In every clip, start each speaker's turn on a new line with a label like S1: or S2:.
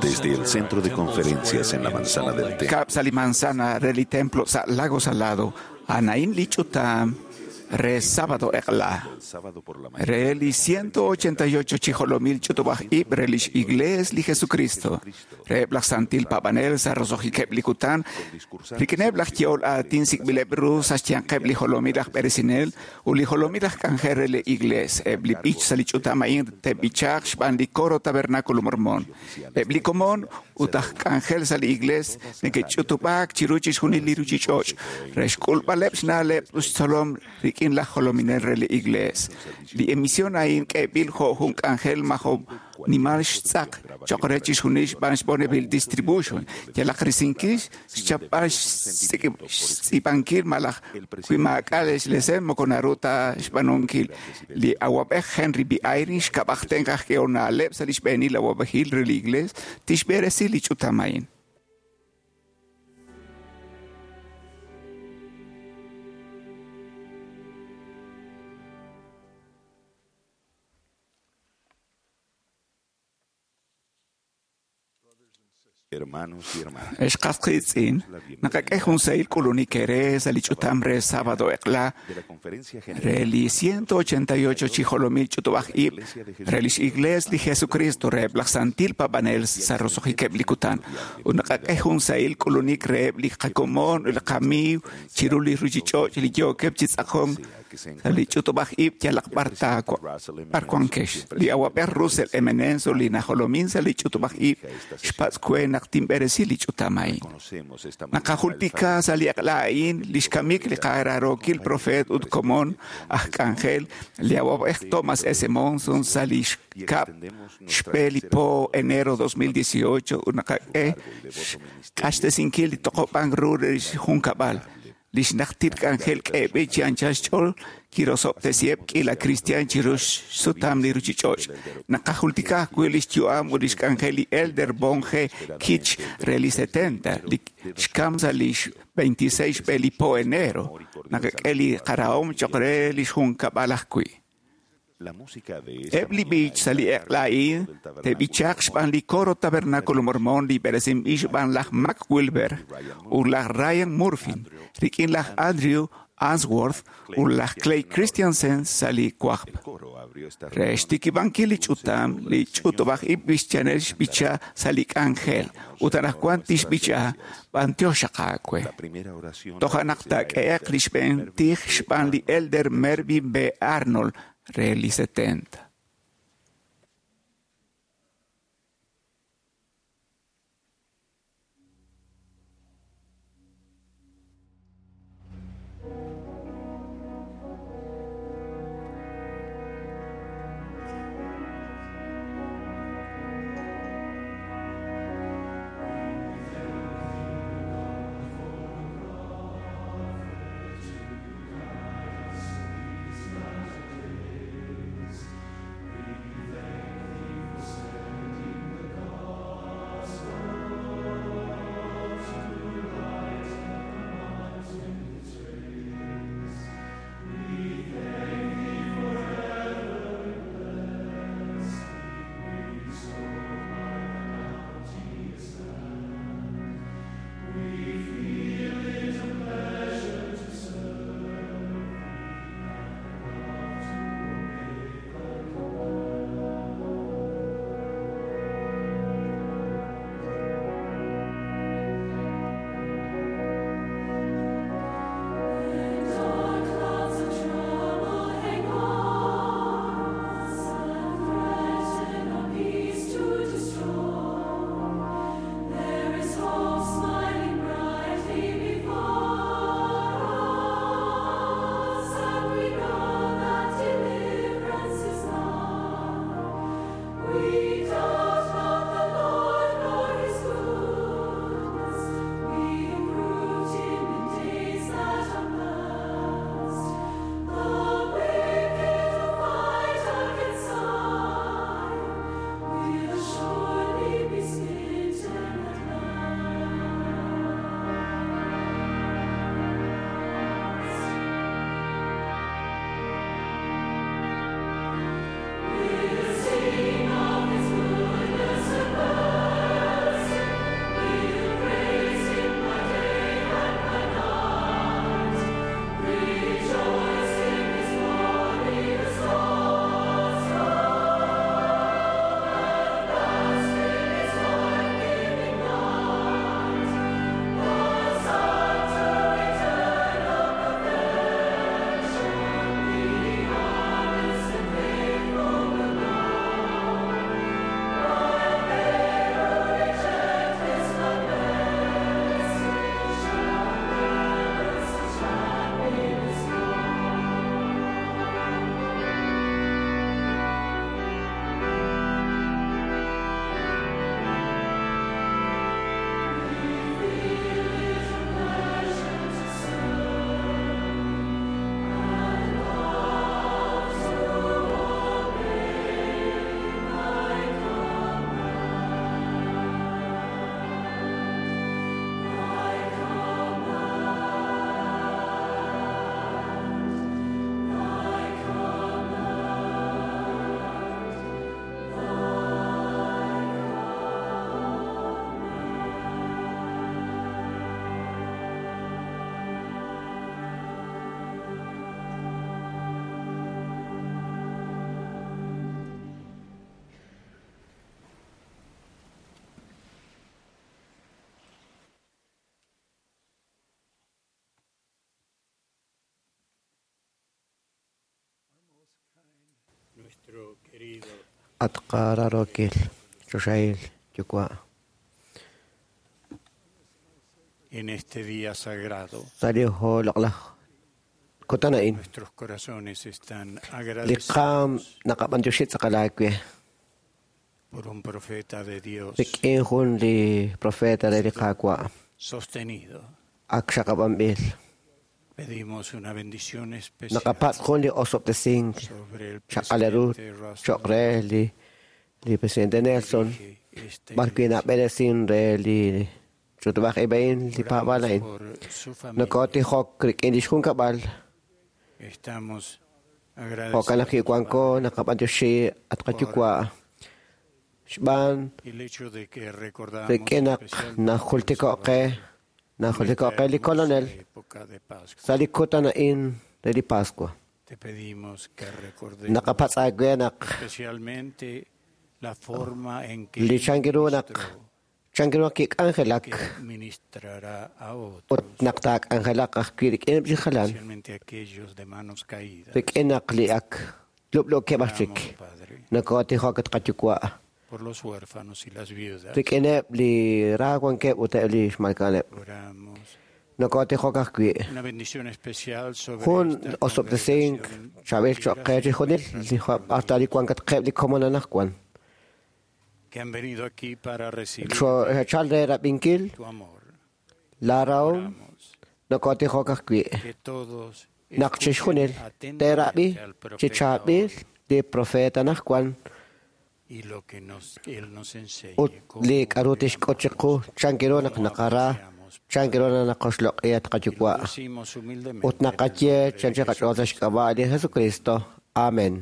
S1: Desde el Centro de Conferencias en la Manzana del Templo.
S2: Kab' sa' li manzana re li templo sa' Lago Salado, a'an li ch'utam re sábado eq'la.
S1: El sábado por la mañana.
S2: Re li 188 chi jolomil ch'utub'aj ib' re lix Iglees li Jesucristo. Reheb' laj Santil Paab'anel sa' roso'jikeb' li kutan, rik'ineb' laj ye'ol aatin sik'b'ileb' ru sa' xyanqeb' li jolomil aj b'eresinel ut li jolomil aj k'anjel re li Iglees. Eb' li b'ich sa' li ch'utam a'in te'b'ichaaq xb'aan li coro Tabernáculo Mormón. Eb' li komon ut aj k'anjel sa' li Iglees neke'ch'utub'aak chiru chixjunil li ruchich'och' re xk'ulb'aleb' xna'leb' ut xtzolom rik'in laj jolominel re li Iglees. Li emisión a'in k'eeb'il jo' jun k'anjel majo nimal xtz'aq cho'q re chixjunil xb'aan Bonneville Distribution. Yalaq risinkil xchapb'al xtz'iib'ankil malaj wi maak'a' xlesen moko naru ta xb'aanunkil. Li awab'ej Henry B. Eyring xkab'aj tenq aj k'ehol na'leb' sa' li xb'eenil awab'ejil re li Iglees tixb'eresi li ch'utam a'in.
S1: Hermanos y hermanas.
S2: Ex qas qiitz'in, naqak'e jun sahil k'ulunik eere sa' li ch'utam re sábado eq'la
S1: De la Conferencia General
S2: re li 188 chi jolomil ch'utub'aj ib' re lix Iglees li Jesucristo reheb' laj Santil Paab'anel sa' roso'jikeb' li kutan. Ut naqak'e jun sahil k'ulunik reheb' li qakomon ut li qamiiw chiru li ruchich'och' li yookeb' chi tz'aqonk sa' li ch'utub'aj ib' yalaq b'ar taawa b'ar wankex. Li awab'ej Russell M. Nelson li najolomin sa' li ch'utub'aj ib' xpatz' we naq tinb'eresi li ch'utam a'in.
S1: conocemos esta mañana el
S2: Naqajultika sa' li eq'la a'in li xkamik li qaraarookil profeet ut komon aj k'anjel li awab'ej Thomas S. Monson sa' li xkab' xb'e li po enero 2018 ut naqak'e xq'axtesinkil li toq'ob'ank ru re xjunkab'al. Li xnajtil k'anjel k'eeb'il chi anchal xch'ool kirosob'tesiheb' k'iila cristian chiru xsutam li ruchich'och'. Naqajultika ajwi' li xyu'am ut li xk'anjel li Elder Von G. Kitch re li 70, li xkam sa' li 26 xb'e li po enero. Naqak'e li qarahom cho'q re li xjunkab'al ajwi'.
S1: La música de esta
S2: Eb' li
S1: mañana
S2: b'ich sa' li eq'la a'in
S1: del Tabernáculo
S2: te'b'ichaaq xb'aan li coro Tabernáculo Mormón li b'eresinb'il xb'aan laj Mac Wilber ut laj Ryan Murphy, rik'in laj Andrew Answorth ut laj Clay Christiansen sa' li wajb'.
S1: El coro abrió esta
S2: Re
S1: reunión
S2: xtikib'ankil li ch'utam, li ch'utub'aj ib' b'ichanel xb'icha sa' li k'anjel ut anaqwan tixb'icha b'antiox aawe.
S1: La primera oración
S2: Toja' naq taak'ehe'q li xb'een tij xb'aan li Elder Mervyn B. Arnold re li 70.
S3: These last days At qararokil choxahil yuwa'.
S4: En este día sagrado,
S3: Sa' li loq'laj kutan a'in
S4: nuestros corazones están
S3: li qaam
S4: agradecidos
S3: naqab'antioxi tz'aqal aawe
S4: por un profeta de Dios
S3: rik'in jun li profeta re li Qaawa'
S4: sostenido.
S3: ak xaqab'anb'il.
S4: Pedimos una bendición especial
S3: Naqapatz' jun li osob'tesink
S4: sobre el
S3: xaqal ru
S4: presidente Russell
S3: cho'q re li presidente Nelson
S4: dirige esta
S3: b'ar wi'
S4: iglesia.
S3: nab'eresin re li ch'utub'aj ib' a'in li paab'aal
S4: Oramos
S3: a'in.
S4: por su familia.
S3: Nokotijok rik'in lix junkab'al
S4: Estamos
S3: jo'kan naq
S4: agradecidos
S3: kiwanko naqab'antioxi at qayuwa' xb'aan
S4: el hecho de que recordamos
S3: rik'in naq
S4: especialmente
S3: najultiko' qe najultiko'
S4: esta
S3: qe li
S4: hermosa
S3: Kolonel
S4: época de Pascua.
S3: sa' li kutan a'in re li Pascua.
S4: Te pedimos que recordemos
S3: Naqapatz' aawe naq
S4: especialmente la forma en que
S3: li chankiru naq
S4: ministró,
S3: chankiru naq kik'anjelak
S4: que ministrará a
S3: ut
S4: otros,
S3: naq taak'anjelaq ajwi' rik'ineb' li jalan
S4: especialmente aquellos de manos caídas.
S3: rik'in naq li ak lub'luukeb' aj chik.
S4: Oramos, Padre,
S3: Nokotijok at qayuwa'
S4: por los huérfanos y las viudas.
S3: rik'ineb' li ra wankeb' ut eb' li xmalka'aneb'.
S4: Oramos
S3: Nokotijok ajwi'
S4: una bendición especial sobre
S3: jun
S4: esta
S3: osob'tesink
S4: congregación
S3: chaab'il
S4: y
S3: cho'q qe
S4: gracias
S3: chixjunil
S4: por
S3: li hasta li wankatqeb' li komon anaqwan.
S4: que han venido aquí para recibir
S3: Xe'chal re rab'inkil
S4: tu amor.
S3: la rahom
S4: Oramos
S3: nokotijok ajwi'
S4: que todos
S3: naq
S4: escuchen
S3: chixjunil te'rab'i
S4: atentamente al
S3: chi
S4: profeta
S3: chaab'il
S4: hoy
S3: li profeta anaqwan
S4: y lo que nos, él nos enseñe,
S3: ut
S4: cómo
S3: li k'a'ru
S4: le
S3: tixk'ut chiqu
S4: amamos,
S3: chankiru naq
S4: cómo
S3: naqara
S4: apreciamos,
S3: chankiru naq naqoxloq'i at
S4: Y lo
S3: qayuwa'
S4: decimos humildemente
S3: ut
S4: en el
S3: naqaye
S4: nombre de
S3: chanchi qach'ool sa'
S4: Jesucristo.
S3: xk'ab'a' li Jesucristo. Amén.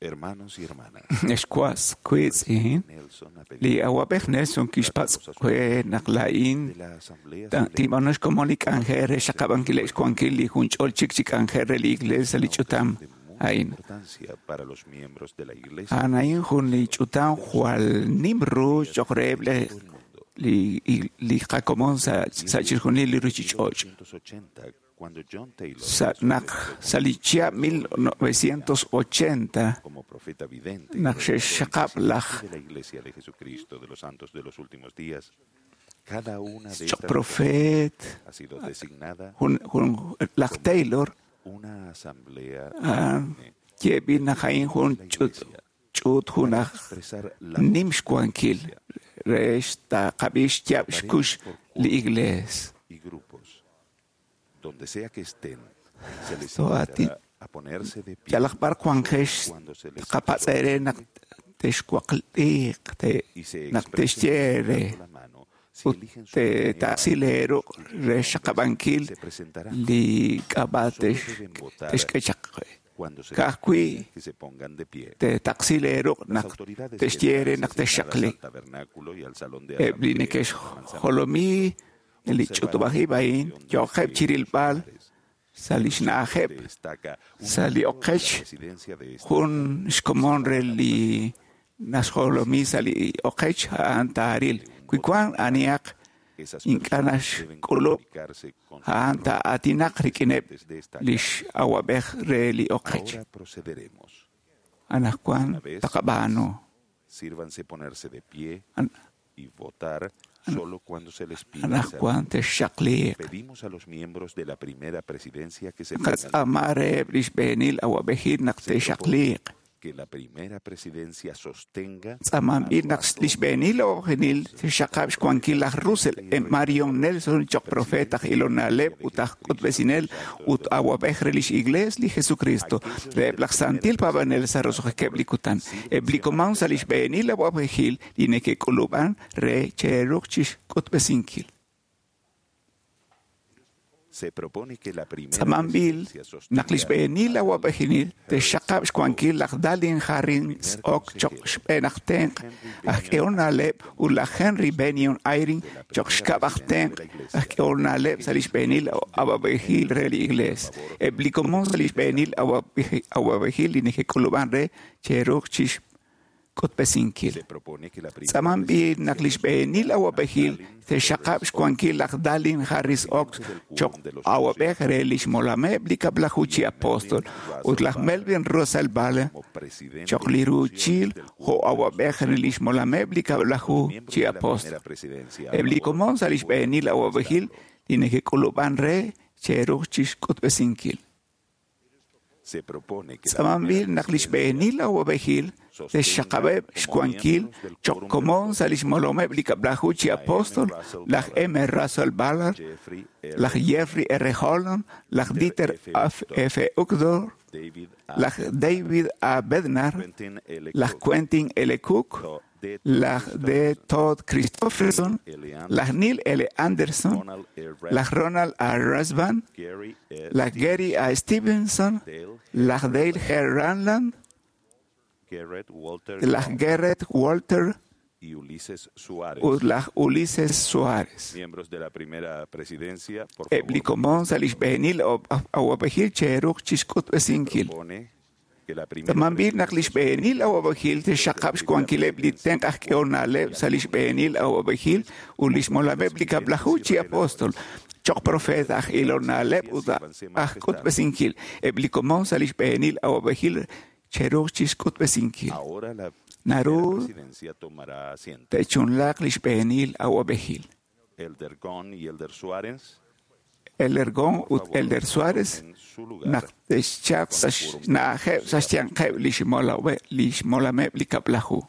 S1: Hermanos y hermanas,
S2: Xwas kwitz'
S1: Nelson ha
S2: li
S1: pedido
S2: awab'ej Nelson kixpatz' we naq la'in
S1: de la asamblea
S2: tib'anox komon li k'anjel re xaqab'ankil xwankil li junch'ol chik chi k'anjel re li iglesia li
S1: una
S2: ch'utam
S1: ocasión de mucha
S2: a'in.
S1: importancia para los miembros de la iglesia
S2: A'an a'in jun li ch'utam jwal nim ru cho'q reheb'
S1: de todo el mundo.
S2: li qakomon sa' chixjunil li ruchich'och'.
S1: 1980, cuando John Taylor
S2: Sa' naq sa' li chihab' 1980
S1: como profeta vidente y
S2: naq
S1: redentor y
S2: xe'xaqab' laj
S1: presidente de la Iglesia de Jesucristo de los Santos de los Últimos Días, cada una de
S2: cho'q
S1: estas
S2: profet
S1: ha sido designada
S2: jun laj Taylor
S1: una asamblea
S2: a'an
S1: solemne
S2: ye'b'il naq a'in jun
S1: de la
S2: ch'ut
S1: Iglesia
S2: ch'ut jun
S1: para
S2: aj
S1: expresar la
S2: nim xwankil re xtaqab'ix xyaab' xkux li iglees.
S1: y grupos. Donde sea que estén, se les
S2: So, a ti-
S1: invitará a ponerse de pie
S2: Yalaq b'ar wanqex
S1: cuando se les
S2: tqapatz' eere naq texwaqliiq te
S1: y se
S2: naq
S1: expresen
S2: texye re
S1: levantando la mano si
S2: ut
S1: eligen su
S2: te
S1: primera
S2: ta'sil eeru' re xaqab'ankil
S1: se presentará
S2: li k'ab'a
S1: Solo deben votar
S2: texk'e chaq
S1: cuando se les
S2: ka'ajwi'
S1: pida que se pongan de pie.
S2: te ta'sil eeru'
S1: Las
S2: naq
S1: autoridades
S2: texye re
S1: quedarán
S2: naq
S1: asignadas
S2: texxaqli.
S1: al tabernáculo y al salón de
S2: Eb' li
S1: asamblea de la manzana
S2: neke'xjolomi li
S1: observarán
S2: ch'utub'aj
S1: la
S2: ib' a'in
S1: acción de
S2: yo'qeb'
S1: los
S2: chirilb'al
S1: lugares.
S2: sa' li xna'ajeb'
S1: Destaca un
S2: sa' li
S1: miembro de la
S2: oqech
S1: presidencia de esta
S2: jun xkomon re li naxjolomi sa' li oqech a'an taaril. Wi wan anihaq
S1: Esas
S2: ink'a'
S1: personas deben
S2: naxk'ulub'
S1: comunicarse con sus
S2: a'an taa'aatinaq rik'ineb'
S1: presidentes de esta
S2: li x'awab'ej re li oqech.
S1: Ahora procederemos.
S2: Anaqwan taqab'aanu.
S1: Sírvanse ponerse de pie
S2: An-
S1: y votar solo cuando se les pida hacerlo.
S2: Anaqwan texxaqliiq.
S1: Pedimos a los miembros de la primera presidencia que se pongan
S2: Qatz'ama reheb' li xb'eenil awab'ejil naq
S1: Se propone
S2: texxaqliiq.
S1: que la primera presidencia sostenga
S2: Tz'amanb'il naq li xb'eenil awab'ejil xaqab' xwankil laj Russell M. Marion Nelson cho'q profeta aj ilonaleb' ut aj k'utb'esinel ut awab'ej re lix iglees li Jesucristo reheb' laj santil paab'anel sa' roso'jikeb' li kutan. Eb' li komon sa' li xb'eenil awab'ejil li neke'k'ulub'an re che'ruuq chixk'utb'esinkil.
S1: Se propone que la primera
S2: Tz'amanb'il
S1: presidencia
S2: naq li
S1: sostenga
S2: xb'eenil awab'ejil texxaqab' xwankil laj Dallin Harris ok cho'q xb'een aj tenq' aj k'ehol na'leb' ut laj Henry Bennion Eyring cho'q xkab' aj tenq' aj k'ehol na'leb' sa' li xb'eenil awab'ejil re li iglees. Eb' li komon sa' li xb'eenil awab'ejil li neke'k'ulub'an re che'ruuq chixk'utb'esinkil. chixk'utb'esinkil. Tz'amanb'il naq li xb'eenil awab'ejil te'xxaqab' xwankil laj Dallin Harris Oaks cho'q awab'ej re li xmolameb' li kab'laju chi apóstol ut laj Melvin Russell Ballard cho'q li ruuchil jo' awab'ej re li xmolameb' li kab'laju chi apóstol. Eb' li komon sa' li xb'eenil awab'ejil li neke'k'ulub'an re che'ruuq chixk'utb'esinkil. Tz'amanb'il naq li xb'eenil awab'ejil te'xxaqab'eb' xwankil cho'q komon sa' li xmolomeb' li kab'laju chi apóstol laj M. Russell Ballard, laj Jeffrey R. Holland, laj Dieter F. Uchtdorf, laj David A. Bednar, laj Quentin L. Cook, laj D. Todd Christofferson, laj Neil L. Anderson, laj Ronald A. Rasband, laj Gary A. Stevenson, laj Dale G. Ranland, laj Garrett Walter
S1: y Ulises Suárez.
S2: Ut laj Ulises Suárez.
S1: Miembros de la primera presidencia, por
S2: Eb' li
S1: favor,
S2: komon sa' li xb'eenil awab'ejil che'ruuq chixk'utb'esinkil.
S1: propone que la primera
S2: Tz'amanb'il naq li xb'eenil awab'ejil te'xxaqab' xwankileb' li tenq' aj k'ehol na'leb' sa' li xb'eenil awab'ejil ut li xmolameb' li kab'laju chi apóstol cho'q profeet aj ilol na'leb' ut aj k'utb'esinkil. Eb' li komon sa' li xb'eenil awab'ejil che'ruuq chixk'utb'esinkil.
S1: Ahora la
S2: Naru
S1: primera presidencia tomará asiento.
S2: te'chunlaaq li xb'eenil awab'ejil.
S1: Elder Gong y Elder Suárez,
S2: Elder Gong
S1: por
S2: ut
S1: favor,
S2: Elder Suárez
S1: tomen su lugar.
S2: naq te'xchaq sa' xna'ajeb' sa' xyanqeb' li xmolameb' li kab'laju.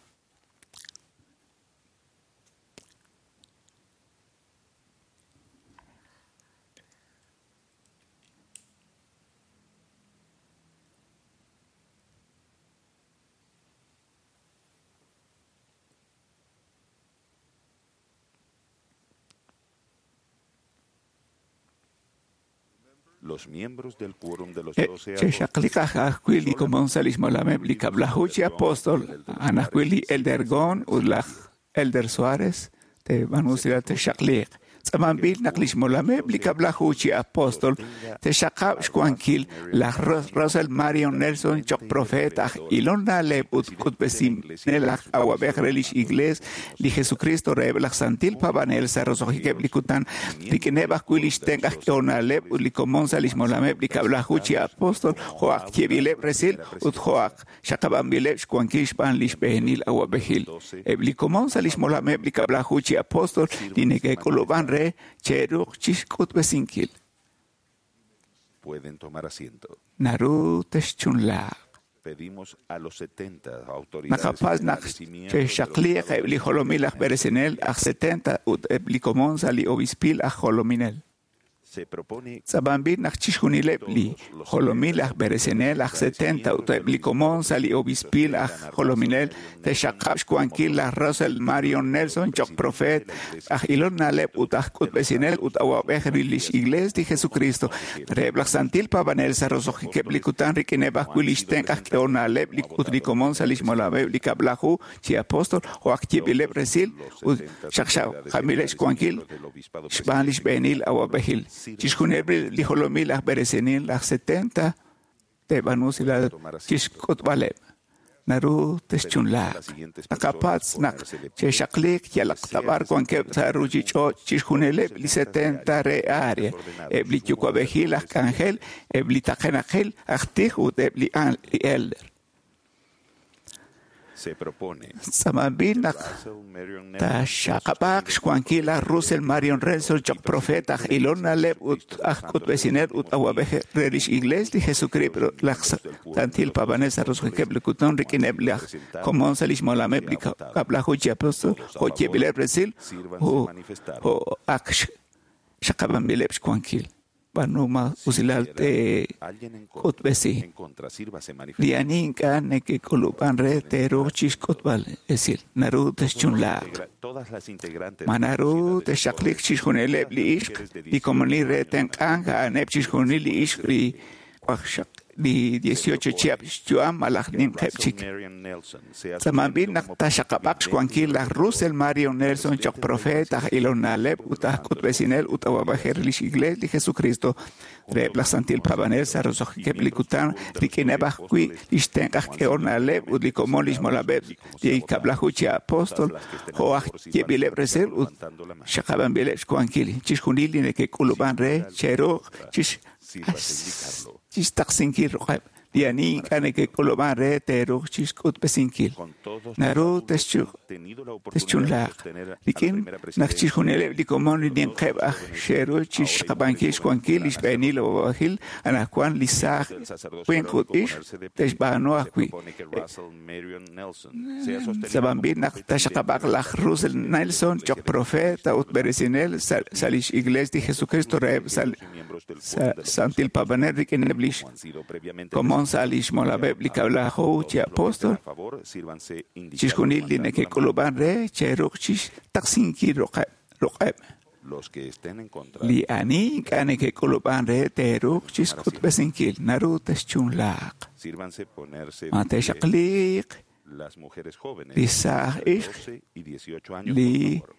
S1: Los miembros del quórum de los doce apóstoles
S2: Che'xaqliq ajwi' li komon sa' li xmolameb' li kab'laju chi apóstol, a'an ajwi' li Elder Gong ut laj Elder Suárez te'b'aanu usilal te'xaqliq. Tz'amanb'il naq li xmolameb' li kab'laju chi apóstol te'xaqab' xwankil laj Russell Marion Nelson cho'q profeet aj ilol na'leb' ut k'utb'esinel aj awab'ej re lix Iglees li Jesucristo reheb' laj santil paab'anel sa' roso'jikeb' li kutan rik'ineb' ajwi' li xtenq' aj k'ehol na'leb' ut li komon sa' li xmolameb' li kab'laju chi apóstol jo' aj yeeb'ileb' resil ut jo' aj xaqab'anb'ileb' xwankil xb'aan li xb'eenil awab'ejil. Eb' li komon sa' li xmolameb' li kab'laju chi apóstol li neke'k'ulub'an re che'ruuq chixk'utb'esinkil.
S1: pueden tomar asiento.
S2: Naru texchunlaaq.
S1: Pedimos a los 70 autoridades
S2: Naqapatz' naq
S1: generales y miembros de los
S2: che'xaqliq eb' li jolomil aj b'eresinel aj 70 ut eb' li komon sa' li obispil aj jolominel.
S1: Se propone
S2: Tz'abanb'il naq chixjunileb' li jolomil aj b'eresinel aj 70 ut eb' li komon sa' li obispil aj jolominel te'xaqab' xwankil laj Russell Marion Nelson cho'q profeet aj ilol na'leb' ut aj k'utb'esinel ut awab'ej re lix Iglees li Jesucristo reheb' laj santil paab'anel sa' roso'jikeb' li kutan rik'ineb' ajwi' li xtenq' aj k'ehol na'leb' ut li komon sa' li xmolameb' li kab'laju chi apóstol jo' aj yeeb'ileb' resil ut xaqxaqamileb' xwankil xb'aan li xb'eenil awab'ejil. Chixjunileb' li jolomil aj b'eresinel aj 70 te'b'aanu usilal chixk'utb'aleb'. Naru texchunlaaq. Naqapatz' naq che'xaqliq yalaq tab'ar wankeb' sa' ruuchich'och' chixjunileb' li 70 re área, eb' li yuwa'b'ejil aj k'anjel, eb' li taqenaqil aj tij ut eb' li elder.
S1: Se propone
S2: Tz'amanb'il naq
S1: Russell Marion Nelson
S2: taxaqab'aaq xwankil laj Russell Marion Nelson cho'q profeet aj ilol na'leb' ut aj k'utb'esinel ut awab'ej re lix Iglees li Jesucristo laj santil paab'anel sa' roso'jikeb' li kutan rik'ineb' laj komon sa' li xmolameb' li kab'laju chi apóstol jo' yeeb'ileb' resil jo' ak xaqab'anb'ileb' xwankil. B'aanu ma usilal te
S1: Alguien en contra,
S2: k'utb'esi.
S1: en contra, sírvase manifestar.
S2: Li ani ink'a' neke'k'ulub'an re te'ruuq chixk'utb'al esil. Naru texchunlaaq.
S1: Todas las integrantes
S2: Ma
S1: de la
S2: naru
S1: sociedad de
S2: texxaqliq
S1: socorro,
S2: chixjunileb' li
S1: todas las
S2: ixq
S1: mujeres de
S2: li komonil re
S1: 19 años
S2: tenq'ank a'aneb' chixjunil li ixq li waqxaq li 18 chihab' xyu'am malaj ninqeb'
S1: Russell
S2: chik.
S1: Marion Nelson sea
S2: Tz'amanb'il
S1: sostenido
S2: naq
S1: como
S2: taxaqab'aq
S1: vidente
S2: xwankil laj Russell Marion Nelson choq profeet aj ilonaleb' ut aj k'utb'esinel ut awab'ej re lix Iglees li Jesucristo reheb' laj Santil Paab'anel sa' roso'jikeb' li kutan rik'ineb' ajwi' lix tenq' aj k'ehol na'leb' ut li komon lix molab'eb' li kab'laju chi apóstol jo' aj yeeb'ileb' resil ut xaqab'anb'ileb' xwankil chixjunil li neke'k'ulub'an re cheruuq
S1: Sírvase indicarlo.
S2: chixtaqsinkil ruq'eb' li ani ink'a' neke'k'ulub'an re teeruuq chixk'utb'esinkil
S1: Con todos los
S2: naru
S1: adultos
S2: texchu
S1: han tenido la oportunidad de
S2: texchunlaaq
S1: sostener a la
S2: rik'in
S1: primera
S2: naq
S1: presidencia
S2: chixjunileb' li komon li ninqeb' aj xe'ru chixqab'ankil xwankil li xb'eenil awab'ejil anaqwan li saaj
S1: del sacerdocio
S2: winq ut
S1: arónico
S2: ixq
S1: ponerse de pie.
S2: te'xb'aanu
S1: Se
S2: ajwi'
S1: propone que Russell Marion Nelson sea sostenido
S2: Tz'abanb'il
S1: como
S2: naq
S1: profeta
S2: taxaqab'aq
S1: vidente
S2: laj Russell Nelson choq profeta ut b'eresinel sa' sa' lix Iglees li Jesucristo reheb' sa'
S1: y miembros del
S2: sa'
S1: quórum de los
S2: Santil Paab'anel rik'ineb' lix
S1: como han sido previamente
S2: komon sa' lix molab'eb' li kab'laju chi
S1: Todos los que estén
S2: apóstol
S1: a favor, sírvanse indicar
S2: chixjunil li
S1: levantando la mano.
S2: neke'k'ulub'an re cheruuq chixtaqsinkil ruq'eb' ruq'eb'
S1: Los que estén en contra,
S2: li ani ink'a' neke'k'ulub'an re teeruuq chixk'utb'esinkil naru texchunlaaq
S1: sírvanse ponerse
S2: ma
S1: de pie
S2: texaqliq
S1: las mujeres jóvenes
S2: li saaj
S1: entre
S2: ixq
S1: 12 y 18 años,
S2: li
S1: por favor.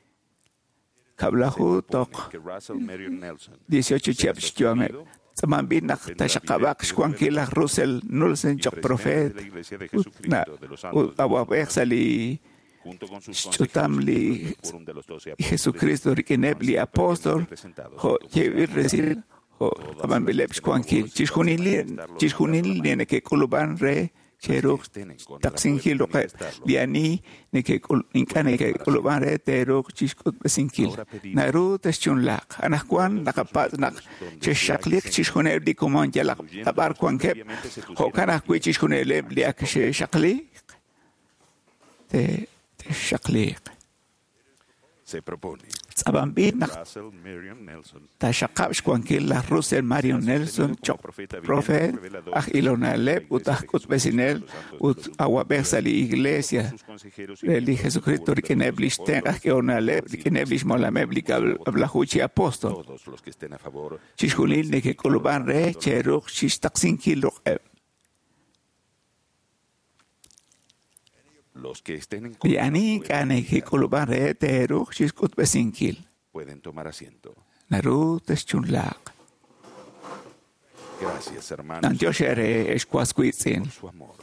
S2: kab'laju
S1: Se
S2: toq
S1: propone que Russell Marion Nelson
S2: 18 chihab' xyu'ameb' tz'amanb'il naq taxaqab'aq xwankil laj Russell Nelson
S1: y
S2: choq
S1: presidente
S2: profeet
S1: de la Iglesia de
S2: ut na
S1: Jesucristo de los
S2: ut
S1: Santos de los
S2: awab'ej sa' li
S1: junto con sus
S2: xch'utam
S1: consejeros y
S2: li
S1: miembros del quórum de los doce apóstoles,
S2: Jesucristo rik'ineb'
S1: han
S2: li
S1: sido
S2: apóstol
S1: previamente presentados
S2: jo'
S1: como se ha
S2: yeeb'il
S1: nombrado.
S2: resil jo'
S1: Todas las que
S2: tz'amanb'ileb'
S1: estén a
S2: xwankil
S1: favor, sírvanse
S2: chixjunil
S1: manifestarlo
S2: chixjunil
S1: levantando la
S2: li
S1: mano.
S2: neke'k'ulub'an re
S1: Los que
S2: cheruuq
S1: estén en contra
S2: taqsinkil
S1: pueden
S2: ruq'eb'
S1: manifestarlo.
S2: li ani ink'a' neke'k'ulub'an re teeruuq chixk'utb'esinkil
S1: Ahora pedimos
S2: naru texchunlaaq anaqwan
S1: todos los
S2: naqapatz' naq
S1: círculos donde se
S2: chexxaqliq
S1: hayan
S2: chixjunileb' li komon yalaq
S1: incluyendo
S2: tab'ar
S1: los que
S2: wankeb'
S1: previamente se pusieron
S2: jo'kan
S1: de
S2: ajwi'
S1: pie,
S2: chixjunileb' li ak
S1: así como
S2: xe'xaqliq te- texxaqliq
S1: se propone
S2: tz'abanb'il naq
S1: Russell Marion Nelson
S2: taxaqab' xwankil laj Russell Marion
S1: sea sostenido
S2: Nelson
S1: como
S2: choq
S1: profeta vidente,
S2: profeet
S1: revelador
S2: aj
S1: de la
S2: ilonaleb' ut
S1: Iglesia
S2: aj
S1: de Jesucristo de
S2: k'utb'esinel
S1: los Santos de
S2: ut
S1: los Últimos
S2: awab'ej
S1: Días,
S2: sa' li
S1: junto con
S2: Iglesia
S1: sus consejeros y
S2: re li
S1: miembros del
S2: Jesucristo
S1: quórum de los
S2: rik'ineb'
S1: doce
S2: lix tenq' aj
S1: apóstoles,
S2: k'ehonaleb'
S1: han sido
S2: rik'ineb' lix
S1: presentados
S2: molameb' li
S1: como se ha votado.
S2: kab'laju chi apóstol
S1: Todos los que estén a favor,
S2: chixjunil
S1: sírvanse indicarlo
S2: neke'k'ulub'an re
S1: levantando la mano.
S2: cheruuq chixtaqsinkil ruq'eb'
S1: Los que estén en
S2: li
S1: contra
S2: ani ink'a'
S1: pueden indicarlo.
S2: neke'k'ulub'an re teeruuq chixk'utb'esinkil
S1: Pueden tomar asiento.
S2: naru texchunlaaq
S1: Gracias, hermanos,
S2: nantiox ere ex waswiitz'in
S1: por su amor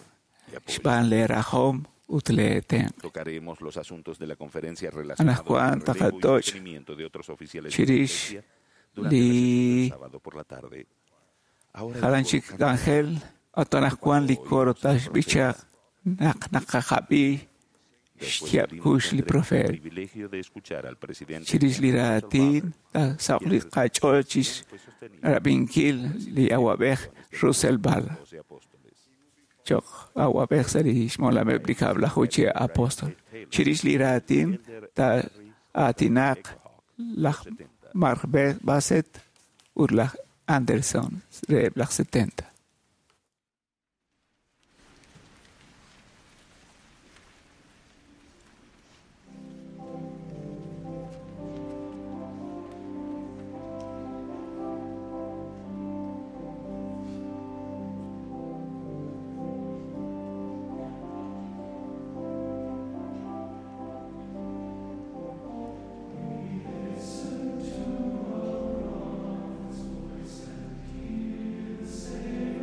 S1: y apoyo.
S2: xb'aan leerajom ut leetenq'
S1: Tocaremos los asuntos de la conferencia relacionados con
S2: anaqwan
S1: el relevo y
S2: taqatoch
S1: sostenimiento de otros oficiales de la
S2: chirix
S1: Iglesia durante la sesión
S2: li
S1: del sábado por la tarde. Ahora el
S2: jalan
S1: coro
S2: chik
S1: cantará.
S2: k'anjel at anaqwan li
S1: Cuando
S2: coro
S1: oímos al
S2: taxb'ichaq
S1: profeta,
S2: naq naqajab'i
S1: después
S2: xyaab'
S1: tuvimos
S2: kuux li
S1: tendremos el
S2: profeet
S1: privilegio de escuchar al presidente
S2: chirix li
S1: Russell
S2: raatin
S1: Ballard,
S2: saq
S1: quien
S2: li qach'ool chix
S1: también fue sostenido
S2: rab'inkil li awab'ej
S1: por el
S2: Russell
S1: presidente de
S2: Ball
S1: los doce apóstoles.
S2: choq awab'ej sa' li xmolameb' li kab'laju chi
S1: Elder Brian
S2: apóstol
S1: A. Taylor,
S2: chirix li raatin
S1: Elder
S2: ta
S1: Henry
S2: aatinaq
S1: Echohawk,
S2: laj
S1: los 70.
S2: Mark Bassett ut laj Anderson reheb' laj 70.
S5: Listen to a prophet's voice and hear the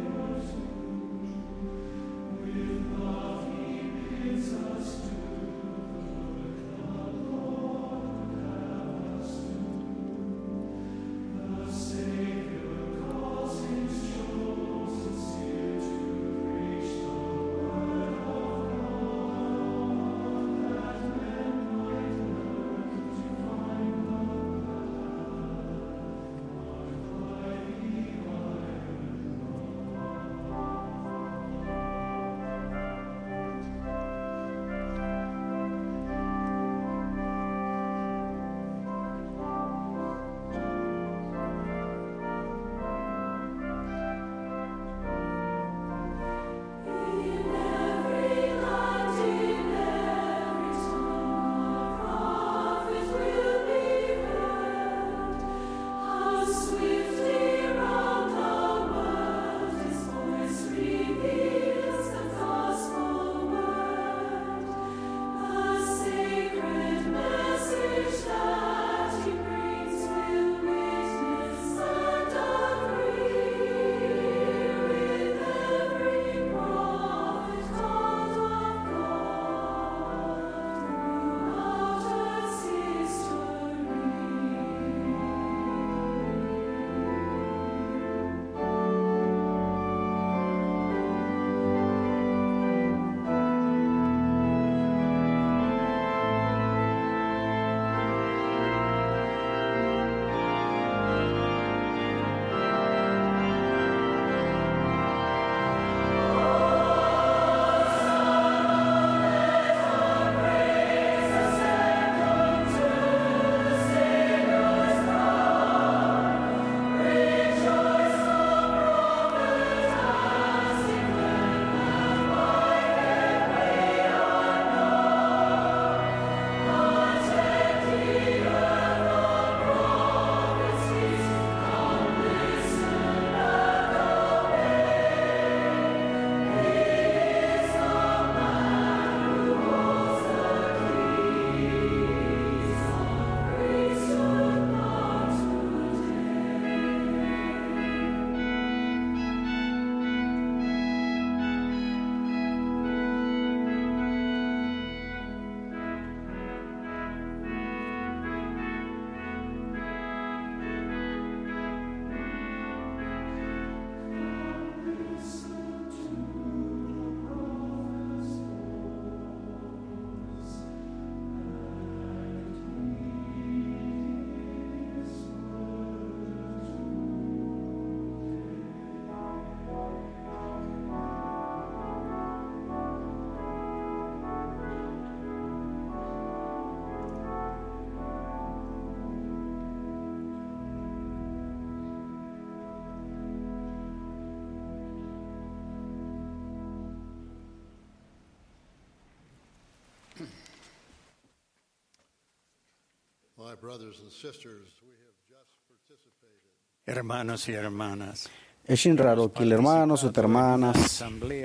S4: Hermanos y hermanas,
S5: Ex inrarokil hermanos ut hermanas,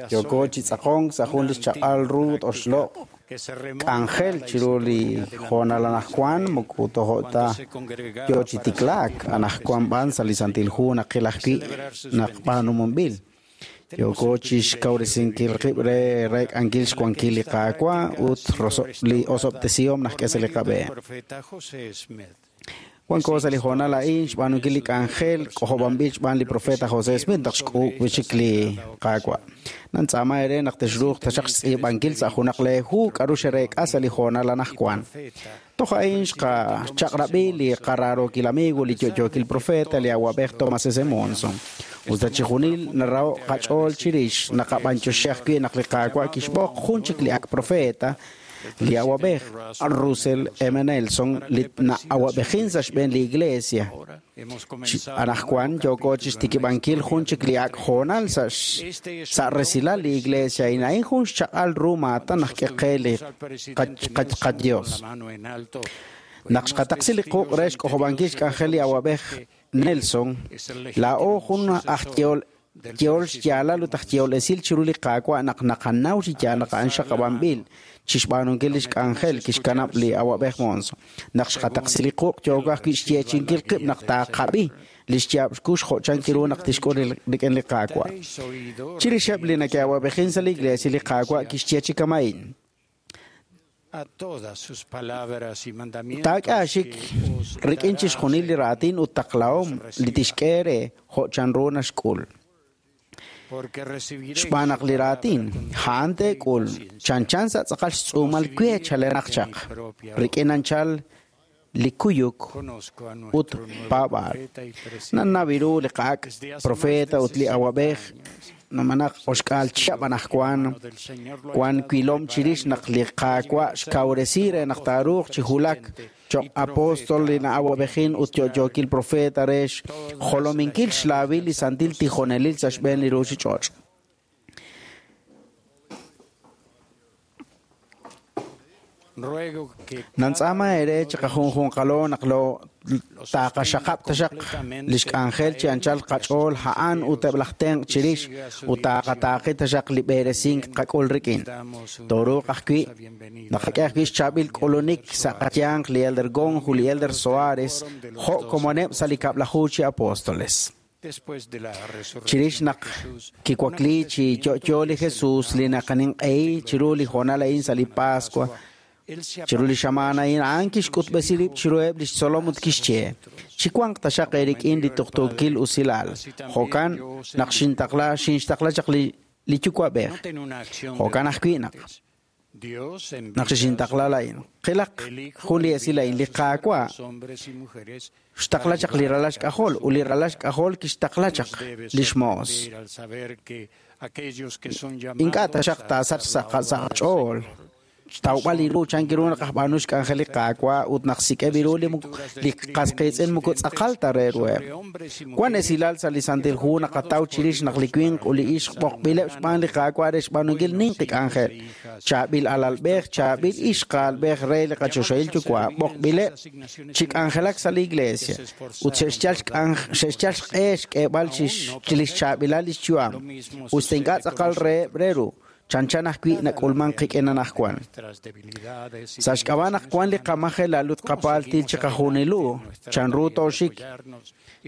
S5: yooko chi tz'aqonk sa' jun li xchaq'al ru oxloq' k'anjel chiru li hoonal anaqwan moko tojo' ta yo chi tiklaak anaqwan b'an sa' li Santil Hu naqil ajwi' naq b'aanumunb'il. Yooko chi xkawresinkil qib' re reek'ankil xwankil li Qaawa' ut li osob'tesihom naq k'e sa' li qab'een. Wanko sa' li hoonal a'in xb'aanunkil li k'anjel k'ojob'anb'il xb'aan li profeta José Smith naq xk'uub' wi'chik li Qaawa'. Nantz'aama eere naq texruuq taxaq xtz'iib'ankil sa' junaq lee hu k'a'ru xereek'a sa' li hoonal anaqwan. Toj a'in xqachaq'rab'i li qaraarookil amigo li yo'yookil profeta li awab'ej Thomas S. Monson. Us ta chixjunil naraho' qach'ool chirix naqab'anyoxi ajwi' naq li Qaawa' kixb'oq jun chik li ak' profeta li awab'ej Russell M. Nelson li na'awab'ejin sa' xb'een li Iglesia. Anaqwan yooko chixtikib'ankil jun chik li ak' hoonal sa' resilal li Iglesia a'in a'in jun xchaq'al ru maatan naq k'e qe li qaDios. Naq xqataqsi li quq' re xk'ojob'ankil xk'anjel li awab'ej Nelson, laa'o jun aj yehol xyaalal ut aj yehol esil chiru li Qaawa' naq naqanaw chi yaal naq a'an xaqab'anb'il chixb'aanunkil lix k'anjel kixkanab' li awab'ej Monson. Naq xqataqsi li quq' yooko ajwi' xyeechi'inkil qib' naq taaqab'i li xyaab' xkux jo' chan kiru naq tixk'ul rik'in li Qaawa'. Chirixeb' li neke'awab'ejin sa' li Iglesia li Qaawa' kixye chi kama'in. Taak'e aaxik rik'in chixjunil li raatin ut taqlahom li tixk'e eere jo' chanru naxk'ul. Xb'aan naq li raatin a'an teek'ul chanchan sa' tz'aqal xtz'uumal we chalenaq chaq, rik'in anchal li kuyuk ut paab'aal. Nannaw ru li qa'ak' profeta ut li awab'ej numenaq oxk'aal chihab' anaqwan wan wilom chirix naq li Qaawa' xkawresi re naq taaruuq chi wulak choq' apóstol li na'awab'ejin ut yo'yookil profeta re xjolominkil xlaawil li santil tijonelil sa' xb'een li ruuchich'och'. Nantz'aama eere chiqajunjunqalo naq lo taaqaxaqab' taxaq li xk'anjel chi anchal qach'ool a'an ut eb' laj tenq' chirix ut taaqataaqi taxaq li b'eresink qak'ul rik'in. Tooruuq ajwi' naqak'e ajwi' xchaab'il k'ulunik sa' qayanq li Elder Gong ut li Elder Soares jo' komoneb' sa' li kab'laju chi apóstoles. Chirix naq kiwakli chi yo'yo li Jesús li naqaninq'ehi chiru li hoonal a'in sa' li Pascua, chiru li xamaan a'in a'an kixk'utb'esi rib' chiruheb' lix tzolom ut kixye, chiwanq taxaq eerik'in li tuqtuukil usilal. Jo'kan naq xinxtaqla chaq li yuwa'b'ej. Jo'kan ajwi' naq xixintaqla la'in. Qilaq jun li esil a'in li Qaawa' xtaqla chaq li ralal xk'ajol ut li ralal xk'ajol kixtaqla chaq lix moos. Ink'a' taxaq taasach sa' qach'ool xtawb'al li ru chan kiru naq ajb'aanu xk'anjel li Qaawa' ut naq sik'eb' ru li qas qiitz'in moko tz'aqal ta re ruheb'. Wan esilal sa' li Santil Hu naqataw chirix naq li winq ut li ixq b'oqb'ileb' xb'aan li Qaawa' re xb'aanunkil ninqi k'anjel. Chaab'il alalb'ej, chaab'il ixqaalb'ej re li qachoxahil yuwa' b'oqb'ileb' chi k'anjelak sa' li Iglesia ut xe'xyal xq'e xk'eeb'al chi lix chaab'ilal lix yu'am ut ink'a' tz'aqal reheb' re ru. Chanchan ajwi' nak'ulman qik'in anaqwan. Sa' xk'ab'a' naq wan li qamajelal ut qapaaltil chiqajunilu, chanru tooxik.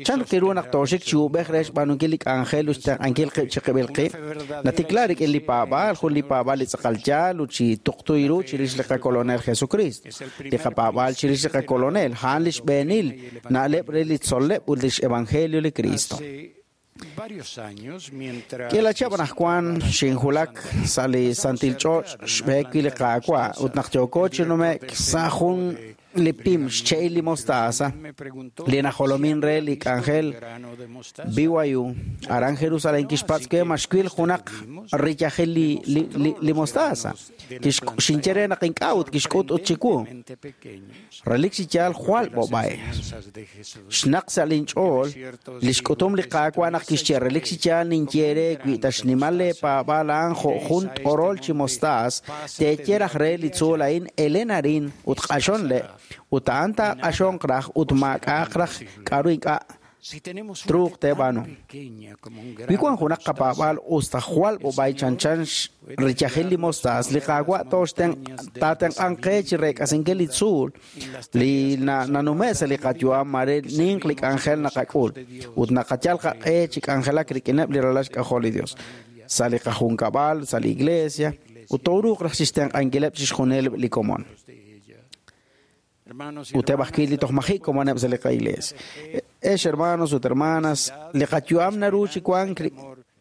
S5: Chan kiru naq tooxik chi ub'ej re xb'aanunkil li k'anjel ut xtenq'ankil qib' chiqib'il qib'. Natikla rik'in li paab'aal, jun li paab'aal li tz'aqal yaal ut chi tuqtu ru chirix li qakolonel Jesucristo. Li qapaab'aal chirix li qakolonel, a'an li xb'eenil na'leb' re li tzol'leb' ut lix evangelio li Cristo. K'ila chihab' anaqwan xinwulak sa' li Santil Ch'och' xb'eek wi' li Qaawa' ut naq yooko chi nume'k sa' jun li pim xche'il li mostaza li najolomin re li k'anjel BYU aran Jerusalén kixpatz' we ma xwil junaq riyajil li mostaza. Xinye re naq ink'a' ut kixk'ut ut chiwu. Relik chi yaal jwal b'ob'ay. Xnaq sa' linch'ool li xk'utum li Qaawa' naq kixye relik chi yaal ninye re wi ta xnimal leepaab'aal a'an jo' jun t'orol chi mostaas, teeye raj re li tzuul a'in elen arin ut q'axon le' Ut a'an taaq'axonq raj ut maak'a'aq raj k'a'ru ink'a'
S4: Si tenemos una
S5: truuq
S4: fe tan
S5: teeb'aanu.
S4: pequeña como un
S5: Wi
S4: grano
S5: wan
S4: de
S5: junaq
S4: mostaza,
S5: qapaab'aal us ta jwal b'ob'ay chanchan riyajil li mostaas, li Qaawa' taatenq'anq qe chi reek'asinkil li tzuul li nanume' sa' li qayu'am mare ninq li k'anjel naqak'ul ut naqayal qaq'e chi k'anjelak rik'ineb' li ralal xk'ajol li Dios sa' li qajunkab'al, sa' li iglesia, ut tooruuq raj chixtenq'ankileb' chixjunil li komon.
S4: de ella. Hermanos y
S5: Ut eb' ajwi' li
S4: hermanas,
S5: toj maji' komoneb' sa' li qailees. Ex hermanos ut hermanas, li qayu'am naru chi wank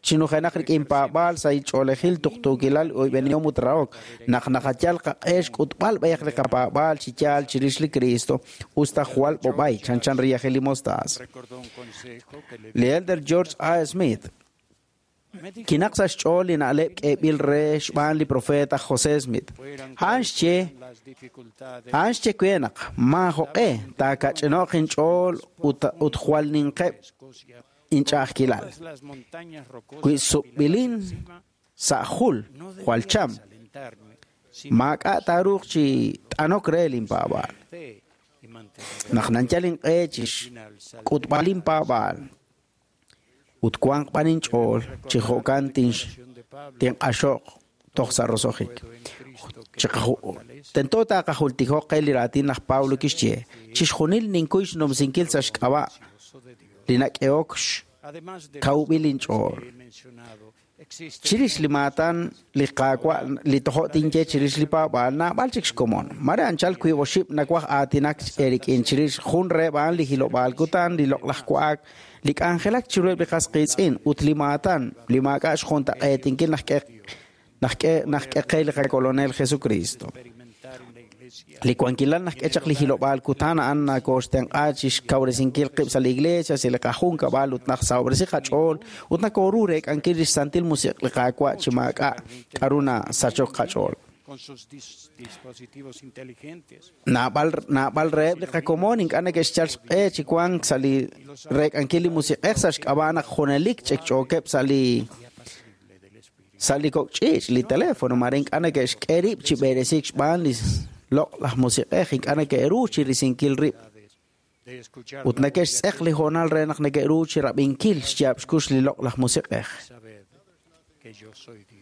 S5: chi nujenaq rik'in paab'aal sa' ch'oolejil tuqtuukilal oyb'enihom ut rahok. Naq naqayal qaq'e xk'utb'al b'ayaq li qapaab'aal chi yaal chirix li Cristo, us ta jwal b'ob'ay chanchan riyajil li mostaas.
S4: recordó un consejo que le
S5: Li Elder George A. Smith
S4: me dijo
S5: kinaq sa' xch'ool li na'leb' k'eeb'il re xb'aan li profeta José Smith.
S4: fueran
S5: A'an
S4: cuales
S5: xye
S4: fueran las dificultades
S5: A'an xye we naq maajoq'e taakach'ino'q inch'ool ut jwal ninqeb'
S4: Escocia,
S5: inch'a'ajkilal.
S4: todas las montañas rocosas
S5: Wi sub'ilin
S4: apiladas encima,
S5: sa' jul
S4: no
S5: jwal
S4: debía
S5: cham,
S4: desalentarme, sino
S5: maak'a' taaruuq chi t'anok re linpaab'aal.
S4: fe y mantener
S5: Naq nanyal inq'e chi
S4: final saldré.
S5: xk'utb'al inpaab'aal ut wanq b'an inch'ool chi jo'kan
S4: De Pablo,
S5: tinq'axo'q toj sa' roso'jik.
S4: puedo en Cristo que me fortalece.
S5: Tento taaqajultikoq qe li raatin laj Pablo kixye, chixjunil ninkuy xnumsinkil sa' xk'ab'a'
S4: Gozo de Dios.
S5: li nak'ehok
S4: Además de los
S5: kawb'il
S4: dones
S5: inch'ool.
S4: que he mencionado, existen
S5: Chirix li maatan li Qaawa' li tojo' tinye chirix li paab'aal naab'al chik xkomon. Mare anchal wiib' oxib' nawaj aatinak eerik'in chirix jun reheb' a'an li hilob'aal kutan, li loq'laj wa'ak, li k'anjelak chiruheb' li qas qiitz'in ut li maatan li maak'a' xjuntaq'eetinkil naj k'e qe li qakolonel Jesucristo.
S4: experimentar en la iglesia
S5: Li wankilal naj k'e chaq li hilob'aal kutan a'an nakooxtenq'a chi xkawresinkil qib' sa' li iglesia, sa' li qajunkab'al ut najsahob'resi qach'ool ut nakooru reek'ankil lix santil musiq' li Qaawa' chi maak'a' k'a'ru nasachok qach'ool.
S4: con sus dispositivos inteligentes.
S5: Naab'al reheb' li qakomon ink'a' neke'xyal xq'e chi wank sa' li reek'ankil li musiq'ej sa' xk'ab'a' naq junelik ch'ekch'ookeb' sa' li
S4: y apacible del Espíritu.
S5: sa' li kok' ch'iich' li teléfono mare ink'a' neke'xk'e rib' chi b'eresiik xb'aan li loq'laj musiq'ej ink'a' neke'ru chi risinkil rib'
S4: De escuchar
S5: ut
S4: la voz de
S5: neke'xtz'eq li hoonal re naq neke'ru chi rab'inkil xyaab' xkux li loq'laj musiq'ej
S4: Sabed que yo soy Dios.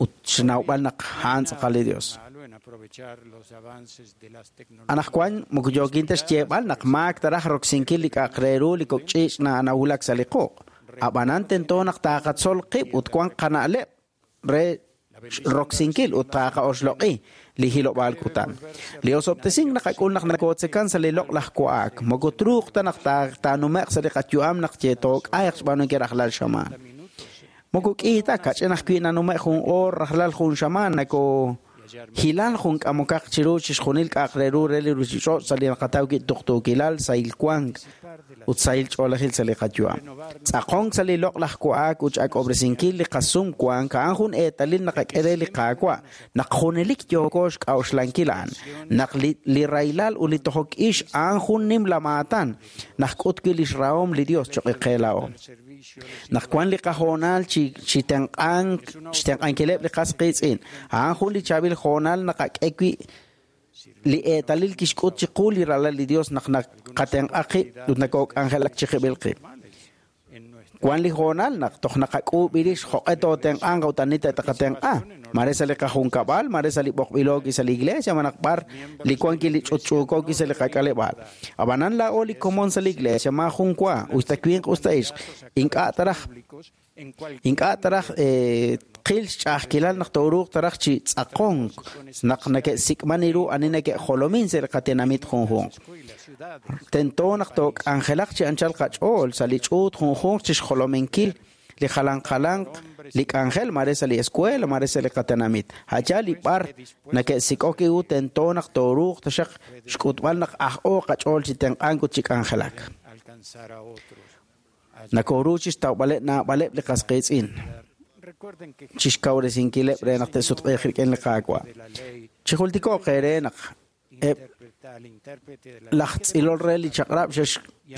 S5: ut xnawb'al naq a'an tz'aqal li Dios.
S4: Malo en aprovechar los avances de las tecnologías.
S5: Anaqwan moko yookin ta xyeeb'al naq maak taraj roksinkil li k'a'aq re ru li kok' ch'iich' nawulak sa' li quq'. Ab'anan tento naq taaqatzol qib' ut wanq qana'leb' re roksinkil ut taaqa'oxloq'i li hilob'aal kutan. Li osob'tesink naqak'ul naq nakootzekан sa' li loq'laj wa'ak. Moko truuq ta naq taanume'q sa' li qayu'am naq yeetook'ayq xb'aanunkil rajlal xamaan. Moko k'iita kach'in ajwi' nanume' jun oor rajlal jun xamaan nako hilal jun k'amokaq chiru chixjunil k'a'aq re ru re li ruchich'och' sa' li naqataw wi' tuqtuukilal sahil wank ut sahil ch'oolejil sa' li qayu'am. Tz'aqonk sa' li loq'laj wa'ak ut x'ak'ob'resinkil li qasum wank a'an jun eetalil naqak'e re li Qaawa' naq junelik yooko xk'a'uxlankil a'an. Naq li rahilal ut li tojok ix a'an jun nimla maatan naq k'ut wi' lix rahom li Dios choq' qe laa'o. Naq wan li qahoonal chi tenq'ank xtenq'ankileb' li qas qiitz'in a'an jun li chaab'il hoonal naqak'e wi' li eetalil kixk'ut chiqu li ralal li Dios naq naqatenq'a qib' ut nakook'anjelak chiqib'il qib'.
S4: En nuestra
S5: Wan li hoonal naq toj naqak'uub' rix joq'e tootenq'anq ut ani taqatenq'a. Mare sa' li qajunkab'al, mare sa' li b'oqb'ilooki sa' li iglesia, manaq b'ar li wankil li ch'utch'uukooki sa' li qak'aleb'aal. Ab'anan laa'o li komon sa' li iglesia maa jun wa, usta winq usta ixq, ink'a' taraj
S4: públicos en cualquier
S5: ink'a' taraj qil xch'a'ajkilal naq tooruuq taraj chi tz'aqonk naq neke'sik'man ru ani neke'jolomin sa' li qatenamit junjunq.
S4: y las ciudades.
S5: Tento naq took'anjelaq chi anchal qach'ool sa' li ch'uut junjunq chi xjolominkil li jalan jalanq li k'anjel mare sa' li escuela mare sa' li qatenamit. Hacha li b'ar neke'sik'ok iu tento naq tooruuq taxaq xk'utb'al naq aj'o qach'ool chi tenq'ank ut chi k'anjelak.
S4: Alcanzar a otros.
S5: Nakooru chi xtawb'aleb' naab'aleb' li qas qiitz'in
S4: Recuerden que
S5: chi xkawresinkileb' re naq te'sutq'iiq rik'in li Qaawa'.
S4: de la ley
S5: Chijultiko'q eere naq eb'
S4: interpreta al intérprete de la
S5: laj tz'ilol re li chaq'rab'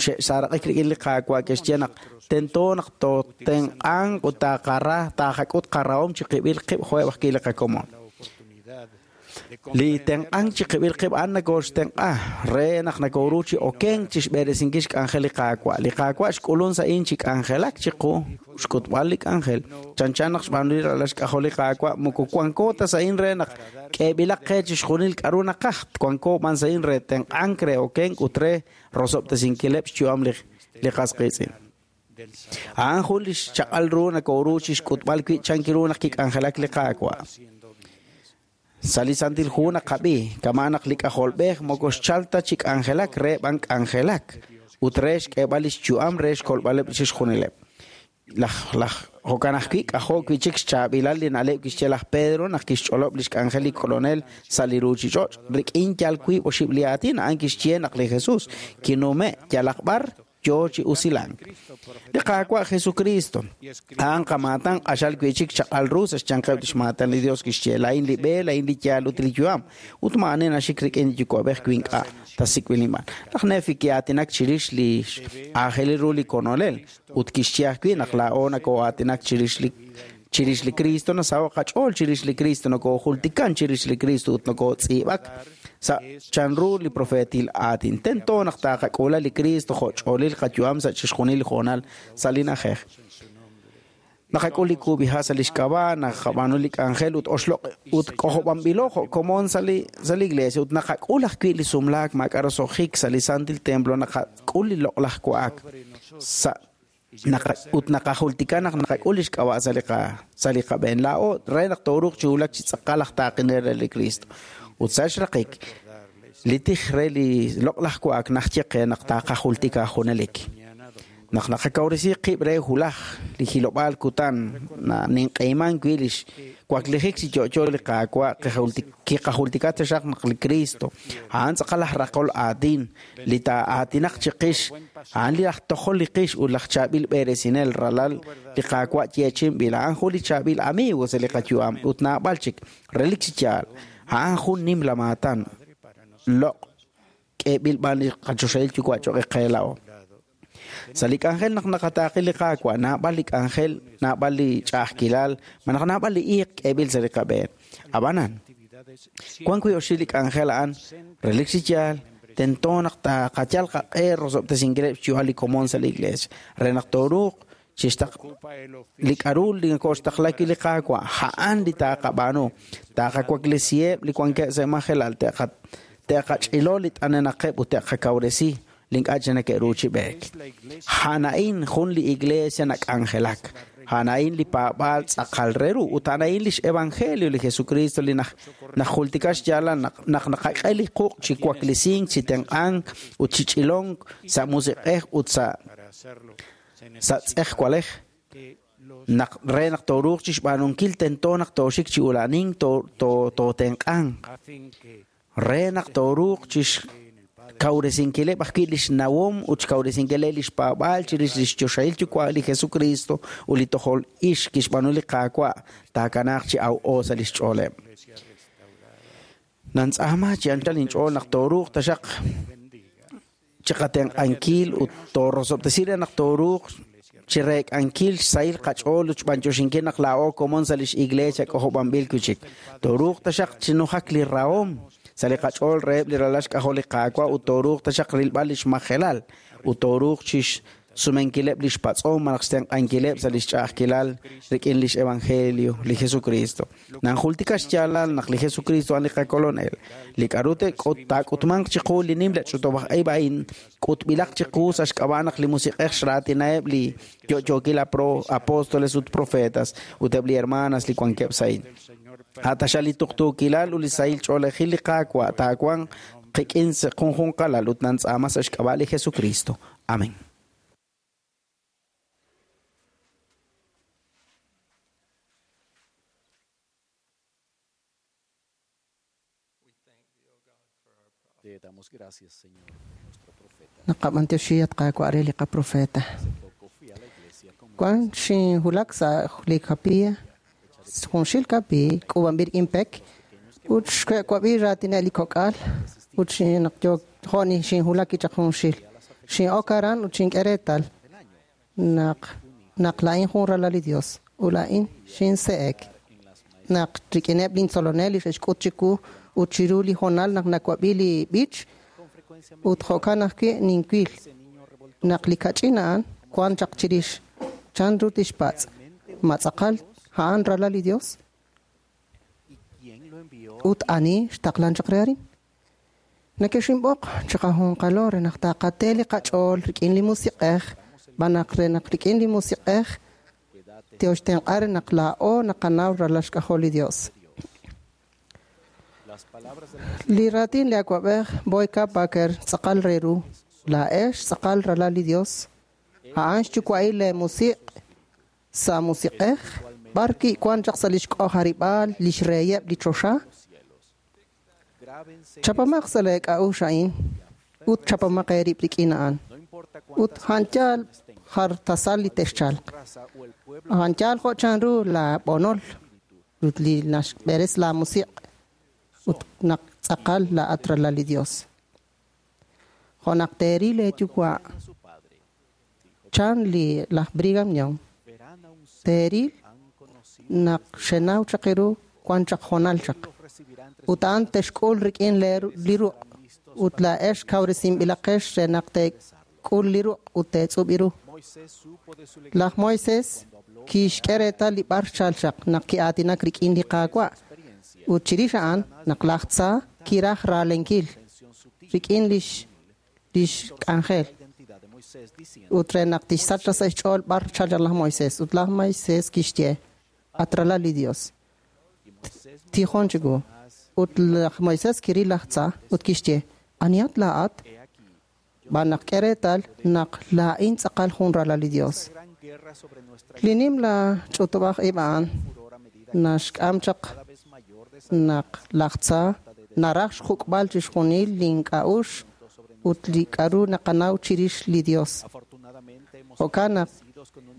S5: xe'saaraq'ik rik'in li Qaawa' ke'xye naq tento naq tootenq'anq ut taaqara taaqak'ut qarahom chiqib'il qib' jo'eb' ajwi' li qakomon.
S4: la oportunidad
S5: Li tenq'ank chiqib'il qib' a'an nakooxtenq'a re naq nakooru chi okenk chi xb'eresinkil xk'anjel li Qaawa'. Li Qaawa' xk'ulun sa' in chi k'anjelak chiqu xk'utb'al li k'anjel. Chanchan naq xb'aanu li ralal xk'ajol li Qaawa' moko wanko ta sa' in re naq k'eeb'ilaq qe chixjunil k'aru naqaj. Wanko b'an sa' in re tenq'ank re okenk ut re rosob'tesinkileb' xyu'am li qas qiitz'in. A'an jun li xchaq'al ru nakooru chi xk'utb'al wi' chan ru naq kik'anjelak li Qaawa'. Sa' li Santil Hu naqab'i, kama' naq li k'ajolb'ej moko xchal ta chi k'anjelak re b'an k'anjelak ut re xk'eeb'al li xyu'am re xkolb'aleb' chixjunileb'. Laj laj jo'kan ajwi' k'ajo' wi' chik xchaab'ilal li na'leb' kixye laj Pedro naq kixch'olob' li xk'anjel li kolonel sa' li ruuchich'och' rik'in yal wiib' oxib' li aatin a'an kixye naq li Jesús kinume' yalaq b'ar yo chi usilank. Li Qaawa' Jesucristo a'an qamaatan q'axal wi' chik chaq'al ru sa' xyanqeb' li xmaatan li Dios kixye laa'in li b'e, laa'in li yaal ut li yu'am ut maa'ani naxik rik'in li Yuwa'b'ej wi ink'a' ta sik'b'il inb'aan. Laj Nefi ki'aatinak chirix li aajelil ru li kolonel ut kixye ajwi' naq laa'o nakoo'aatinak chirix li Cristo nasaho' qach'ool chirix li Cristo nakoojultikan chirix li Cristo ut nakootz'iib'ak sa' chanru li profeetil aatin. Tento naq taqak'uula li Cristo jo' ch'oolil qayu'am sa' chixjunil li hoonal sa' li na'ajej. Naqak'ul li kub'iha' sa' li xk'ab'a', naqab'aanu li k'anjel ut oxloq' ut k'ojob'anb'ilo jo' komon sa' li iglesia ut naqak'ul ajwi' li sumlaak maak'a' roso'jik sa' li Santil Templo, naqak'ul li loq'laj wa'ak sa' ut naqajultika naq naqak'ul li xk'ab'a' sa' li qab'een laa'o re naq tooruuq chi wulak chi tz'aqal aj taaqinel re li Cristo. Ut sa' xraqik, li tij re li loq'laj wa'ak naxye qe naq taqajultika junelik. Naq naqakawresi qib' re hulaj li hilob'aal kutan ninq'ehiman wi' li xwaklijik chi yo'yo li Qaawa' kiqajultika taxaq naq li Cristo a'an tz'aqal aj raqol aatin li taa'aatinaq chiqix a'an li aj tojol li qix ut laj chaab'il b'eresinel ralal li Qaawa' yeechi'inb'il a'an jun li chaab'il amigo sa' li qayu'am ut naab'al chik relik chi yaal a'an jun nimla maatan loq' k'eeb'il b'aan li qachoxahil yuwa' cho'q qe laa'o. Sa' li k'anjel naq naqataaqi li Qaawa', naab'al li k'anjel, naab'al li ch'a'ajkilal, malaj naab'al li iiq k'eeb'il sa' li qab'een. Ab'anan, wan wi' oxib' li k'anjel a'an, relik chi yaal, tento naq taqayal qaq'e rosob'tesinkileb' xyu'am li komon sa' li iglesia, re naq tooruuq li k'aru li nakooxtaqla wi' li Qaawa', a'an li taqab'aanu, taqawaklesiheb' li wankeb' sa' majelal, te'qach'ilo li t'anenaqeb' ut te'qakawresi li ink'a' chi neke'ru chi b'eek. A'an a'in jun li iglesia nak'anjelak. A'an a'in li paab'aal tz'aqal re ru ut a'an a'in li xevangelio li Jesucristo li najultika xyaalal naq naqak'e li quq' chi waklesink, chi tenq'ank ut chi ch'ilonk sa' musiq'ej ut sa' tz'ejwalej. Naq re naq tooruuq chi xb'aanunkil tento naq tooxik chi ula'anink tootenq'anq. Re naq tooruuq chi kawresinkileb' ajwi' li xnawom ut xkawresinkileb' li xpaab'aal chirix li xchoxahil yuwa' li Jesucristo ut li tojol ix kixb'aanu li Qaawa' taakanaaq chi aw'o sa' li xch'ooleb'. Nantz'aama chi anchal inch'ool naq tooruuq taxaq chiqatenq'ankil ut toorosob'tesi re naq tooruuq chi reek'ankil xsahil qach'ool ut xb'anyoxinkil naq laa'o komon sa' li xiglesia k'ojob'anb'il wi' chik. Tooruuq taxaq chinujak li rahom sa' li qach'ool reheb' li ralal xk'ajol li Qaawa' ut tooruuq taxaq rilb'al li xmajelal ut tooruuq chi xsumenkileb' li xpatz'om malaj xtenq'ankileb' sa' li xch'a'ajkilal rik'in li xevangelio li Jesucristo. Nanjultika xyaalal naq li Jesucristo a'an li qakolonel. Li k'aru taak'utmanq chiqu li nimla ch'utub'aj ib' a'in k'utb'ilaq chiqu sa' xk'ab'a' naq li Musiq'ej xraatinaheb' li yo'yookil apóstoles ut profetas ut eb' li hermanas li wankeb' sa' a'in. A'taxal li tuqtuukilal ut li sahil ch'oolejil li Qaawa' taawanq qik'in sa' junjunqalal ut nantz'aama sa' xk'ab'a' li Jesucristo. Amén.
S6: Naqab'antioxi at Qaawa' re li qaprofeta. Wan xinhulak sa' li kapilla, junxil kapi, k'uub'anb'il impek, ut xwe'wab'i raatineb' li kok'al, ut naq jo'ni xinhulak kichaq junxil. Xin'ok aran ut xink'e reetal naq laa'in jun ralal li Dios, ut laa'in xinse'ek. Naq rik'ineb' lintzolonel li xe'xk'ut chiwu Ut chiru li hoonal naq nawab'i li b'ich ut jo'kan ajwi' ninwil naq li kach'in a'an wan chaq chirix. Chanru tixpatz'? Ma tz'aqal a'an ralal li Dios? Ut ani xtaqlan chaq re arin? Nakexinb'oq chiqajunqalo re naq taqate li qach'ool rik'in li Musiq'ej, b'an naq re naq rik'in li Musiq'ej tioxtenq'a re naq laa'o naqanaw ralal xk'ajol li Dios. Li raatin li awa'b'ej Boyd K. Packer tz'aqal re ru. Laa'ex tz'aqal ralal li Dios. A'an xyuwa'il lee musiq' sa' musiq'ej, b'ar wi' wan chaq sa' lix k'ojarib'aal lix reyeb' li choxa. Chapamaq sa' lee k'a'uxl a'in ut chapamaq eerib' rik'in a'an. Ut a'an yaal jar tasal li texchalq. A'an yaal jo' chanru la b'onol ut li naxb'eres la musiq' ut naq tz'aqal laa'at ralal li Dios. Jo' naq teeril eeyuwa' chan li laj Brigham Young, teeril naq xenaw chaq eeru wan chaq hoonal chaq. Ut a'an texk'ul rik'in li ruq' ut laa'ex kawresinb'ilaqex re naq teek'ul li ruq' ut teetz'ub' ru. Laj Moises kixk'e reetal li b'ar xchal chaq naq ki'aatinak rik'in li Qaawa'. Ut chirix a'an naq laj Tza kiraj ralenkil rik'in lix k'anjel. Ut re naq tixsach sa' xch'ool b'ar xchal chaq laj Moises. Ut laj Moises kixye, at ralal li Dios. Tijon chiwu. Ut laj Moises kiril laj Tza ut kixye, anihat laa'at? B'an naq k'e reetal naq laa'in tz'aqal jun ralal li Dios. Li nimla ch'utub'aj ib' a'an naxk'am chaq naq laj Tza naraj xjuk'b'al chixjunil link'a'uxl ut li k'a'ru naqanaw chirix li Dios. Jo'kan naq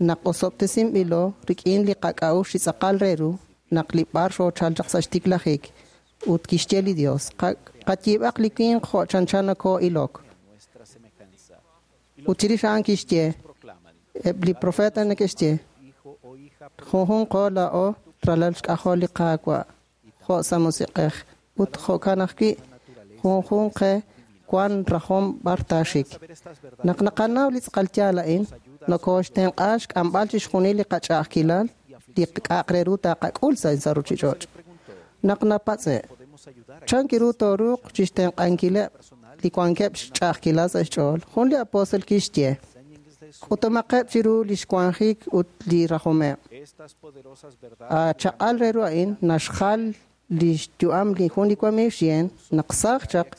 S6: naq osob'tesinb'ilo rik'in li qak'a'uxl chi tz'aqal re ru naq li b'ar xoochal chaq sa' xtiklajik ut kixye li Dios, qayiib'aq li winq jo' chanchan nakoo'ilok. Ut chirix a'an kixye, eb' li profeta neke'xye, junjunqo laa'o ralal xk'ajol li Qaawa' jo' sa' musiq'ej ut jo'kan ajwi' junjunq qe wan rajom b'ar taaxik. Naq naqanaw li tz'aqal yaal a'in, nokooxtenq'a xk'amb'al chixjunil li qach'a'ajkilal li k'a'aq re ru taqak'ul sa' ruchich'och'. Naq napatz'e', chan kiru tooruuq chixtenq'ankileb' li wankeb' xch'a'ajkilal sa' xch'ool, jun li apóstol kixye, k'utumaqeb' chiru lix wanjik ut li rajomeb'. Chaq'al re ru a'in naxjal lix yu'am li jun li wamiiw xyen naq saaj chaq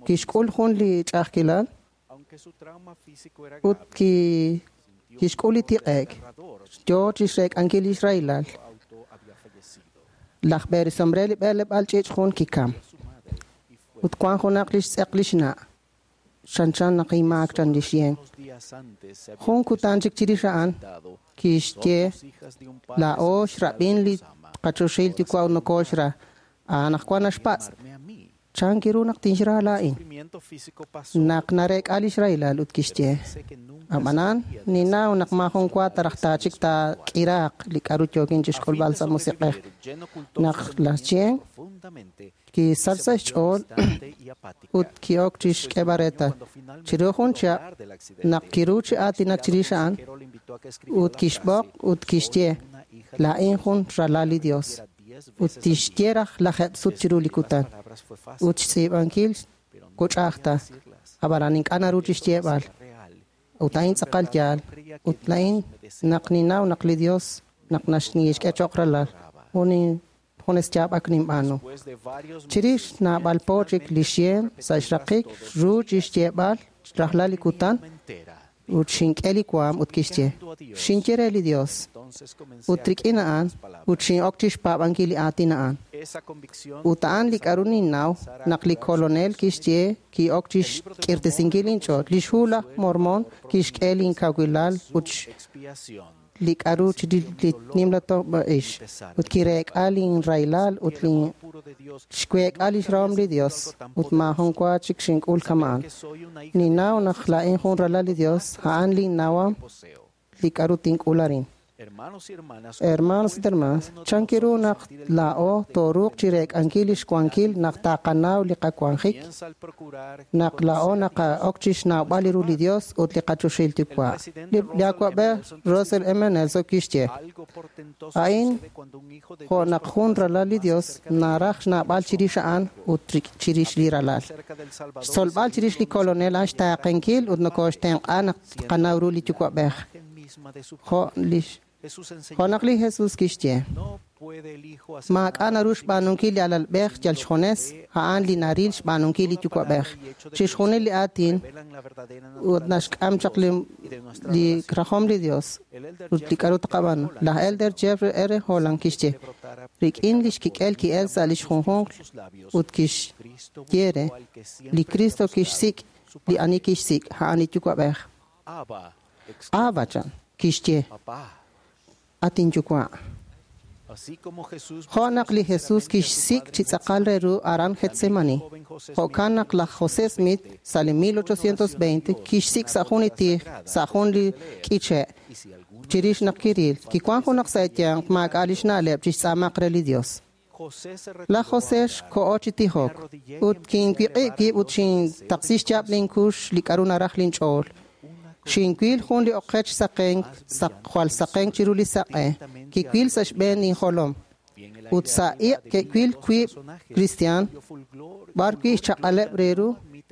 S6: kixk'ul jun li ch'a'ajkilal ut kixk'ul li tiq'e'k yo chixreek'ankil lix rahilal. Laj b'eresomre li b'eleb'aal ch'iich' jun kikam. Ut wan junaq lix tz'eq lix na'. Chanchan naq imaak chan lix yen. Jun kutan chik chirix a'an kixye laa'o xrab'in li qachoxil yuwa' nokooxra. A'an wan naxpatz'. Chan kiru naq tinxra laa'in. Naq nareek'a lix rahilal ut kixye. Ab'anan ninnaw naq maajun wa taraj taachik taak'iraaq li k'a'ru yookin chixk'ulb'al sa' musiq'ej. Naq laj Chien kisach sa' xch'ool ut ki'ok chixk'eeb'al reetal. Chiru jun chihab' naq kiru chi aatinak chirix a'an ut kixb'oq ut kixye laa'in jun ralal li Dios. Ut tixye raj lajeb' sut chiru li kutan. Ut xtz'iib'ankil kuch'ajta. Ab'anan ink'a' naru chixyeeb'al. Ut a'in tz'aqal yaal. Ut la'in naq ninnaw naq li Dios naq naxk'e cho'q ralal. Junes yaab'ak ninb'aanu. Chirix naab'al po chik li xyen sa' xraqik ru chixyeeb'al rajlal li kutan ut xink'e li waam ut kixye. Xinye re li Dios. Ut rik'in a'an ut xin'ok chixpaab'ankil li aatin a'an. Ut a'an li k'a'ru ninnaw naq li kolonel kixye ki'ok chixk'irtesinkil inch'ool. Lix hu laj Mormon kixk'e linkawilal ut li k'a'ru li nimla to'b'a'ix. Ut kireek'a linrahilal ut xweek'a lix rahom li Dios. Ut maajun wa chik xink'ul kama'an. Ninnaw naq laa'in jun ralal li Dios, a'an linnawam li k'a'ru tink'ul arin. Hermanos ut hermanas, chan ru naq laa'o tooruuq chireek'ankil lix wankil naq taqanaw li qawanjik, naq laa'o naqa'ok chixnawb'al ru li Dios ut li qachoxahil Yuwa'. Li awa'b'ej Russell M. Nelson kixye, a'in jo' naq jun ralal li Dios naraj xnawb'al chirix a'an ut chirix li ralal. Xtzolb'al chirix li Kolonel a'an xtaaqenkil ut nokoxtenq'a naq tqanaw ru li Yuwa'b'ej. Jo' naq li Jesus kixye, maak'a' naru xb'aanunkil li alalb'ej yal xjunes, a'an li naril xb'aanunkil li Yuwa'b'ej. Chixjunil li aatin ut naxk'am chaq li rajom li Dios ut li k'a'ru taqab'aanu. Laj Elder Jeffrey R. Holland kixye, rik'in lix kik'el ki'el sa' lix junjunq ut kixye re, li Cristo kixsik' li ani kixsik', a'an li Yuwa'b'ej. Abba, chan, kixye, at inyuwa'. Jo' naq li Jesus kixsik' chi tz'aqal re ru aran Getsemani. Jo'kan naq laj José Smith sa' li 1820 kixsik' sa' jun li tij, sa' jun li k'iche'. Chirix naq kiril, kiwan junaq sa' eyanq maak'a' lix na'leb' chixtz'aamaq re li Dios. Laj José xko'o chi tijok, ut kinwiq'ib' wib' ut xintaqsi xyaab' linkux li k'a'ru naraj linch'ool. Xinwil jun li oqech saqenk, jwal saqenk chiru li saq'e, kiwil sa' xb'een injolom. Ut sa' iq' ke'wil wiib' kristiaan, b'ar wi' xchaq'aleb' re ru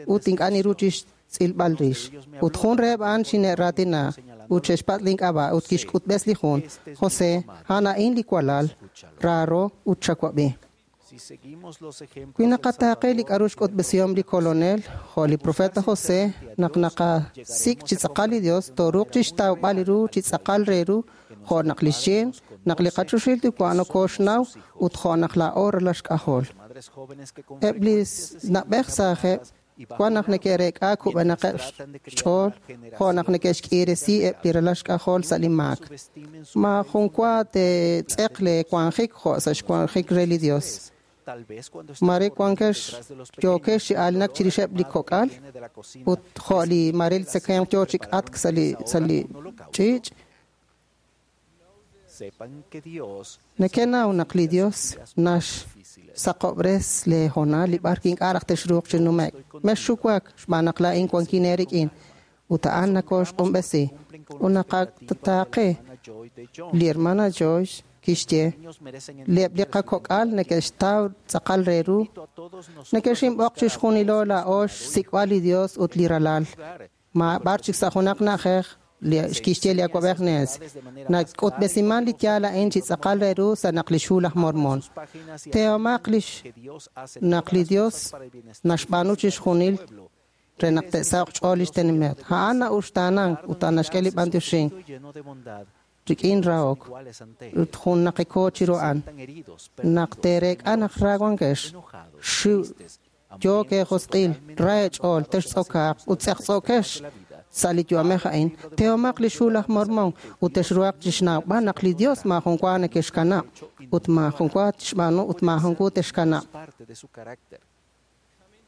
S6: ut ink'a' niru chixtz'ilb'al rix. Ut jun reheb' a'an xine'raatina ut xe'xpatz' link'ab'a' ut kixk'utb'es li jun, José, a'an a'in li walal, raaro ut chawab'i. Wi naqataaqe li k'a'ru xk'utb'esihom li Kolonel, jo' li profeta José, naq naqasik' chi tz'aqal li Dios, tooruuq chixtawb'al ru chi tz'aqal re ru, jo' naq li xyin, naq li qachoxahil Yuwa' nokoxnaw ut jo' naq laa'o ralal xk'ajol. Eb' li na'b'ej saajeb' wan naq neke'reek'a kub'enaqeb' xch'ool, jo' naq neke'xk'iiresi eb' li ralal xk'ajol sa' li maak. Ma jun wa teetz'eq le wanjik jo' sa' xwanjik re li Dios. Mare wankex yookex chi aalinak chirixeb' li kok'al ut jo' li mare li tzekemq yoo chi k'atk sa' li ch'iich'. Nekenaw naq li Dios naxsaqob'res le hoonal li b'ar ink'a' raj texruuq chi nume'k. Mexxuwak xb'aan naq laa'in wankin eerik'in ut a'an nakoxq'unb'esi. Ut naqataaqe li hermana Joyce kixye, eb' li qakok'al neke'xtaw tz'aqal re ru, neke'xinb'oq chixjunilo laa'o xsik'b'al li Dios ut li ralal. Ma b'ar chik sa' junaq na'ajej kixye li awa'b'ej Nels, nak'utb'esiman li yaal a'in chi tz'aqal re ru sa' naq lix hu laj Mormon. Tehomaq lix naq li Dios naxb'aanu chixjunil re naq te'saho'q xch'ool lix tenamit. A'an na'uxtaanan ut a'an naxk'e li b'antioxink rik'in rahok ut jun naqeko chiru a'an. Naq teereek'a naq ra wankex, xiw yook eejosq'il, ra eech'ool, textz'okaaq ut tz'eqtz'okex sa' li yu'amej a'in. Tehomaq lix hu laj Mormon ut texruhaq chixnawb'al naq li Dios maajun wa nekexkanab' ut maajun wa tixb'aanu ut maajun wa texkanab'.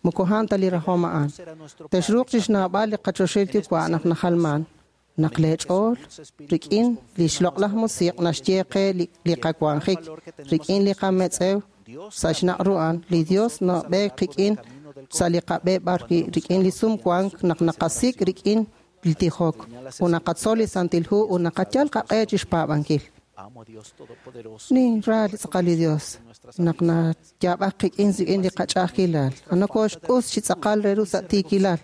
S6: Moko a'an ta li rajom a'an. Texruuq chixnawb'al li qachoxahil Yuwa' naq najalman, naq leech'ool rik'in li xloq'laj musiq' naxye qe li qawanjik, rik'in li qametz'ew sa' xnaq' ru a'an, li Dios nab'eek qik'in sa' li qab'e b'ar rik'in li sumwank naq naqasik' rik'in li tijok, ut naqatzol li Santil Hu ut naqayal qaq'e chixpaab'ankil. Ninra li tz'aqal li Dios naq nayaab'ak qik'in rik'in li qach'a'ajkilal. Nokoxq'us chi tz'aqal re ru sa' tiikilal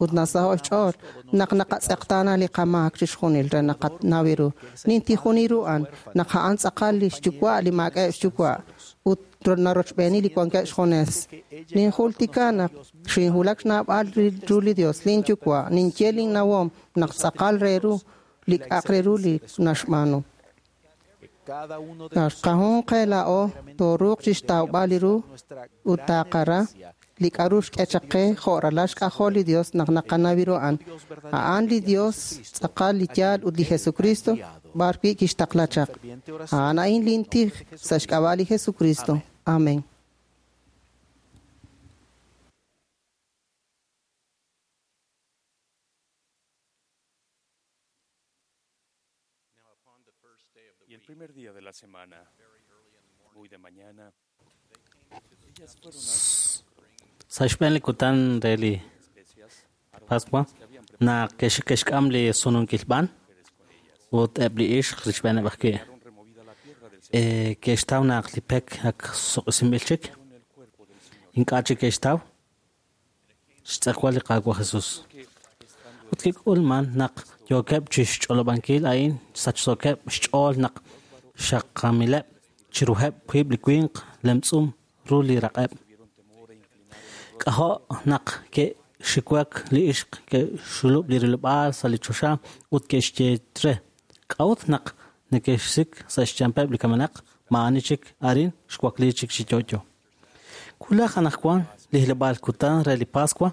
S6: ut nasaho' xch'ool naq naqatz'eqtaana li qamaak chixjunil re naqanaw ru. Nintijuni ru a'an naq a'an tz'aqal li xyuwa' li maak'a'eb' xyuwa' ut narochb'eeni li wankeb' xjunes. Ninjultika naq xinwulak xnawb'al ru li Dios, linyuwa', ninye linnawom naq tz'aqal re ru li k'a'aq re ru li naxb'aanu. Qajun qe laa'o tooruuq chixtawb'al li ru ut taaqara li k'a'ru xk'e chaq qe jo' ralal xk'ajol li Dios naq naqanaw ru a'an. A'an li Dios tz'aqal li yaal ut li Jesucristo b'ar wi' kixtaqla chaq. A'an a'in lintij sa' xk'ab'a' li Jesucristo. Amén.
S7: Sa' xb'een li kutan re li Pascua naq ke'xk'am li sununkil b'an ut eb' li ixq richb'eeneb' ajwi' ke'xtaw naq li pek ak suq'usinb'il chik, ink'a' chik ke'xtaw xtz'ejwal li Qaawa' Jesus. Ut kik'ulman naq yookeb' chixch'olob'ankil a'in sachsookeb' xch'ool naq xaqamileb' chiruheb' wiib' li winq lemtz'um ru li raq'eb'. K'ajo' naq ke'xiwak li ixq ke'xulub' li rilob'aal sa' li choxa ut ke'xye re, k'a'ut naq neke'xsik sa' xyanqeb' li kamenaq, maa'ani chik arin xwakli chik chi yo'yo. Wulaj anaqwan li hilob'aal kutan re li Pascua,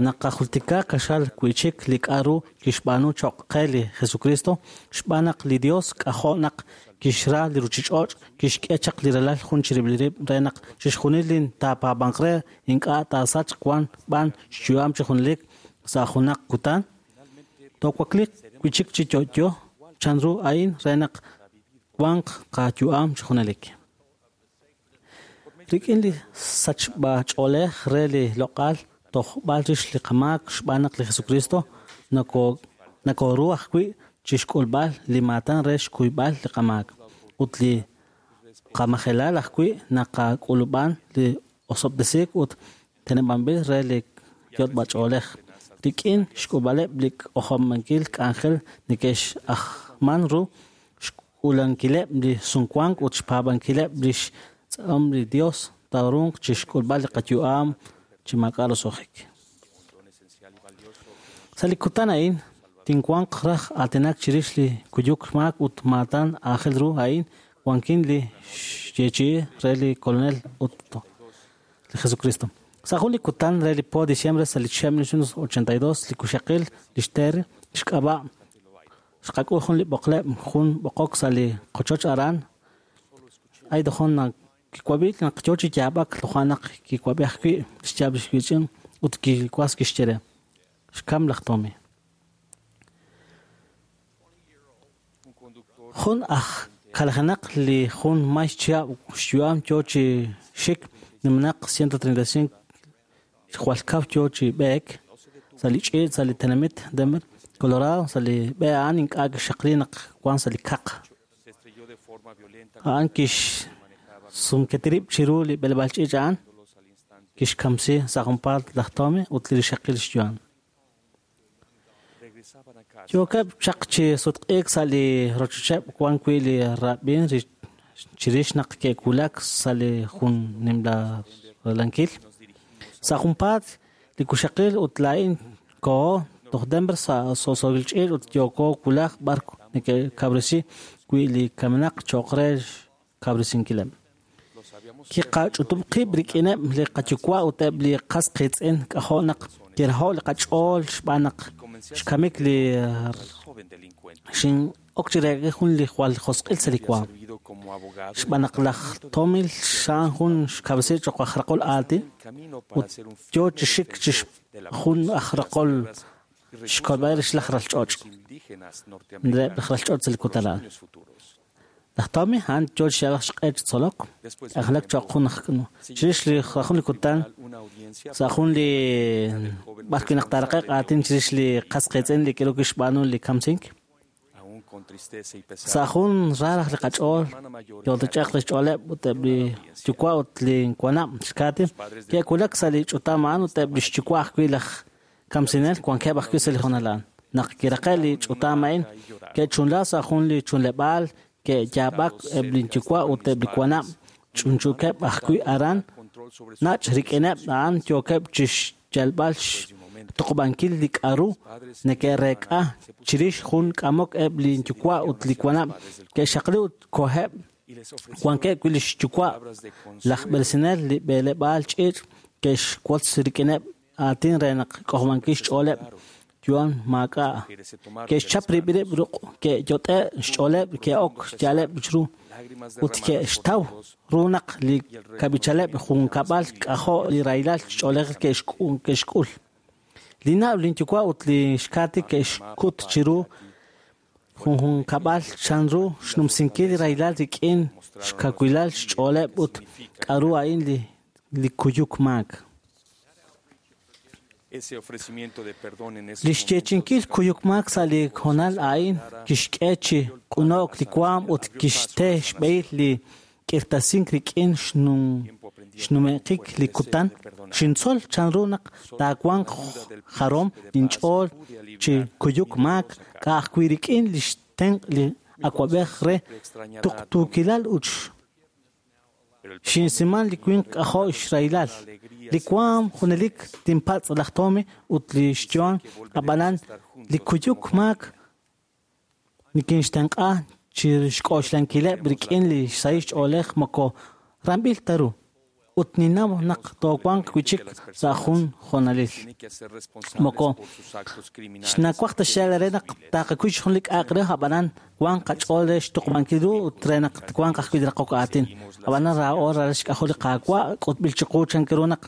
S7: naqajultika qaxal wi'chik li k'a'ru kixb'aanu choq' qe li Jesucristo, xb'aan naq li Dios k'ajo' naq kixra li ruchich'och', kixk'e chaq li ralal jun chirib'il rib' re naq chixjunil li taapaab'anq re ink'a' taasachq wan b'an xyu'am chi junelik sa' junaq kutan. Toowakliiq wi'chik chi yo'yo chanru a'in re naq wanq qayu'am chi junelik. Rik'in li sachb'ach'oolej re li loq'al tojb'al rix li qamaak xb'aan naq li Jesucristo nokoru ajwi' chixk'ulb'al li maatan re xkuyb'al li qamaak ut li qamajelal ajwi' naqak'ulub'an li osob'tesiik ut teneb'anb'il re li yot'b'ach'oolej. Rik'in xk'ulb'aleb' li k'ojob'ankil k'anjel neke'x'ajman ru xk'ulankileb' li sumwank ut xpaab'ankileb' lix tz'aqom li Dios taaruuq chixk'ulb'al li qayu'am chi maak'a' roso'jik. Sa' li kutan a'in tinwanq raj aatinak chirix li kuyuk maak ut maatan aajel ru a'in wankin li xyeechi'i re li Kolonel ut li Jesucristo. Sa' jun li kutan re li po diciembre sa' li 1982 li kuxaqil li xTerry xk'ab'a' xqak'ul jun li b'oqleb' jun b'oqok sa' li qochoch aran Idaho naq kiwab'i naq yo chi yaab'ak toja' naq kiwab'i ajwi' xyaab' lix wiitz'in ut kiwas kixye re xkam laj Tommy. Jun aj kalajenaq li jun may chihab' xyu'am yo chi xik numenaq 135 jwal kaw yo chi b'eek sa' li ch'iich' sa' li tenamit Denver, Colorado, sa' li b'e a'an ink'a' kixxaqli naq wan sa' li kaq. A'an kixsumketi rib' chiru li b'eleb'aal ch'iich' a'an, kixkamsi sa' junpaat laj Tommy ut li rixaqil xyu'am. Yookeb' chaq chi sutq'iik sa' li rochocheb' wan wi' li rab'in chirix naq ke'wulak sa' li jun nimla ralankil. Sa' junpaat li kuxaqil ut laa'in koho toj Denver sa' so'so'il ch'iich' ut yooko wulaj b'ar neke'kabresi wi' li kamenaq cho'q re xkabresinkileb'. Kiqach'utub' qib' rik'ineb' li qayuwa' ut eb' li qas qiitz'in k'ajo' naq kiraho' li qach'ool xb'aan naq xkamik li xin'ok chi reek'il jun li jwal josq'il sa' li waam. Xb'aan naq laj Tommy xa'an jun xkabresi cho'q aj raqol aatin ut yo chi xik chi jun aj raqol xkolb'al rix laj ralch'och'. Reb' laj ralch'och' sa' li kutan a'an. Laj Tommy a'an yo chi xyalb'al xq'e chi tzolok, k'anjelak cho'q jun aj chirix li jun li kutan sa' jun li b'ar wi' naq taaraqe'q aatin chirix li qas qiitz'in li k'aru kixb'aanu li kamsink. Sa' jun raraj li qach'ool yo'toch'eq li xch'ooleb' ut eb' li yuwa' ut li wanab' xKaty ke'wulak sa' li ch'utam a'an ut eb' li xyuwa' ajwi' laj kamsinel wankeb' ajwi' sa' li hoonal a'an. Naq kiraqe' li ch'utam a'in ke'chunla sa' jun li chunleb'aal ke'yaab'ak eb' li yuwa' ut eb' li wanab' ch'unchukeb' ajwi' aran nach' rik'ineb' a'an yookeb' chixyalb'al xtuqub'ankil li k'a'ru neke'reek'a chirix jun k'amok eb' li yuwa' ut li wanab' ke'xaqli ut koheb' wankeb' wi' li xyuwa' laj b'eresinel li b'eleb'aal ch'iich' ke'xwotz rik'ineb' aatin re naq k'ojob'ankil xch'ooleb' yu'am maak'a'. Ke'xchap rib' rib' ruq' ke'yot'e' xch'ooleb' ke'ok yaleb' chiru ut ke'xtaw ru naq li kab'ichaleb' junkab'al k'ajo' li rahilal xch'oolej ke'xk'ul. Li na'b' lin yuwa' ut li xKaty ke'xkut chiru Junjunkab'al chanru xnumsinkil li rahilal rik'in xkawilal xch'ooleb' ut k'a'ru a'in li kuyuk maak. Li xyeechi'inkil kuyuk maak sa' li hoonal a'in kixk'e chi q'uno'k li waam ut kixte xb'ehil li k'irtasink rik'in xnume'qik li kutan. Xintzol chanru naq taawanq jarom inch'ool chi kuyuk maak ka'ajwi' rik'in li xtenq' li awab'ej re tuqtuukilal ut xinsiman li winq k'ajo' xrahilal. Li waam junelik tinpatz' laj Tommy ut li xYohn, ab'anan li kuyuk maak nikinxtenq'a chi xk'oxlankileb' rik'in li xsahil xch'oolej moko ramb'il ta ru. Ut ninnaw naq toowanq wi' chik sa' jun hoonalil. Moko xnawaj ta xyaal re naq taqakuy jun li k'a'aq re ab'anan wanq qach'ool re xtuqub'ankil ru ut re naq wanq ajwi' li raqok aatin. Ab'anan raa'o ralal xk'ajol li Qaawa' k'utb'il chiqu chan ru naq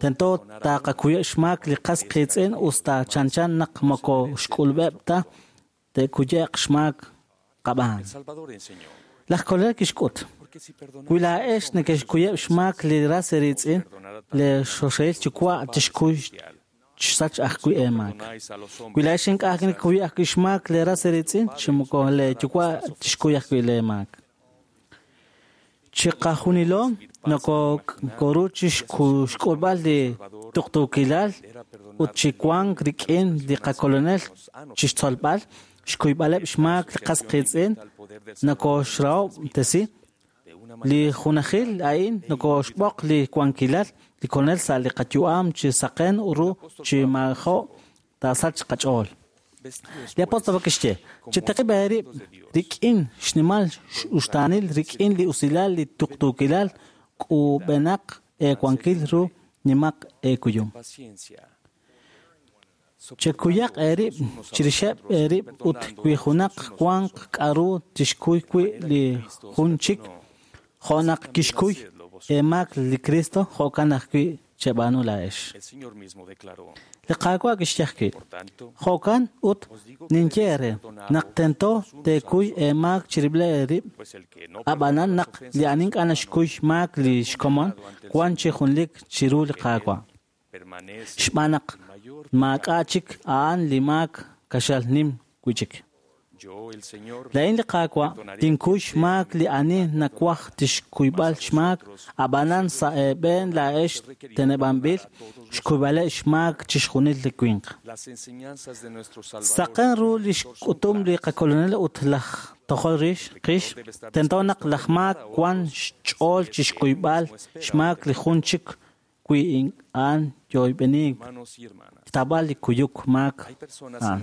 S7: tento taqakuyeb' xmaak li qas qiitz'in us ta chanchan naq moko xk'ulub'eb' ta te'kuye'q xmaak qab'aan. Laj Kolonel kixk'ut. Wi laa'ex neke'xkuyeb' xmaak li ras eeriitz'in, li xoxahil yuwa' tixkuy xsach ajwi' eemaak. Wi laa'ex ink'a' nekekuy ajwi' xmaak li ras eeriitz'in, chi moko lee yuwa' tixkuy ajwi' lee maak. Chiqajunilo nokoru chi xk'ulb'al li tuqtuukilal ut chi wank rik'in li qakolonel chixtzolb'al xkuyb'aleb' xmaak li qas qiitz'in nokoxrahob'tesi. Li junajil a'in nokoxb'oq li wankilal li kolonel sa' li qayu'am chi saqen ru chi maajo' taasach qach'ool. Li apóstol kixye, chitaqib' eerib' rik'in xnimal uxtaanil rik'in li usilal li tuqtuukilal k'ub'enaq eewankil ru nimaq eekuyum. Chekuyaq eerib' chirixeb' eerib' ut wi junaq wanq k'a'ru tixkuy wi' li jun chik jo' naq kixkuy eemaak li Cristo jo'kan ajwi' cheb'aanu laa'ex. Li Qaawa' kixye ajwi', jo'kan ut ninye eere naq tento teekuy eemaak chirib'il eerib', ab'anan naq li ani ink'a' naxkuy xmaak li xkomon wan chi junlik chiru li Qaawa'. Xb'aan naq maak'a' chik a'an li maak kaxal nim wi' chik. Laa'in li Qaawa' tinkuy xmaak li ani nawaj tixkuyb'al xmaak, ab'anan sa' eeb'een laa'ex teneb'anb'il xkuyb'aleb' xmaak chixjunil li winq. Saqen ru li xk'utum li qakolonel ut laj tojol rix qix, tento naq laj maak wan xch'ool chixkuyb'al xmaak li jun chik wi a'an yoyb'eniik xtaab'al li kuyuk maak a'an.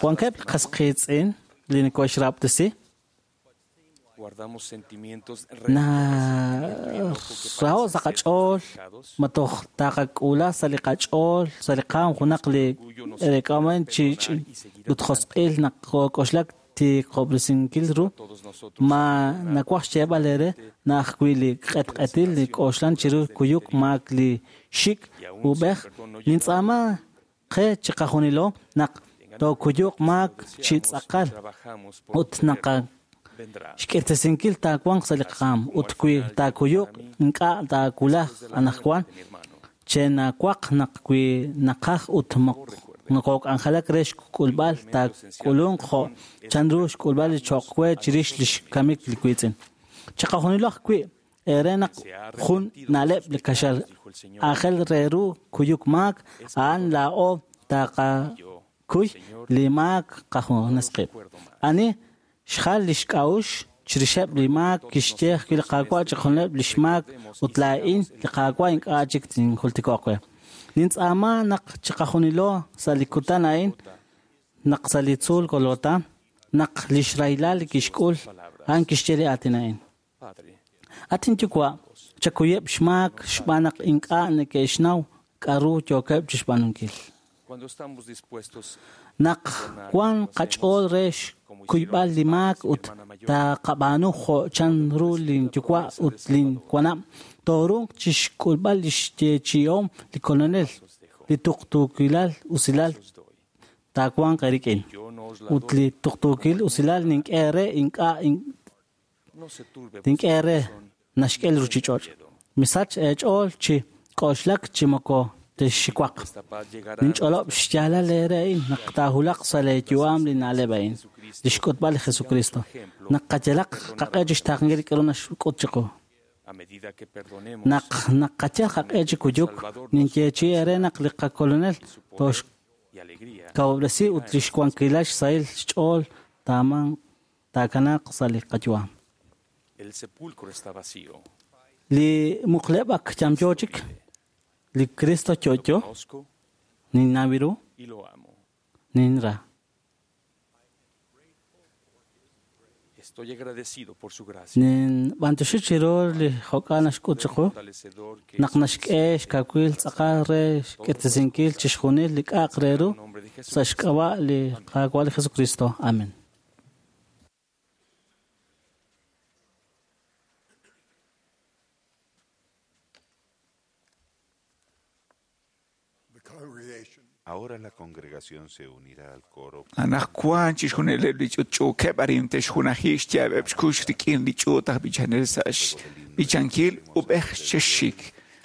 S7: Wankeb' li qas qiitz'in li neke'xrahob'tesi naraho' sa' qach'ool ma toj taqak'uula sa' li qach'ool sa' li qaam junaq li eek'aman chi ut josq'il naq kook'oxlak tiqob'resinkil ru ma nawaj xyeeb'al eere na ajwi' li q'etq'etil li k'oxlan chiru kuyuk maak li xik' ub'ej nintz'aama qe chiqajunilo naq tookuyuq maak chi tz'aqal ut naqa xk'irtesinkil taawanq sa' li qaam ut wi taakuyuq ink'a' taawulaj anaqwan chenawaq naq wi naqaj ut nokok'anjelak re xk'ulb'al taak'ulunq jo' chanru xk'ulb'al li cho'q we chirix li xkamik li wiitz'in. Chiqajunilo ajwi' eere naq jun na'leb' li kaxal aajel re ru kuyuk maak a'an laa'o taqakuy li maak qajunes qib'. Ani xjal li xk'a'uxl chirixeb' li maak kixye ajwi' li Qaawa' chiqajunileb' li xmaak ut laa'in li Qaawa' ink'a' chik tinjultiko'q we. Nintz'aama naq chiqajunilo sa' li kutan a'in naq sa' li tzuul Golgotha naq li xrahilal li kixk'ul a'an kixye li aatin a'in. At inyuwa', chakuyeb' xmaak xb'aan naq ink'a' neke'xnaw k'a'ru yookeb' chixb'aanunkil. Naq wan qach'ool re xkuyb'al li maak ut taqab'aanu jo' chanru lin yuwa' ut lin wanab', tooruuq chixk'ulb'al li xyeechi'om li Kolonel, li tuqtuukilal usilal taawanq eerik'in. Ut li tuqtuukil usilal nink'e re ink'a' tink'e re naxk'e li ruuchich'och'. Misach eech'ool chi k'oxlak chi moko texxiwaq. Ninch'olob' xyaalal eere a'in naq taahulaq sa' leeyu'am li na'leb' a'in, li xk'utb'al li Jesucristo. Naq qayalaq qaq'e chi xtaaqenkil li k'aru naxk'ut chiqu. Naq naqayal qaq'e chi kuyuk, ninyeechi'i eere naq li qakolonel toxkawub'resi ut li xwankilal xsahil xch'ool taakanaaq sa' li qayu'am. Li muqleb' ak yamyo chik, li Cristo yo'yo, ninnaw ru, ninra. Ninb'anyoxi chiru li jo'kan naxk'ut chiqu naq naxk'e xkawil tz'aqal re xk'irtesinkil chixjunil li k'a'aq re ru sa' xk'ab'a' li Qaawa' li Jesucristo. Amen.
S1: Ahora la congregación se unirá al coro.
S2: Anaqwan chixjunileb' li ch'utch'uukeb' arin te'xjunaji xyaab'eb' xkux rik'in li ch'uut aj b'ichanel sa' xb'ichankil ub'ej xexxik.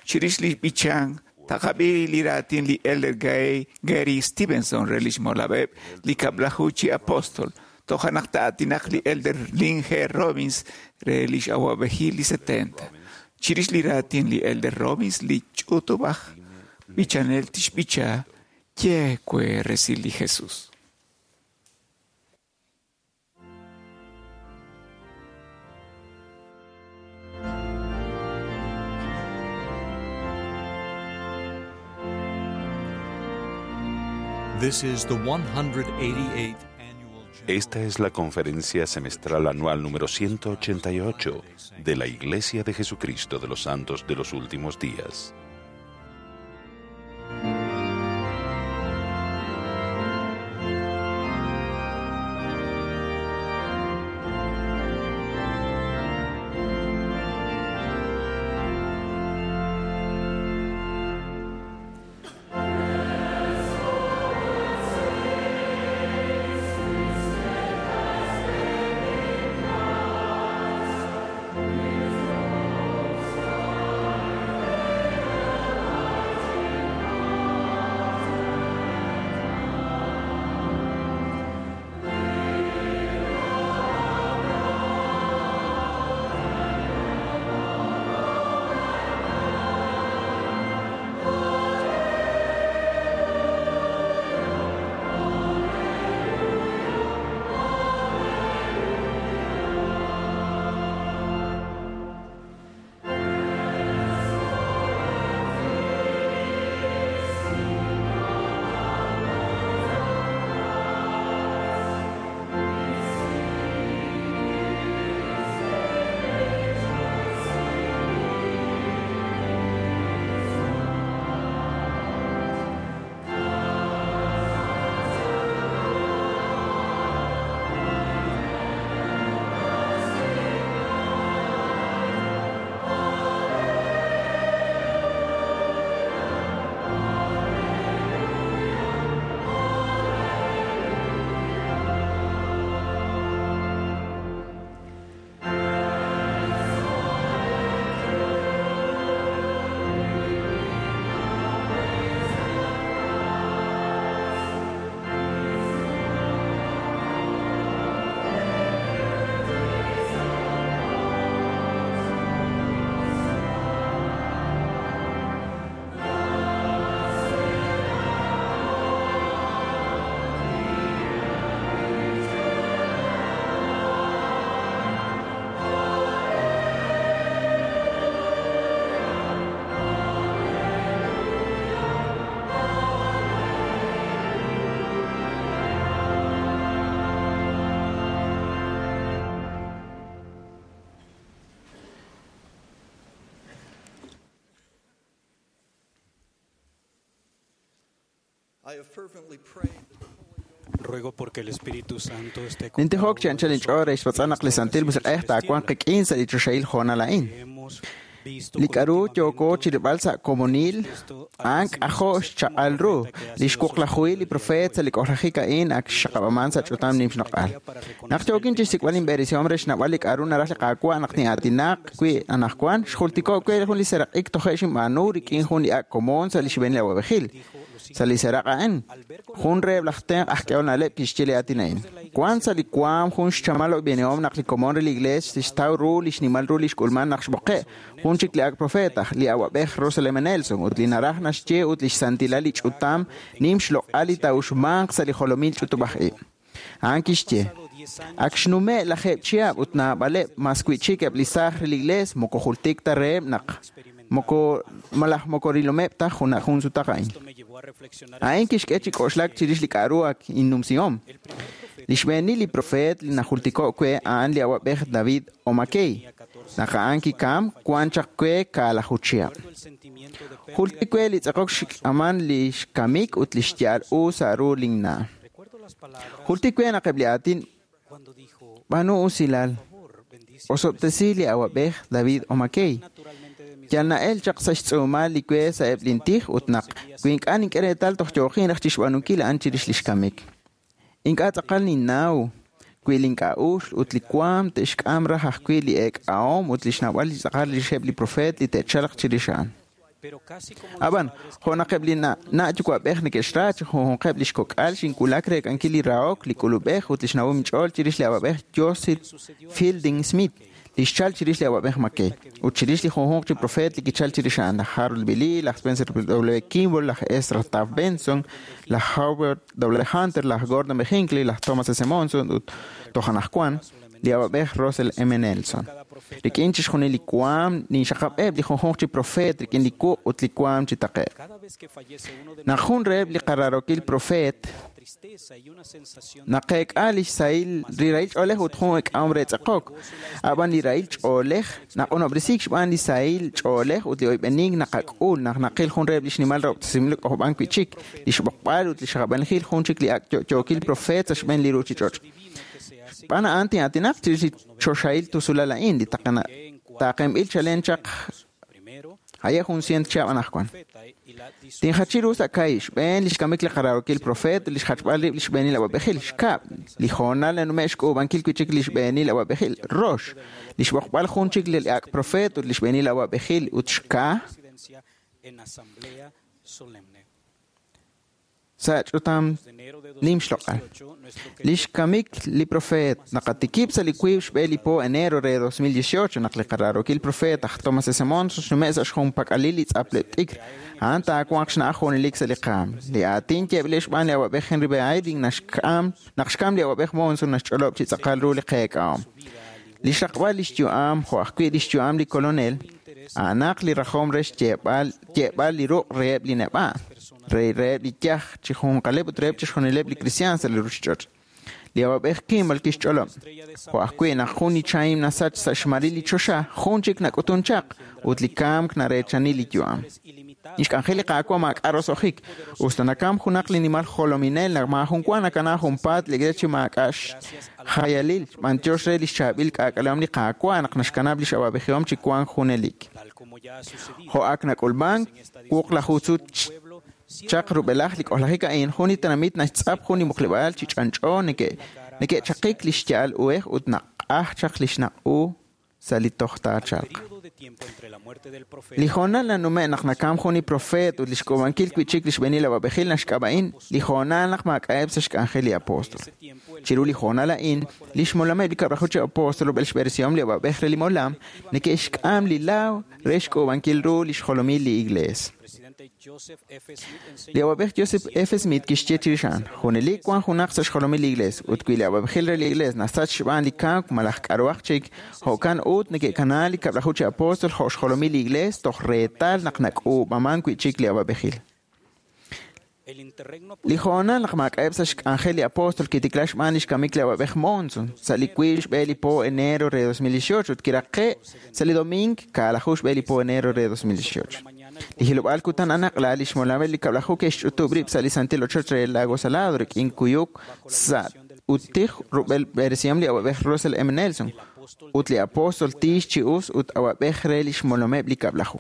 S2: Chirix li b'ichan taqab'i li raatin li Elder Gary Stevenson re lix molab'eb' li kab'laju chi apóstol. Toja' naq ta'aatinaq li Elder Lynn G. Robbins re lix awa'b'ejil li 70. Chirix li raatin li Elder Robbins li ch'utub'aj b'ichanel tixb'icha Ye kwe resil li Jesús.
S8: This is the 188th annual
S1: Esta es la conferencia semestral anual número 188 de la Iglesia de Jesucristo de los Santos de los Últimos Días.
S4: Ruego porque el Espíritu Santo esté con
S5: Nintijok chi anchal inch'ool re xpatz'an naq li Santil Musiq'ej taawanq qik'in sa' li choxahil hoonal a'in. Li k'aru yooko chirilb'al sa' komonil, a'an k'ajo' xchaq'al ru. Li xwuqlajuhil li profeet sa' li k'ojlajik a'in ak xxaqab'aman sa' ch'utam nim xloq'al. Naq yookin chixsik'b'al inb'eresihom re xnawb'al li k'aru naraj li Qaawa' naq tin'aatinaq wi' anaqwan, xjultiko' we jun li seraq'ik toje' xinb'aanu rik'in jun li ak' komon sa' li xb'eenil awa'b'ejil. Sa' li seraq' a'in, jun reheb' laj tenq' aj k'ehol na'leb' kixye li aatin a'in. Wan sa' li waam jun xchamal oyb'enihom naq li komon re li Iglees tixtaw ru li xnimal ru li xk'ulman naq xb'oqe' jun chik li ak' profeet aj li awa'b'ej Russell M. Nelson ut li naraj naxye ut li xsantilal li ch'utam nim xloq'al li taa'uxmanq sa' li jolomil ch'utub'aj-ib'. A'an kixye, ak xnume' lajeeb' chihab' ut naab'aleb' mas wi'chik eb' li saaj re li Iglees moko jultik ta reheb' naq moko malaj moko rilomeb' ta jun sutaq a'in. A'in kixk'e chi k'oxlak chirix li k'aru ak innumsihom. Li xb'eenil li profeet li najultiko' we a'an li awa'b'ej David O. McKay. Naq a'an kikam, wan chaq we kaalaju chihab'. Jultik we li tz'aqok xk'aman li xkamik ut li xya'al u sa' ru linna'. Jultik we naq eb' li aatin b'aanu usilal osob'tesi li awa'b'ej David O. McKay. Yal na'el chaq sa' xtz'uumal li we sa' eb' lintij ut naq wi ink'a' nink'e reetal toj yooqin raj chixb'aanunkil a'an chirix li xkamik. Ink'a' tz'aqal ninnaw wi link'a'uxl ut li waam te'xk'am raj ajwi' li eek'ahom ut li xnawb'al li tz'aqal rixeb' li profeet li te'chalq chirix a'an. Ab'an, jo' naq eb' li na' yuwa'b'ej neke'xra chi junjunqeb' li xkok'al xinwulak reek'ankil li rahok, li k'ulub'ej ut li xnawom inch'ool chirix li awa'b'ej Joseph Fielding Smith, li xchal chirix li awa'b'ej McKay, ut chirix li junjunq chi profeet li kichal chirix a'an, laj Harold B. Lee, laj Spencer W. Kimball, laj Ezra Taft Benson, laj Howard W. Hunter, laj Gordon B. Hinckley, laj Thomas S. Monson ut toj anaqwan li awa'b'ej Russell M. Nelson. Rik'in chixjunil li waam ninxaqab'eb' li junjunq chi profeet rik'in li wuq' ut li waam chi taqe'q. Naq jun reheb' li qararokil profeet naqeek'a li xsahil li rahil ch'oolej ut jun eek'ahom re tz'aqok. Ab'an li rahil ch'oolej naq'unob'resiik xb'aan li sahil ch'oolej ut li oyb'enink naqak'ul naq naqil jun reheb' li xnimal rahob'tesinb'il k'ojob'ank wi'chik, li xb'oqb'al ut li xaqab'anjil jun chik li ak' yo'yookil profeet sa' xb'een li ruuchich'och'. Xb'aan a'an tin'aatinaq chirix li choxahil tusulal a'in li taaqenb'il chalen chaq haye' jun cient chihab' anaqwan. Tinjachi ru sa' kahi' xb'een li xkamik li qararokil profeet ut li xjachb'al rib' li xb'eenil awa'b'ejil. Xkab', li hoonal nanume' xk'uub'ankil wi'chik li xb'eenil awa'b'ejil. Rox, li xb'oqb'al jun chik li ak' profeet ut li xb'eenil awa'b'ejil ut xka' sa' ch'utam nim xloq'al. Li xkamik li profeet naqatikib' sa' li wiib' xb'e li po enero re 2018 naq li qararokil profeet aj Thomas S. Monson xnume' sa' xjunpak'alil li tz'apleb' t'ikr. A'an taawanq xna'aj junelik sa' li qaam. Li aatin yeeb'il xb'aan li awa'b'ej Henry B. Eyring naq xkam li awa'b'ej Monson naxch'olob' chi tz'aqal ru li qeek'ahom. Li xraqb'al li xyu'am jo' ajwi' li xyu'am li kolonel, a'anaq li rajom re xyeeb'al li ruq' reheb' li neb'a', reheb' li yaj chi junqaleb' ut reheb' chixjunileb' li kristiaan sa' li ruuchich'och'. Li awa'b'ej Kimball kixch'olob', jo' ajwi' naq jun li chahim nasach sa' xmaril li choxa, jun chik nak'utun chaq ut li kamk nareechani li yu'am. Li xk'anjel li Qaawa' maak'a' roso'jik, usta nakam junaq li nimal jolominel naq maajun wa nakana junpaat li Iglees chi maak'a' xjayalil, b'antiox re li xchaab'il k'aak'alehom li Qaawa' naq naxkanab' li x'awa'b'ejihom chi wank junelik. Jo' ak nak'ulmank wuqlaju sut chaq rub'elaj li k'ojlajik a'in, jun li tenamit naxtz'ap jun li muqleb'aal chi ch'anch'o neke'chaqik li xya'al uhej ut naq'aj chaq li xnaq' u sa' li toj taachalq. Li hoonal nanume' naq nakam jun li profeet ut li xk'uub'ankil wi'chik li xb'eenil awa'b'ejil naxk'ab'a'in li hoonal naq maak'a'eb' sa' xk'anjel li apóstol. Chiru li hoonal a'in, li xmolameb' li kab'laju chi apóstol rub'el xb'eresihom li awa'b'ej re li molam neke'xk'am li laaw re xk'uub'ankil ru li xjolomil li Iglees. Li awa'b'ej Joseph F. Smith kixye chirix a'an, junelik wan junaq sa' xjolomil li Iglees, ut wi li awa'b'ejil re li Iglees nasach xb'aan li kamk malaj k'aruhaq chik, jo'kan ut neke'kana li kab'laju chi apóstol jo' xjolomil li Iglees toj reetal naq nak'uub'aman wi'chik li awa'b'ejil. Li hoonal naq maak'a'eb' sa' xk'anjel li apóstol kitikla xb'aan li xkamik li awa'b'ej Monson sa' li wiib' xb'e li po enero re 2018 ut kiraqe' sa' li doming kaalaju xb'e li po enero re 2018. Li hilob'aal kutan anaqla li xmolameb' li kab'laju ke'xch'utub' rib' sa' li santil ochoch re Lago Salado rik'in kuyuk sa' ut tij rub'el b'eresihom li awa'b'ej Russell M. Nelson. ut li apóstol tiix chi us ut awab'ej re li xmolomeb' li Kab'laju.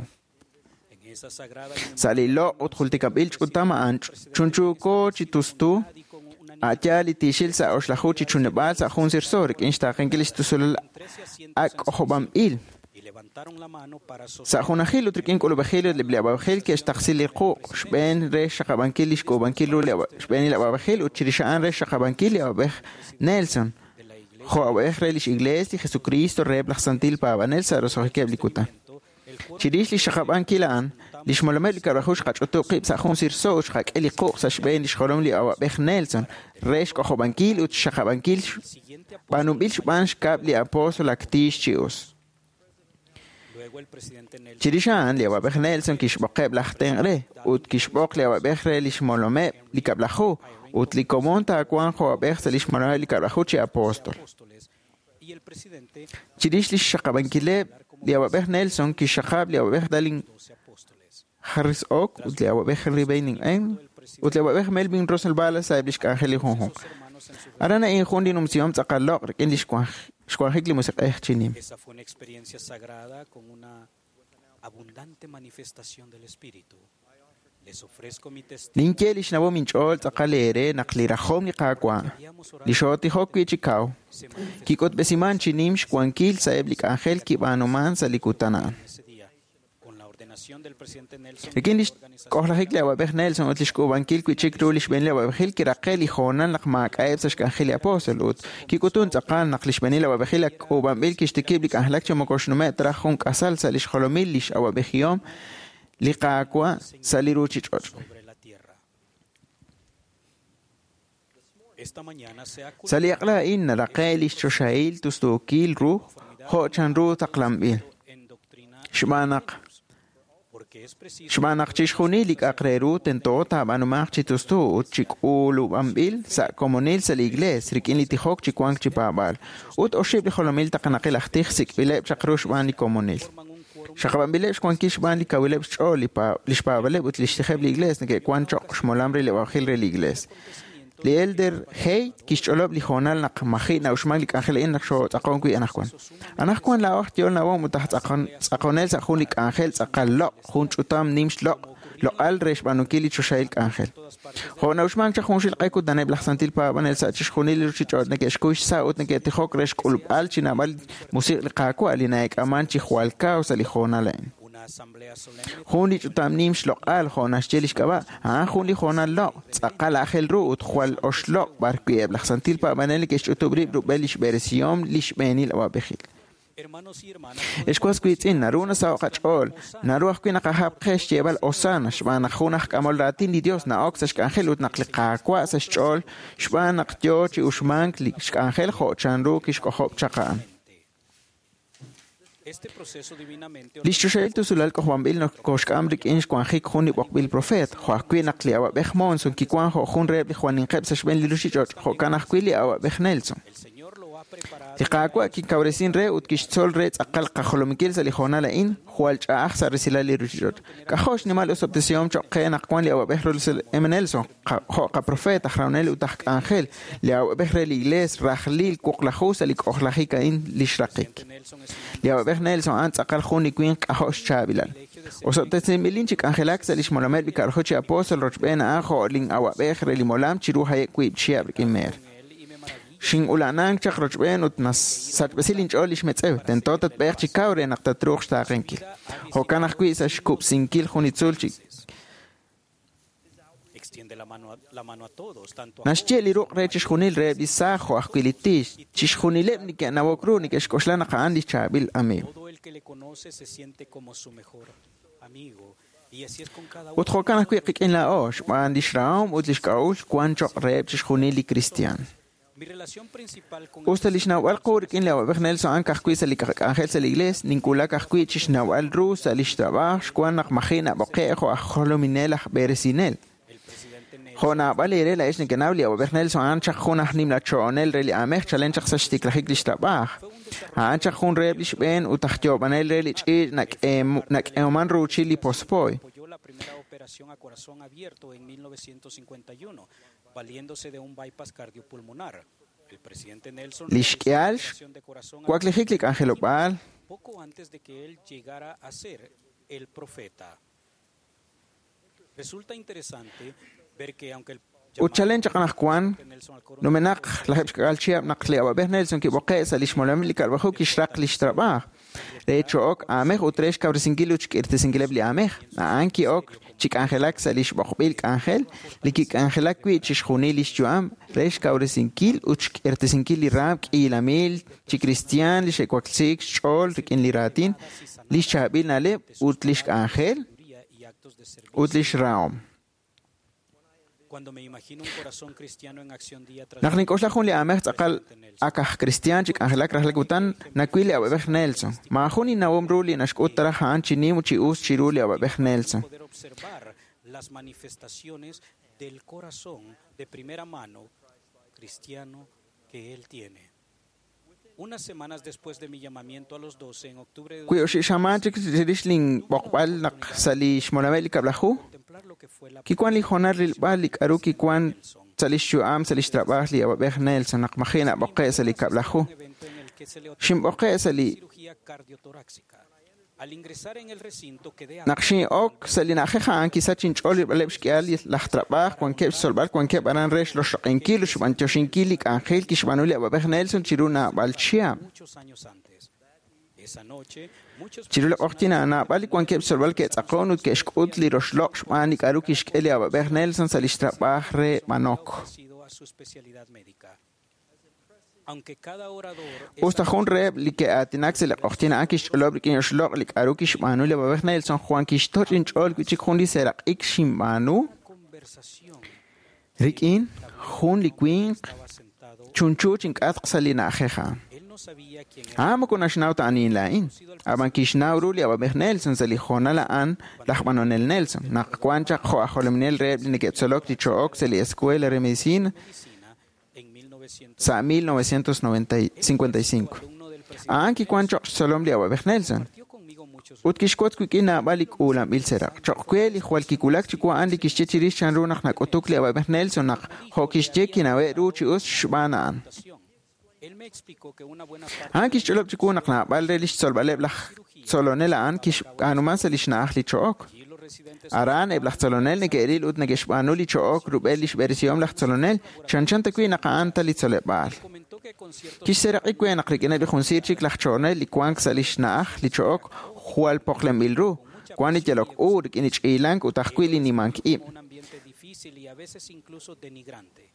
S5: Sa' li loq' ut jultikab'il ch'utam a'an chunchuuko chi tustu a' yaal li tiixil sa' oxlaju chi chunub'aal sa' jun sirso rik'in xtaaqenkil li xtusulal ak' k'ojob'anb'il. Sa' junajil ut rik'in k'ulub'ejil ut li awab'ejil ke'xtaqsi li quq' xb'een re xxaqab'ankil li xk'uub'ankil ru li xb'eenil awab'ejil ut chirix a'an re xxaqab'ankil li awab'ej Nelson jo' awab'ej re lix Iglees li Jesucristo reheb' laj santil paab'anel sa' roso'jikeb' li kutan. Chirix li xxaqab'ankil a'an, li xmolomeb' li Kab'laju xqach'utub' qib' sa' jun sirso ut xqak'e li quq' sa' xb'een li xjolom li awab'ej Nelson re xk'ojob'ankil ut xxaqab'ankil b'aanunb'il xb'aan xkab' li apóstol ak tiix chi us. Chirix a'an, li awab'ej Nelson kixb'oqeb' laj tenq' re ut kixb'oq li awab'ej re li xmolomeb' li Kab'laju ut li komon taawanq jo' awab'ej sa' li xmolomeb' li Kab'laju chi apóstol. Chirix li xxaqab'ankileb', li awab'ej Nelson kixxaqab' li awab'ej Dallin Harris Oak ut li awab'ej Henry Baining M ut li awab'ej Melvin Russell Ballard sa'eb' li xk'anjel li junjunq. Aran a'in jun li numsihom tz'aqal loq' rik'in li xwanjik li musiq'ej chi nim.
S4: Esa fue una experiencia sagrada con una abundante manifestación del Espíritu. Les ofrezco mi testimonio.
S5: Ninye li xnawom inch'ool tz'aqal eere naq li rajom li Qaawa' li xootijok wi' chi kaw kik'utb'esiman chi nim xwankil sa'eb' li k'anjel kib'aanuman sa' li kutan a'an.
S4: Ese día, con la ordenación del presidente Nelson,
S5: Rik'in li xk'ojlajik li awab'ej Nelson ut li xk'uub'ankil wi' chik ru li xb'eenil awab'ejil kiraqe li hoonal naq maak'a'eb' sa' xk'anjel li apóstol ut kik'utun tz'aqal naq li xb'eenil awab'ejil ak k'uub'anb'il kixtikib' li k'anjelak chi moko xnume' traj jun k'asal sa' li xjolomil li x'awab'ejihom li Qaawa' sa' li ruuchich'och'.
S4: sobre la tierra. Esta mañana se ha
S5: Sa' li aq'la a'in naraqe li xchoxahil tustuukil ru jo' chanru taqlanb'il.
S4: en doctrina
S5: Xb'aan naq
S4: porque es preciso
S5: xb'aan naq chixjunil li k'a'aq re ru tento taab'aanumanq chi tustu ut chi k'ulub'anb'il sa' komonil sa' li iglees rik'in li tijok chi wank chi paab'aal. Ut oxib' li jolomil taqanaqil aj tij sik'b'ileb' chaq ru xb'aan li komonil.
S4: forman un quórum
S5: Xaqab'anb'ileb' xwankil xb'aan li kawileb' xch'ool li xpaab'aleb' ut li xtijeb' li iglees neke'wank cho'q xmolam re li awab'ejil re li iglees. Li elder Hay kixch'olob' li hoonal naq maji' na'uxmank li k'anjel a'in naq xootz'aqon wi' anaqwan. Anaqwan laa'o aj yool nawom ut aj tz'aqonel sa' jun li k'anjel tz'aqal loq', jun ch'utam nim xloq' loq'al re xb'aanunkil li choxahil k'anjel. Jo' na'uxmank chaq junxil q'e kutaneb' laj santil paab'anel sa' chixjunil li ruuchich'och' neke'xkuy xsa' ut neke'tijok re xk'ulub'al chi naab'al musiq' li Qaawa' li na'eek'aman chi jwal kaw sa' li hoonal a'in.
S4: una asamblea solemne
S5: Jun li ch'utam nim xloq'al jo' naxye li xk'ab'a', a'an jun li hoonal loq', tz'aqal aajel ru ut jwal oxloq' b'ar wi' eb' laj santil paab'anel neke'xch'utub' rib' rub'el li xb'eresihom li xb'eenil awab'ejil.
S4: Hermanos y hermanas,
S5: Ex was wiitz'in, naru nasaho' qach'ool, naru ajwi' naqajab' qe xyeeb'al Hosanna xb'aan naq jun aj k'amol raatin li Dios na'ok sa' xk'anjel ut naq li Qaawa' sa' xch'ool xb'aan naq yoo chi uxmank li xk'anjel jo' chanru kixk'ojob' chaq a'an.
S4: este proceso divinamente
S5: Li xchoxahil tusulal k'ojob'anb'il nokoxk'am rik'in xwanjik jun li b'oqb'il profeet, jo' ajwi' naq li awab'ej Monson kiwank jo' jun reheb' li jwaninqeb' sa' xb'een li ruuchich'och', jo'kan ajwi' li awab'ej Nelson.
S4: El Señor lo ha preparado
S5: Li Qaawa' kikawresin re ut kixtzol re tz'aqal qajolominkil sa' li hoonal a'in jwal ch'a'aj sa' resilal li ruuchich'och'. K'ajo' xnimal osob'tesihom cho'q qe naq wan li awab'ej Russell M. Nelson, jo' qaprofeet aj rahonel ut aj k'anjel, li awab'ej re li Iglees rajlil wuqlaju sa' li k'ojlajik a'in li xraqik.
S4: Nelson es un
S5: Li awab'ej Nelson a'an tz'aqal jun li winq k'ajo' xchaab'ilal. Osob'tesinb'ilin chi k'anjelak sa' li xmolomeb' li Kab'laju chi apóstol rochb'een a'an jo' lin awab'ej re li molam chiru haye' wiib' chihab' rik'in meer.
S4: él y me maravilla
S5: Xin'ula'nank chaq rochb'een ut nasachb'esi linch'ool li xmetz'ew. Tento tatb'eeq chi kaw re naq tatruuq xtaaqenkil. Jo'kan ajwi' sa' xkub'sinkil jun li tzuul chi
S4: extiende la mano a todos, tanto a
S5: naxye li ruq' re chixjunil reheb' li saaj jo' ajwi' li tiix. Chixjunileb' neke'nawok ru neke'xk'oxla naq a'an li chaab'il amiiw.
S4: todo el que le conoce se siente como su mejor amigo. Y así es con cada
S5: Ut
S4: uno.
S5: jo'kan ajwi' qik'in laa'o xb'aan li xrahom ut li xk'a'uxl wank cho'q reheb' chixjunil li kristiaan.
S4: Mi relación principal con
S5: Usta li xnawb'al qu rik'in li awab'ej Nelson a'an ka'ajwi' sa' li k'anjel sa' li iglees, ninwulak ajwi' chi xnawb'al ru sa' li xtrab'aaj xwan naq maji' nab'oqe' jo' aj jolominel aj b'eresinel.
S4: el presidente Nelson
S5: Jo' naab'al eere laa'ex nekenaw li awab'ej Nelson a'an chaq jun aj nimla cho'onel re li aamej chalen chaq sa' xtiklajik li xtrab'aaj. A'an chaq jun reheb' li xb'een ut aj yoob'anel re li ch'iich' nak'eeman ruuchil li pospoy.
S4: apoyó la primera operación a corazón abierto en 1951, valiéndose de un bypass cardiopulmonar. El presidente Nelson
S2: Li xk'ihal
S4: realizó una oración de corazón al
S2: xwaklijik li k'anjelob'aal
S4: poco antes de que él llegara a ser el profeta. Resulta interesante ver que aunque el
S2: Ut chalen chaq anaqwan numenaq lajeb' xk'ak'al chihab' naq li awab'ej Nelson kib'oqe' sa' li xmolam li kab'laju kixraq li xtrab'aaj re cho'ok aamej ut re xkawresinkil ut xk'irtesinkileb' li aamej. A'an ki'ok chi k'anjelak sa' li xb'oqb'il k'anjel li kik'anjelak wi' chixjunil li xyu'am re xkawresinkil ut xk'irtesinkil li raam k'iila mil chi kristiaan li xe'waklesiik xch'ool rik'in li raatin, li xchaab'il na'leb' ut li xk'anjel
S4: y actos de servicio.
S2: ut li xrahom.
S4: Cuando me imagino un corazón cristiano en acción día tras
S2: Naq
S4: día,
S2: nink'oxla jun li aamej tz'aqal ak aj kristiaan chi k'anjelak rajlal kutan nawil li awab'ej Nelson. Maajun innawom ru li naxk'ut taraj a'an chi nim ut chi us chiru li awab'ej Nelson.
S4: poder observar las manifestaciones del corazón de primera mano cristiano que él tiene. Unas semanas después de mi llamamiento a los 12 en octubre de
S2: Wi oxi' xamaan chik chirix linb'oqb'al naq sa' li xmolameb' li kab'laju,
S4: contemplar lo que fue la
S2: kiwan li hoonal rilb'al li k'aru kiwan sa' li xyu'am sa' li xtrab'aaj li awab'ej Nelson naq maji' nab'oqe' sa' li kab'laju.
S4: evento en el que se le
S2: Xinb'oqe' sa' li
S4: cirugía cardiotorácica. Al ingresar en el recinto quedé
S2: Naq xin'ok sa' li na'ajej a'an kisach inch'ool rilb'aleb' xk'ihal li laj trab'aaj wankeb' xtzolb'al wankeb' aran re xloxloq'inkil ut xb'antioxinkil li k'anjel kixb'aanu li awab'ej Nelson chiru naab'al chihab'.
S4: muchos años antes. Esa noche, muchos
S2: Chiru li q'oqyin a'an naab'al li wankeb' xtzolb'al ke'tz'aqon ut ke'xk'ut li roxloq' xb'aan li k'aru kixk'e li awab'ej Nelson sa' li xtrab'aaj re b'anok.
S4: ofrecido a su especialidad médica. Aunque cada orador es
S2: Usta jun reheb' li ke'aatinak sa' li q'oqyin a'an kixch'olob' rik'in oxloq' li k'aru kixb'aanu li awab'ej Nelson, Juan kixtoch' inch'ool wi' chik jun li seeraq'ik xinb'aanu
S4: conversación
S2: rik'in jun li winq
S4: estaba sentado,
S2: chunchu chink'atq sa' li na'ajej a'an.
S4: él no sabía quién era.
S2: A'an moko naxnaw ta anihin laa'in, ab'an kixnaw ru li awab'ej Nelson sa' li hoonal a'an laj b'anonel Nelson, naq wan chaq jo' aj jolominel reheb' li neke'tzolok li cho'ok sa' li Escuela re Medicina
S4: medicina en 1900
S2: sa' 1955.
S4: alumno del presidente
S2: A'an kiwan choq' xtzolom li awab'ej Nelson.
S4: compartió conmigo muchos
S2: Ut kixwotz wik'in naab'al li k'uulanb'il seraq'. Choq' we li jwal kiwulak chiwu a'an li kixye chirix chanru naq nak'utuk li awab'ej Nelson naq jo' kixye kinawe' ru chi us xb'aan a'an.
S4: reputación. Él me explicó que una buena parte
S2: A'an kixch'olob' chiwu naq naab'al re li xtzolb'aleb' laj tzolonel a'an kixb'aanuman sa' li xna'aj li cho'ok.
S4: de los residentes
S2: Aran eb' laj tzolonel neke'ril ut neke'xb'aanu li cho'ok rub'el li xb'eresihom laj tzolonel, chanchan ta wi' naq a'an ta li tzoleb'aal.
S4: comentó que con ciertos
S2: Kixseeraq'i we naq rik'ineb' li jun siir chik laj cho'onel li wank sa' li xna'aj li cho'ok jwal poqlenb'il ru, wan li yalok u rik'in li ch'iilank ut ajwi' li nimank ib'.
S4: un ambiente difícil y a veces incluso denigrante.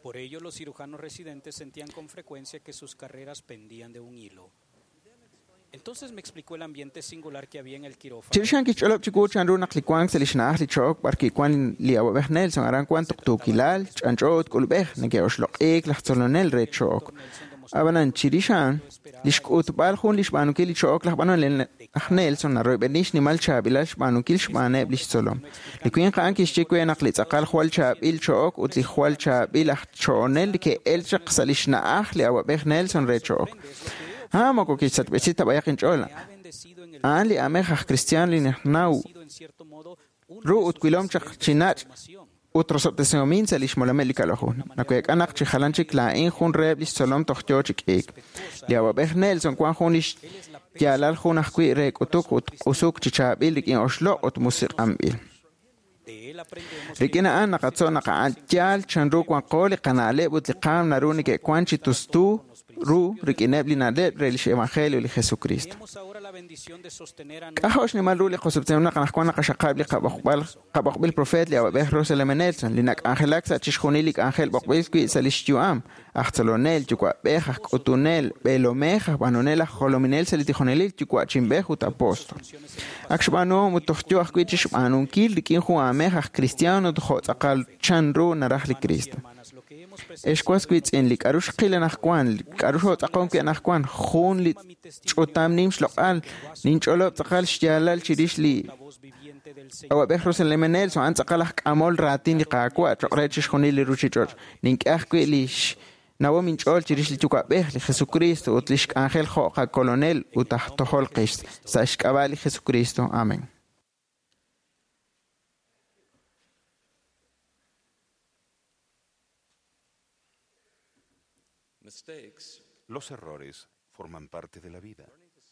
S4: Por ello, los cirujanos residentes sentían con frecuencia que sus carreras pendían de un hilo. Entonces me explicó el ambiente singular que había en el quirófano.
S2: Chirix a'an kixch'olob' chiwu chanru naq li wank sa' li xna'aj li cho'ok b'ar kiwan li awab'ej Nelson aran wan tuqtuukilal, ch'anch'o ut k'ulub'ej neke'oxloq'iik laj tzolonel re cho'ok. Ab'anan chirix a'an, li xk'utb'al jun li xb'aanunkil li cho'ok laj b'anonel aj Nelson naroyb'eni xnimal chaab'ilal xb'aanunkil xb'aaneb' li xtzolom. Li winq a'an kixye we naq li tz'aqal jwal chaab'il cho'ok ut li jwal chaab'il aj cho'onel ke'el chaq sa' li xna'aj li awab'ej Nelson re cho'ok. A'an moko kixsachb'esi ta b'ayaq inch'ool.
S4: Ha bendecido en el
S2: A'an li amej aj kristiaan li naxnaw
S4: sido en cierto modo uno
S2: ru
S4: de
S2: ut
S4: sus
S2: wilom chaq chi nach'
S4: formación.
S2: ut rosob'tesihomin sa' li xmolameb' li kab'laju. Naweek'a naq chi jalan chik laa'in jun reheb' li xtzolom toj yoo chi k'iik. Li awab'ej Nelson wan jun li xyaalal jun ajwi' re k'utuk ut q'usuk chi chaab'il rik'in oxloq' ut musiq'anb'il.
S4: De él aprendemos
S2: Rik'in a'an naqatzo' naq a'an yaal chanru wanqo li qana'leb' ut li qaam naru neke'wan chi tustu ru rik'ineb' li na'leb' re lix Evangelio li Jesucristo.
S4: Tenemos ahora la bendición de sostener a
S2: K'ajo' xnimal ru li qosob'tesiom naq anaqwan naqaxaqab' li qab'oqb'al qab'oqb'il profeet li awab'ej Russell M. Nelson li nak'anjelak sa' chixjunil li k'anjel b'oqb'il wi' sa' li xyu'am, aj tzolonel, yuwa'b'ej, aj k'utunel, b'eelomej, aj b'anonel, aj jolominel sa' li tijonelil, yuwa'chinb'ej ut apóstol. Ak xb'aanuhom ut toj yo ajwi' chi xb'aanunkil rik'in jun aamej aj cristiano ut jo' tz'aqal chanru naraj li Cristo.
S4: hermanas lo que hemos
S2: Ex was wiitz'in li k'aru xqil anaqwan, li k'aru xootz'aqon wi' anaqwan, jun li ch'utam nim xloq'al, ninch'olob' tz'aqal xyaalal chirix li
S4: la voz viviente del Señor
S2: awab'ej Russell M. Nelson, a'an tz'aqal aj k'amol raatin li Qaawa' choq' re chixjunil li ruchich'och'. Nink'e ajwi' li xnawom inch'ool chirix li Yuwa'b'ej, li Jesucristo ut li xk'anjel jo' qakolonel ut aj tojol qix. Sa' xk'ab'a' li Jesucristo. Amén.
S1: Los errores forman parte de la vida.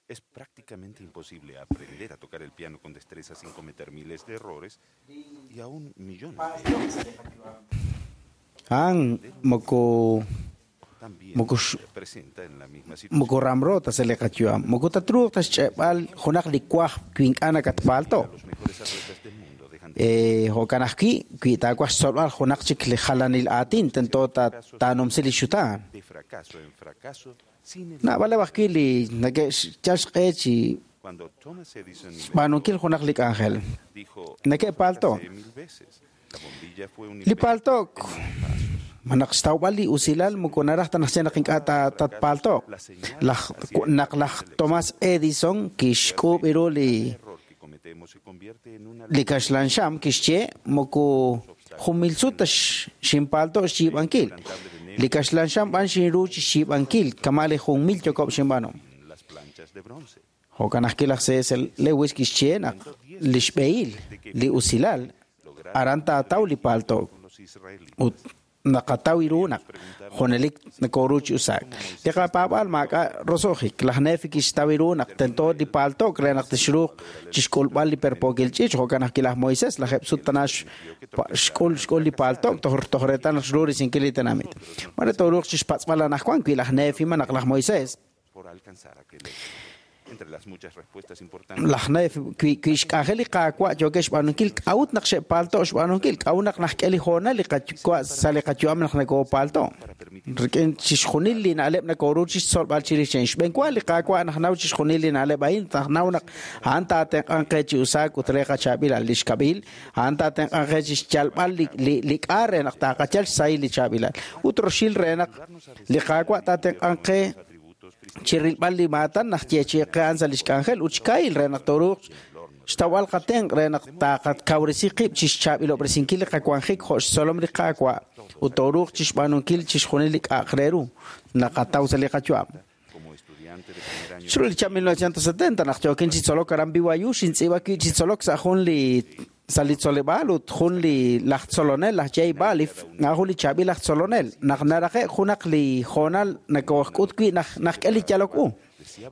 S1: Es prácticamente imposible aprender a tocar el piano con destreza sin cometer miles de errores y aún millones de ellos.
S5: A'an moko
S1: También
S5: moko
S1: se presenta en la misma situación.
S5: moko ramro ta sa li qayu'am moko tatruuq ta xch'e'b'al junaq li kuaj wi ink'a' nakatpaalto'.
S1: Los mejores atletas del mundo dejan de
S5: Jo'kan ajwi' wi taawaj xtzolb'al junaq chik li jalanil aatin tento taanumsi li xutaan.
S1: de fracaso en fracaso sin el
S5: Naab'aleb ajwi' li nake'xyal xq'e chi
S1: Cuando Thomas Edison inventó,
S5: xb'aanunkil junaq li k'anjel.
S1: dijo,
S5: Neke'paalto'.
S1: "Fracasé mil veces. La bombilla fue un
S5: Li
S1: invento
S5: paalto'k
S1: en mil pasos.
S5: ma naq xtawb'al li usilal moko naraj ta naq xye naq ink'a' tatpaalto'. Laj naq laj Thomas Edison kixk'uub' ru li
S1: Error que cometemos se convierte en una
S5: li kaxlan xam kixye moko jun sut ta xinpaalto' xyiib'ankil. Li kaxlan xam b'an xinru chi xyiib'ankil kama' li 1000 yokob' xinb'aanu.
S1: las planchas de bronce.
S5: Jo'kan ajwi' laj C.S. Lewis kixye naq li xb'ehil li usilal aran taataw li paalto'
S1: Con los israelitas.
S5: ut naqataw ru naq junelik nakoru chi usaak. Li qapaab'al maak'a' roso'jik. Laj Nefi kixtaw ru naq tento li paalto'k re naq tixruuq chixk'ulb'al li perpookil ch'iich'. Jo'kan ajwi' laj Moisés lajeb' sut tana xk'ul xk'ul li paalto'k toj reetal naq xru risinkil li tenamit. Mare tooruuq chixpatz'b'al anaqwan wi laj Nefi ma naq laj Moisés
S1: por alcanzar aquel éxito. Entre las muchas respuestas importantes
S5: laj Nefi wi xk'anjel li Qaawa' yookeb' xb'aanunkil k'a'ut naq xe'paalto' xb'aanunkil k'a'ut naq najk'e li hoonal li qayuwa' sa' li qayu'am naq nakopaalto'. Rik'in chixjunil li na'leb' nakoru chixtzolb'al chirix a'in. Xb'enwa li Qaawa' najnaw chixjunil li na'leb' a'in najnaw naq a'an taatenq'anq qe chi usaak ut re qachaab'ilal li xkab'il a'an taatenq'anq qe chi xyalb'al li k'a re naq taaqachal xsahil li chaab'ilal. Ut roxil re naq li Qaawa' taatenq'anq qe chi rilb'al li maatan naq yeechi'qe a'an sa' li xk'anjel ut xka'il re naq tooruuq xtawb'al qatenq' re naq taaqakawresi qib' chi xchaab'ilob'resinkil li qawanjik jo' xtzolom li Qaawa' ut tooruuq chi xb'aanunkil chixjunil li k'a'aq re ru naqataw sa' li qayu'am.
S1: como estudiante de primer año
S5: Chiru li chab' 1970 naq yookin chi tzolok aran BYU xintz'iib'a wi' chi tzolok sa' jun li sa' li tzoleb'aal ut jun li laj tzolonel laj Jay Balif nga jun li chaab'il laj tzolonel naq naraje' junaq li hoonal nakooxk'ut wi' naq najk'e li yalok u.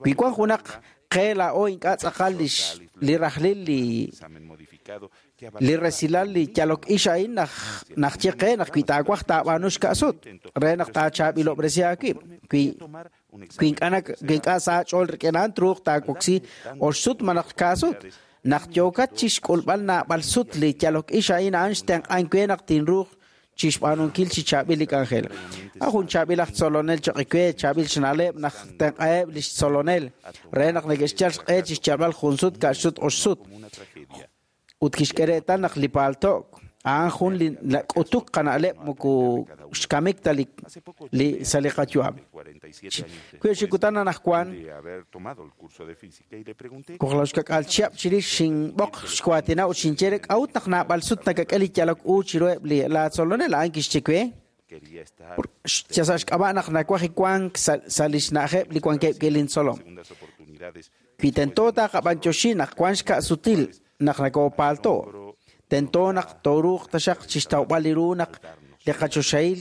S5: Wi wan junaq qe laa'o ink'a' tz'aqal li rajlil li
S1: examen modificado que
S5: li resilal li yalok ix a'in naq najye qe naq wi taawaj taab'aanu xka'sut re naq taachaab'ilob'resi aawib' wi
S1: tomar un
S5: wi ink'a' wi ink'a' sa ch'ool rik'in a'an truuq taawoksi oxsut malaj kaasut. Naq yookat chi xk'ulb'al naab'al sut li yalok ix a'in a'an xtenq'an we naq tinruuq chi xb'aanunkil chi chaab'il li k'anjel. A jun chaab'il aj tzolonel choq' we chaab'il xna'leb' naq tenq'aheb' li xtzolonel re naq neke'xyal xq'e chi xyalb'al jun sut ka'sut oxsut.
S1: como una tragedia.
S5: Ut kixk'e reetal naq li paalto'k a'an jun li k'utuk qana'leb' moko xkamik ta li sa' li qayu'am.
S1: 47 años
S5: Wi xikutan anaqwan
S1: de haber tomado el curso de física y le pregunté
S5: Kuqlawxkak'al chihab' chirix xinb'oq xwaatina ut xinye re k'a'ut naq naab'al sut nakak'e li yalok u chiruheb' li laatzolonel a'an kixye we
S1: quería estar
S5: sa' xk'ab'a' naq nawaj wank sa' li xna'ajeb' li wankeb' wi' lintzolom.
S1: segundas oportunidades
S5: Wi tento taqab'anyoxi naq wan xka'sutil naq nakopaalto'. Tento naq tooruuq taxaq chixtawb'al li ru naq li qachoxahil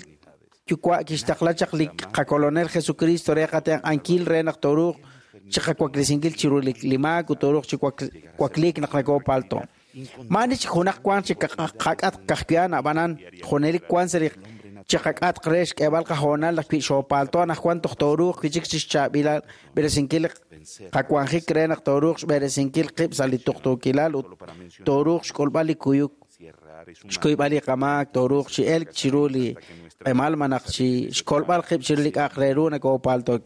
S5: yuwa' kixtaqla chaq li qakolonel Jesucristo re qatenq'ankil re naq tooruuq chiqawaklesinkil chiru li maak ut tooruuq chi wakliik naq nakopaalto'. Maani chik junaq wan chi qak'atq kajwi'an ab'anan junelik wan sa' li chiqak'atq re xk'eeb'al qahoonal naq wi xoopaalto' anaqwan toj tooruuq wi' chik chi xchaab'ilal b'eresinkil qawanjik re naq tooruuq xb'eresinkil qib' sa' li tuqtuukilal ut tooruuq xk'ulb'al li kuyuk
S1: si errar es humano
S5: xkuyb'al li qamaak tooruuq chi elk chiru li q'emal ma naq chi xkolb'al qib' chiru li k'a'aq re ru nakoopaalto'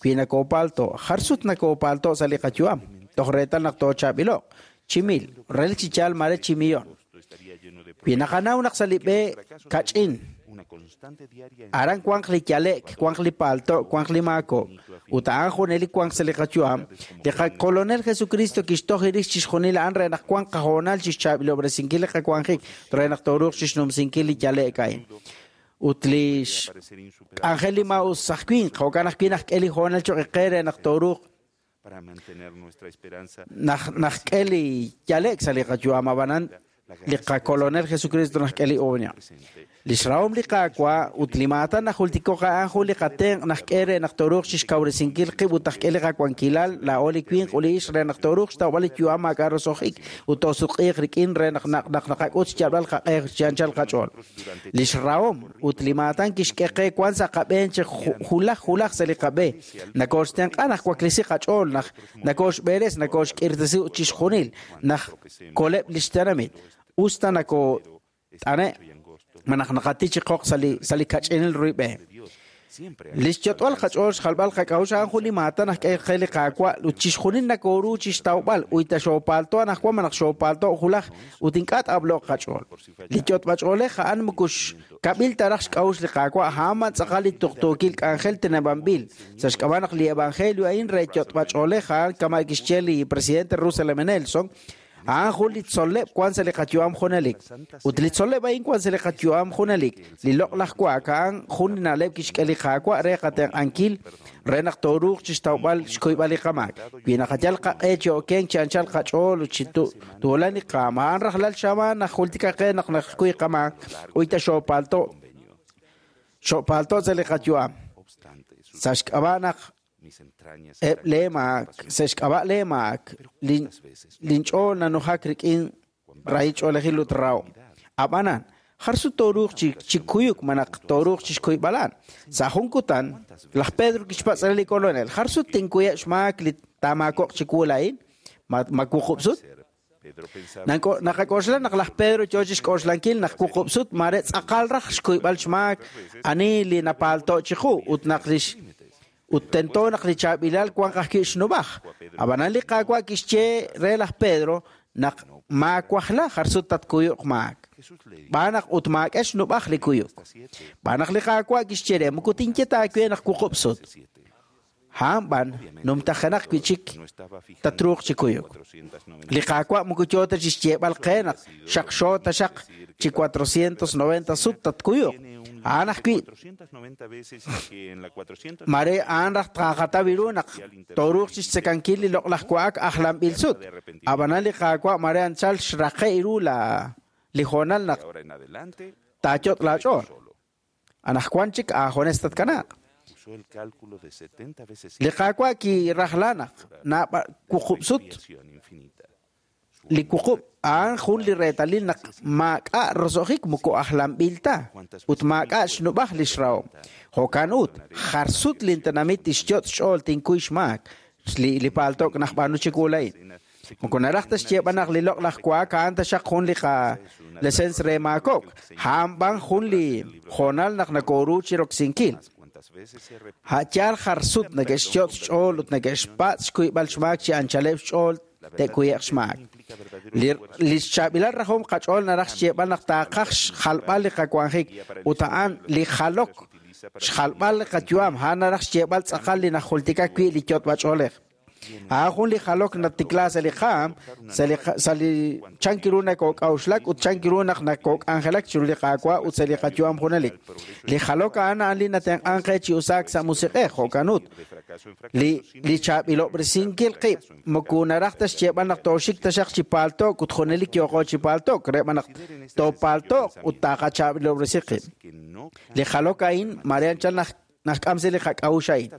S5: wi nakoopaalto' jar sut nakoopaalto' sa' li qayu'am toj reetal naq toochaab'ilo'q chi mil relik chi yaal mare chi millón.
S1: esto estaría lleno de
S5: Wi naqanaw naq sa' li b'e kach'in
S1: una constante diaria en
S5: aran wanq li yale'k wanq li paalto' wanq li maako' ut a'an junelik wanq sa' li qayu'am li qakolonel Jesucristo kixtoj rix chixjunil a'an re naq wanq qahoonal chixchaab'ilob'resinkil li qawanjik re naq tooruuq chixnumsinkil li yale'k a'in. Ut li
S1: parecer insuperable
S5: xk'anjel li maa'us aj winq jo'kan ajwi' naq k'e li hoonal choq' qe re naq tooruuq
S1: para mantener nuestra esperanza
S5: naq k'e li yale'k sa' li qayu'am ab'anan Li qakolonel Jesucristo naxk'e li oña. Li xrahom li Qaawa' ut li maatan najultiko' a'an jun li qatenq' naxk'e re naq tooruuq chixkawresinkil qib' ut naxk'e li qawankilal laa'o li winq ut li ixq re naq tooruuq xtawb'al li yu'am maak'a' roso'jik ut toosutq'iiq rik'in re naq naq naqak'ut xyalb'al qaq'e chi anchal qach'ool. Li xrahom ut li maatan kixk'e qe wan sa' qab'een chi julaj julaj sa' li qab'e. Nakooxtenq'a naq waklesi qach'ool naq nakooxb'eres nakooxk'irtesi ut chixjunil naq koleb' li xtenamit. Usta nakoot'ane' malaj naqati chi qoq sa' li kach'inil ruib'e. Li xyot'b'al qach'ool xjalb'al qak'a'uxl a'an jun li maatan naxk'e qe li Qaawa' ut chixjunil nakooru chixtawb'al uyta xoopaalto anaqwan malaj xoopaalto julaj ut ink'a' t'ab'lo'q qach'ool. Li yot'b'ach'oolej a'an moko xkab'il ta raj xk'a'uxl li Qaawa' a'an b'an tz'aqal li tuqtuukil k'anjel teneb'anb'il. Sa' xk'ab'a' naq li evangelio a'in re yot'b'ach'oolej a'an kama' kixye li presidente Russell M. Nelson, a'an jun li tzol'leb' wan sa' li qayu'am junelik. Ut li tzol'leb' a'in wan sa' li qayu'am junelik. Li loq'laj wa'ak a'an jun li na'leb' kixk'e li Qaawa' re qatenq'ankil re naq tooruuq chixtawb'al xkuyb'al li qamaak. Wi naqayal qaq'e chi okenk chi anchal qach'ool ut chi tuulan li qaam, a'an rajlal xamaan najultika qe naq naxkuy qamaak uyta xoopaalto' xoopaalto' sa' li qayu'am. Sa' xk'ab'a' naq eb' lee maak, sa' xk'ab'a' lee maak, linch'ool nanujak rik'in rahil ch'oolejil ut rahom. Ab'anan, jar sut tooruuq chi kuyuk malaj tooruuq chixkuyb'alan. Sa' jun kutan, laj Pedro kixpatz' re li kolonel, jar sut tinkuyeb' xmaak li taamaako'q chiwu laa'in? Ma wuqub' sut? Naqak'oxla naq laj Pedro yoo chixk'oxlankil naq wuqub' sut mare tz'aqal raj xkuyb'al xmaak ani li napaalto' chiqu ut naq lix ut tento naq li chaab'ilal wanq ajwi' xnub'aj. Ab'anan li Qaawa' kixye re laj Pedro naq maawajla jar sut tatkuyuq maak. B'aan naq ut maak'e xnub'aj li kuyuk. B'aan naq li Qaawa' kixye re moko tinye ta aawe naq wuqub' sut. A'an b'an numtajenaq wi' chik tatruuq chi kuyuk. Li Qaawa' moko yoo ta chixyeeb'al qe naq xaqxo taxaq chi 490 sut tatkuyuq. A'an ajwi' mare a'an raj tqaqataw ru naq tooruuq chixtzekankil li loq'laj wa'ak ajlanb'il sut. Ab'anan li Qaawa' mare anchal xraqe' ru li hoonal naq taayot' laach'ool. Anaqwan chik aajones tatkanaaq. Li Qaawa' kirajla naq naab'al wuqub' sut li wuqub' a'an jun li reetalil naq maak'a' roso'jik moko ajlanb'il ta ut maak'a' xnub'aj li xrahom. Jo'kan ut, jar sut lintenamit tixyot' xch'ool tinkuy xmaak li paalto'k najb'aanu chiwu laa'in. Moko naraj ta xyeeb'al naq li loq'laj wa'ak a'an taxaq jun li qalesens re maako'k. A'an b'an jun li hoonal naq nakooru chiroksinkil. A'yaal jar sut neke'xyot' xch'ool ut neke'xpatz' xkuyb'al xmaak chi anchaleb' xch'ool te'kuye'q xmaak. Li xchaab'ilal rajom qach'ool naraj xyeeb'al naq taaqaj xjalb'al li qawanjik ut a'an li jalok xjalb'al li qayu'am a'an naraj xyeeb'al tz'aqal li najultika wi' li yot'b'ach'oolej. A'an jun li jalok natikla sa' li qaam, sa' li chank ru nakook'a'uxlak ut chank ru naq nakook'anjelak chiru li Qaawa' ut sa' li qayu'am junelik. Li jalok a'an a'an li natenq'an qe chi usaak sa' musiq'ej, jo'kan ut. Li chaab'ilob'resinkil qib' moko naraj ta xyeeb'al naq tooxik taxaq chi paalto'k ut junelik yooqo chi paalto'k, re b'an naq toopaalto'q ut taqachaab'ilob'resi qib'. Li jalok a'in mare anchal naq naxk'am sa' li qak'a'uxl a'in.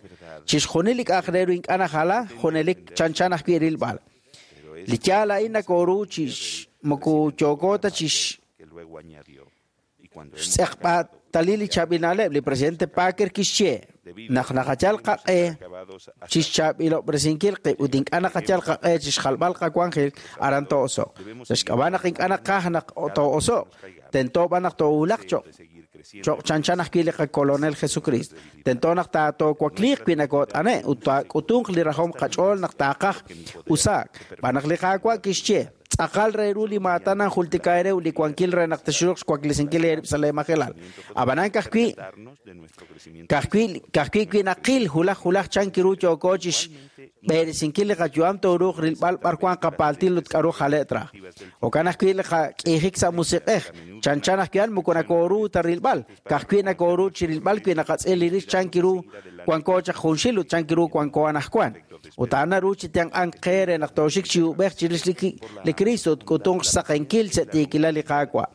S5: Chixjunil li k'a'aq re ru ink'a' najala, junelik chanchan ajwi' rilb'al. Li yaal a'in nakooru chi moko yooko ta chi xtz'eqb'atalil li chaab'il na'leb'. Li presidente Packer kixye naq naqayal qaq'e chixchaab'ilob'resinkil qib' ut ink'a' naqayal qaq'e chixjalb'al qawanjil aran too'oso'q. Sa' xk'ab'a' naq ink'a' naqaj naq too'oso'q, tento b'an naq toowulaq cho'q cho'q chanchan ajwi' li qakolonel Jesucristo. Tento naq taatoowakliiq wi nakoot'ane' ut taak'utunq li rajom qach'ool naq taaqaj usaak. B'aan naq li Qaawa' kixye, tz'aqal re ru li maatan nanjultika eere ut li wankil re naq texruuq xwaklesinkil eerib' sa' leemajelal. Ab'anan ka'ajwi' ka'ajwi' wi naqil julaj julaj chank ru yooko chixb'eresinkil li qayu'am tooruuq rilb'al b'ar wan qapaaltil ut k'aru jale' traj. Jo'kan ajwi' li qak'iijik sa' musiq'ej, chanchan ajwi' a'an moko nakooru ta rilb'al, ka'ajwi' nakooru chi rilb'al wi naqatz'il li rix chank ru wanko chaq junxil ut chank ru wanko anaqwan. Ut a'an naru chi tenq'ank qe re naq tooxik chi uub'ej chirix li Kristo ut k'utunq xsaqenkil sa' tiikilal li Qaawa'.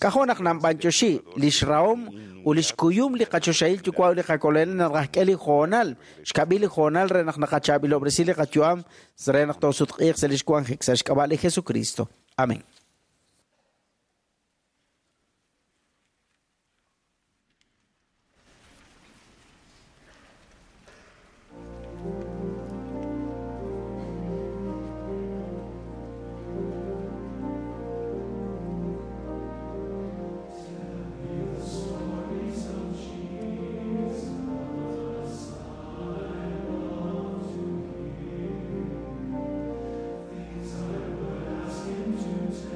S5: K'ajo' naq nanb'antioxi lix rahom ut lix kuyum li qachoxahil yuwa' ut li qakolonel naq rajk'e li hoonal, xkab'il li hoonal re naq naqachaab'ilob'resi li qayu'am re naq toosutq'iiq sa' lix wanjik sa' xk'ab'a' li Jesucristo. Amén.
S9: These I would ask him to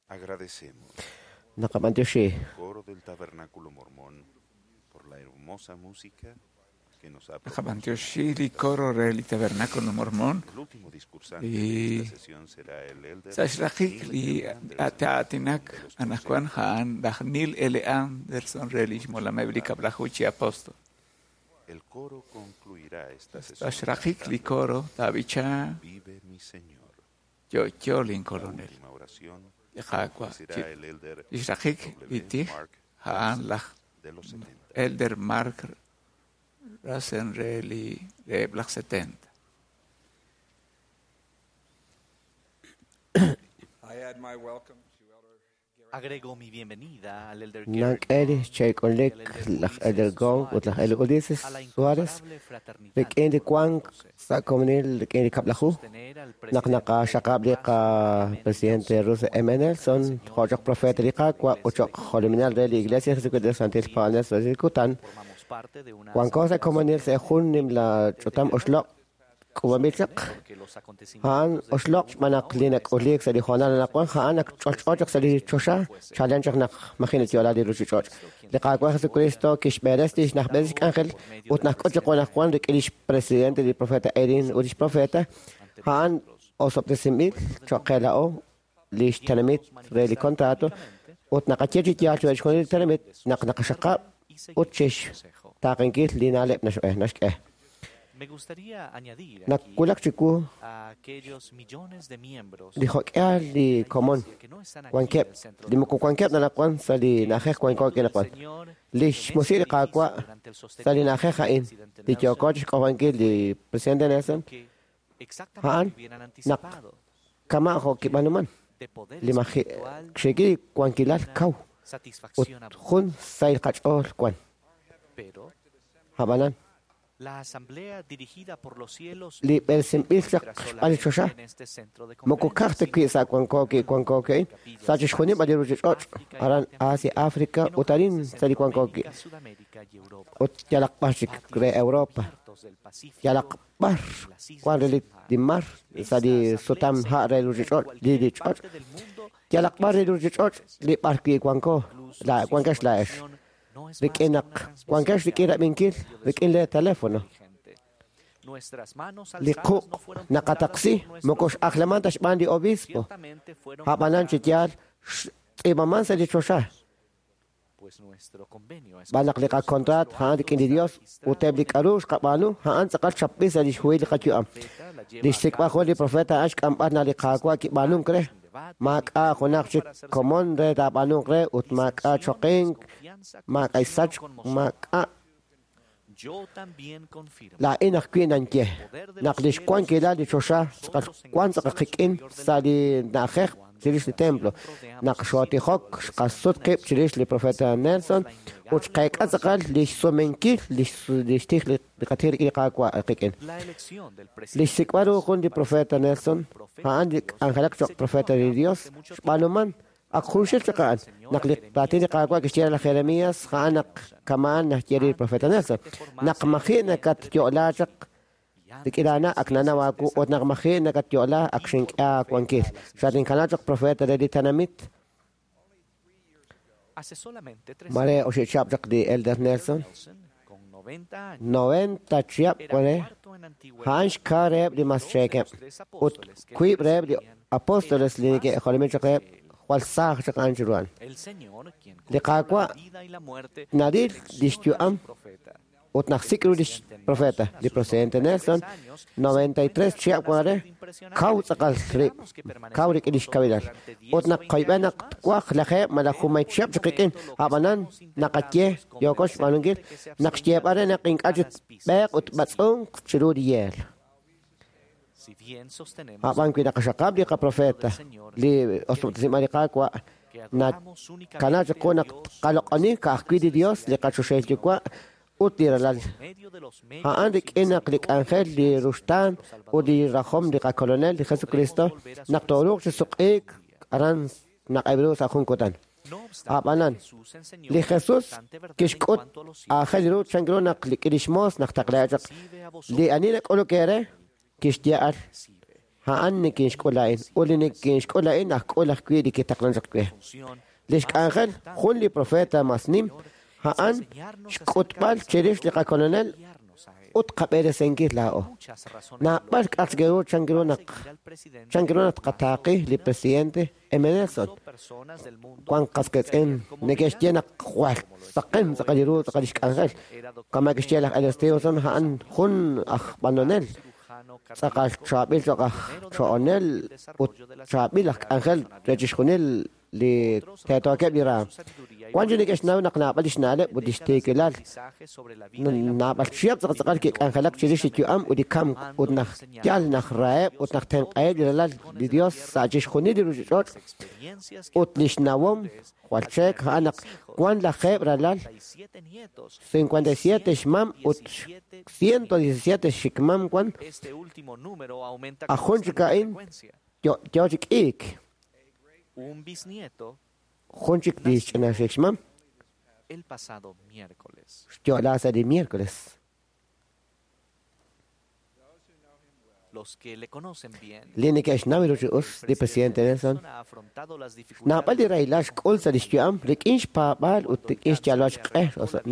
S1: Agradecemos
S3: Naqab'antioxi
S1: al coro del Tabernáculo Mormón por la hermosa música que nos ha
S2: Naqab'antioxi li coro re li Tabernáculo Mormón.
S1: El último discursante
S2: Y
S1: de esta sesión será el elder
S2: sa' xraqik li
S1: Neil L.
S2: ta'atinak anaqwan ja'an laj Neil L. Anderson re lix molameb li kab'laju chi apóstol.
S1: El coro concluirá esta
S2: Sa'
S1: sesión
S2: xraqik li
S1: cantando
S2: coro ta'b'icha
S1: Vive mi Señor.
S2: Yo'yo lin
S1: La
S2: coronel.
S1: última oración
S2: Li Qaawa'
S1: será el elder
S2: lix raqik li
S1: W.
S2: tij
S1: Mark
S2: ja'an laj
S1: de los 70.
S2: Elder Mark Rasen re li reheb' laj 70.
S9: I add my welcome to Elder
S10: Agrego mi bienvenida al Elder Gary
S3: Nak'e li
S10: Gong
S3: xchayk'unlik
S10: y al Elder
S3: laj Elder
S10: Ulises
S3: Gong ut laj
S10: Suárez
S3: Elder Ulises
S10: a la
S3: Suárez
S10: incomparable fraternidad
S3: rik'in li
S10: de
S3: wank
S10: los doce.
S3: sa' komonil rik'in li kab'laju
S10: Sostener al
S3: naq
S10: presidente
S3: naqaxaqab' li
S10: Russell M.
S3: qapresidente
S10: Nelson
S3: Russell
S10: como
S3: M.
S10: el profeta del
S3: Nelson
S10: Señor
S3: jo' choq
S10: y
S3: profeta li
S10: presidente de la
S3: Qaawa' ut
S10: Iglesia
S3: choq
S10: de
S3: jolominal re li Iglesia Jesucristo de los Santil Paab'anel sa' li kutan
S10: Formamos parte de una
S3: wanko sa'
S10: asamblea
S3: komonil sa' jun nimla ch'utam oxloq' k'uub'anb'il chaq
S10: porque los
S3: ja'an
S10: acontecimientos del
S3: oxloq'
S10: mundo
S3: xb'aan naq li
S10: ahora
S3: nak'uliik sa' li hoonal anaqwan ja'an ak ch'olch'o chaq sa' li choxa chalen chaq naq maji' natyo'la li ruchich'och' li Qaawa' Jesucristo kixb'eres lix najb'eres lix k'anjel ut najk'ut chiqu anaqwan rik'in lix presidente li profeta Erin ut lix profeta ja'an osob'tesinb'il choq' qe la'o lix tenamit re li contrato ut naqaye chi yaal chiru chixjunil li tenamit naq naqaxaqab' ut chix taaqenkil li na'leb' naxk'e
S10: Me gustaría añadir aquí
S3: Nakulak chiwu
S10: a aquellos millones de miembros
S3: li jok'al li komon
S10: que no están aquí en
S3: wankeb'
S10: el centro
S3: li moko wankeb' nanaqwan sa' li na'ajej wanko kinaqwan
S10: Señor
S3: li xmusi' li Qaawa' sa' li na'ajej a'in li yooko chixk'ojonkil li presidente Nelson
S10: que
S3: ja'an
S10: exactamente hubieran
S3: naq
S10: anticipado
S3: kama' jo' kib'anuman
S10: de poder
S3: li maji'
S10: espiritual
S3: xik'i wankilal kaw ut
S10: satisfacción abundante.
S3: jun sahil qach'ool wan
S10: Pero
S3: ab'anan
S10: la asamblea dirigida por los cielos
S3: li b'eresinb'il chaq
S10: entra
S3: xb'aan li choxa
S10: solamente en este centro de
S3: moko
S10: conferencias,
S3: kaj ta wi' sa' wanko wankoki sa' chixjunil b'an li ruchich'och' aran Asia África
S10: en
S3: ut arin
S10: hogares de
S3: sa' li wankoki
S10: Centroamérica, Sudamérica y Europa,
S3: ut yalaq b'ar chik re Europa
S10: cubiertos del Pacífico,
S3: yalaq b'ar
S10: las islas
S3: wan re
S10: del mar.
S3: li mar sa' li sutam ha' re ruchich'och' li
S10: cualquier
S3: li ch'och'
S10: parte del mundo
S3: yalaq b'ar re ruchich'och' li b'ar wi' wanko
S10: incluso
S3: la
S10: si su
S3: wankex la'ex
S10: conexión no es más
S3: rik'in
S10: que
S3: naq
S10: una transmisión
S3: wankex
S10: de
S3: rik'in
S10: audio
S3: rab'inkil
S10: por medio de
S3: rik'in
S10: su
S3: le teléfono
S10: inteligente. Nuestras manos
S3: li
S10: alzadas
S3: quq'
S10: no fueron contadas
S3: naqataqsi
S10: por nuestro
S3: moko x'ajlaman ta xb'aan li obispo
S10: Ciertamente fueron
S3: ab'anan chi
S10: contadas,
S3: yaal xtz'iib'aman sa' li choxa
S10: pues nuestro convenio es
S3: b'an naq li
S10: con Dios,
S3: qakontraat
S10: nuestro
S3: ja'an
S10: acto
S3: rik'in li
S10: está
S3: Dios ut eb' li
S10: registrado
S3: k'aru xqab'aanu ja'an tz'aqal xchapb'il sa' li xhuhil li qayu'am
S10: en el profeta, la lleva
S3: li
S10: a
S3: xsik'b'al
S10: cabo
S3: jun li profeta a'an xk'amb'al na li Qaawa' kib'aanunk re
S10: sin debate,
S3: maak'a' junaq chik komon re taab'aanunk re ut maak'a' choqink
S10: confianza,
S3: maak'a' sachk maak'a'
S10: Yo también confirmo
S3: laa'in ajwi' nanye naq li xwankilal li choxa tz'aqal wan tz'aqal qik'in sa' li na'ajej chirix li templo naq xootijok xqasut qib' chirix li profeta Nelson ut xqeek'a tz'aqal li xsumenkil li xtij li qatij rik'in li Qaawa' qik'in
S10: la elección del
S3: li
S10: presidente
S3: xsik'b'al ru jun li profeta Nelson a'an li k'anjelak choq' profeta li Dios xb'aanuman ak junxil chaq a'an naq li raatin li Qaawa' kixye re laj Jeremías a'an naq kama'an naxye li profeta Nelson naq maji' nakatyo'la chaq rik'in aana ak nanaw aawu ut naq maji' nakatyo'la ak xink'e aawankil xatinkana choq' profeta re li tenamit
S10: hace solamente tres
S3: mare oxi chihab' chaq li Elder Nelson
S10: Nelson, con 90 años,
S3: 90 chihab'
S10: era
S3: wan re
S10: cuarto en antigüedad
S3: a'an xka reheb' li mas
S10: dos de
S3: cheekeb'
S10: los tres
S3: ut
S10: apóstoles que
S3: wiib' reheb' li
S10: presidían
S3: apóstoles li
S10: eran más
S3: neke'jolomin chaq reheb'
S10: que él.
S3: jwal saaj chaq a'an chiru a'an
S10: El Señor, quien
S3: Li
S10: controla
S3: Qaawa'
S10: la vida y la muerte,
S3: naril li
S10: selecciona a
S3: xyu'am
S10: su profeta.
S3: ut naqsik' ru lix profeta li presidente Nelson 93 chihab' wan re kaw tz'aqal rib' kaw rik'in lix kawilal ut naq qoyb'e naq twaj lajeeb' malaj junmay chihab' chaq qik'in ab'anan naqaye yooko xb'aanunkil naq xyeeb'al re naq ink'a' chik b'eeq ut b'atz'unk chiru li yeel
S10: Si bien sostenemos
S3: ab'an wi naqaxaqab' li qaprofeta li osob'tesinb'al li Qaawa'
S10: que adoramos
S3: nakana
S10: únicamente
S3: chiqu
S10: a
S3: naq
S10: Dios
S3: qaloq'oni ka'ajwi' li Dios li qachoxahil Yuwa' ut li ralal
S10: por medio de los medios
S3: a'an
S10: y
S3: rik'in naq li k'anjel li ruxtaan ut li rajom li qakolonel li Jesucristo naq tooruuq chi suq'iik aran naq'eb' ru sa' jun kutan
S10: No obstante,
S3: ab'anan
S10: Jesús enseñó
S3: li
S10: una
S3: Jesús
S10: importante verdad en
S3: kixk'ut
S10: cuanto a los cielos.
S3: aajel ru chan ru naq li lix moos naq taqlea chaq
S10: Recibe a vosotros,
S3: li ani nak'uluk eere kixye al
S10: recibe.
S3: A'an nikinxk'ul laa'in, ut li nikinxk'ul laa'in ajk'ul ajwi' li kitaqlan chaq we. Lix k'anjel jun li profeta mas nim, a'an xk'utb'al chirix li qakolonel ut qab'eresenkil laa'o. Naab'al k'atzgeru chankiru naq chankiru naq tqataaqi li presidente M. Nelson. Wan qasketz'in neke'xye naq jwal saqen tz'aqal li ru tz'aqal lix k'anjel. Kama kixye laj Elder Stevenson a'an jun aj b'anonel tz'aqal chaab'il cho'q aj cho'onel ut chaab'il aj k'anjel re chixjunil li teetookeb' li raam. Wan chi neke'xnaw naq naab'al lix na'leb' ut lix tiikilal. Naab'al chihab' tz'aqal kik'anjelak chirix li yu'am ut li kamk ut naq yal naq raheb' ut naq tenq'aheb' li ralal li Dios sa' chixjunil li ruchich'och' ut lix nawom jwal cheek a'an naq wan lajeeb' ralal 57 xmam ut 117 xikmam wan ajun chik a'in yo chik ik.
S10: Un bisnieto
S3: Jun chik li xch'ina xikxmam
S10: el pasado miércoles.
S3: xyo'la sa' li miércoles.
S10: Los que le conocen bien,
S3: Li neke'xnaw ru chi us li presidente Nelson
S10: ha afrontado las
S3: naab'al li rahilal xk'ul sa' lix yu'am rik'in xpaab'aal ut rik'in xyalb'al xq'e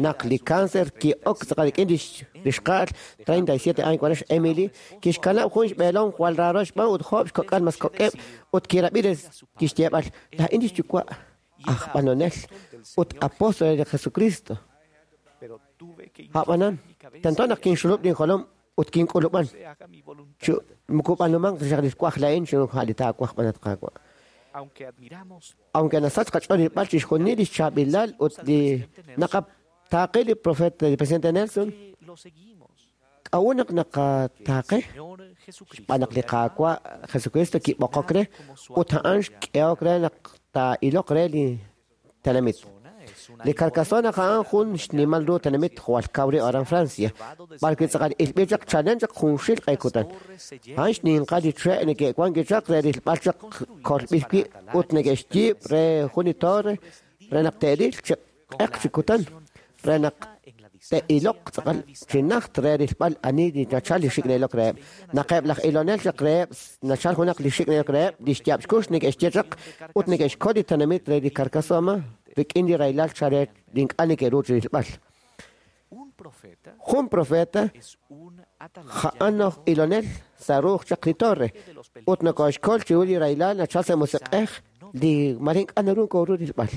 S3: naq li cáncer ki'ok tz'aqal rik'in lix xqa'al 37 años wan Emily kixkanab' jun xb'eelom jwal raaro xb'aan ut job xkok'al mas kok'eb' ut kirab'i kixyeeb'al laa'in lix yuwa' aj b'anonel ut apóstol re Jesucristo.
S10: Pero tuve que
S3: A'b'anan tento naq kinxulub' linjolom ut kink'ulub'an chu mukub'anumanq xaq li xwaj la'in chu li taawaj b'anat qaawa'.
S10: aunque admiramos
S3: Aunque nasach qach'ool rilb'al chixjunil lix chaab'ilal ut li naqataaqi li profeta li presidente Nelson
S10: lo seguimos.
S3: k'a'ut naq naqataaqe
S10: Señor Jesucristo
S3: xb'aan naq li Qaawa' Jesucristo kib'oqok re ut a'an xk'ehok re naq taa'iloq re li tenamit. Li Carcassonne a'an jun xnimal ru tenamit jwal kaw ri aran Francia, b'arwi' tz'aqal ilb'il chaq chalen chaq junxil q'e kutan. A'an xninqal li che' neke'wan kichaq re rilb'al chaq kolb'il wi' ut neke'xyiib' re jun li torre re naq te'ril chi q'eq chi kutan re naq te'iloq tz'aqal chi najt re rilb'al ani li nachal li xik' na'ilok reheb'. Naqeb' laj ilonel chaq reheb' nachal junaq li xik' na'ilok reheb' li xyaab' xkux neke'xye chaq ut neke'xkol li tenamit re li Carcassonne rik'in li rahilal chare li ink'a' neke'ru chi rilb'al.
S10: Un profeta
S3: Jun profeta
S10: es un atalaya
S3: a'an aj ilonel sa' ruuj chaq li torre ut nokoxkol chiru li rahilal nachal sa' musiq'ej li mare ink'a' naru kooru rilb'al.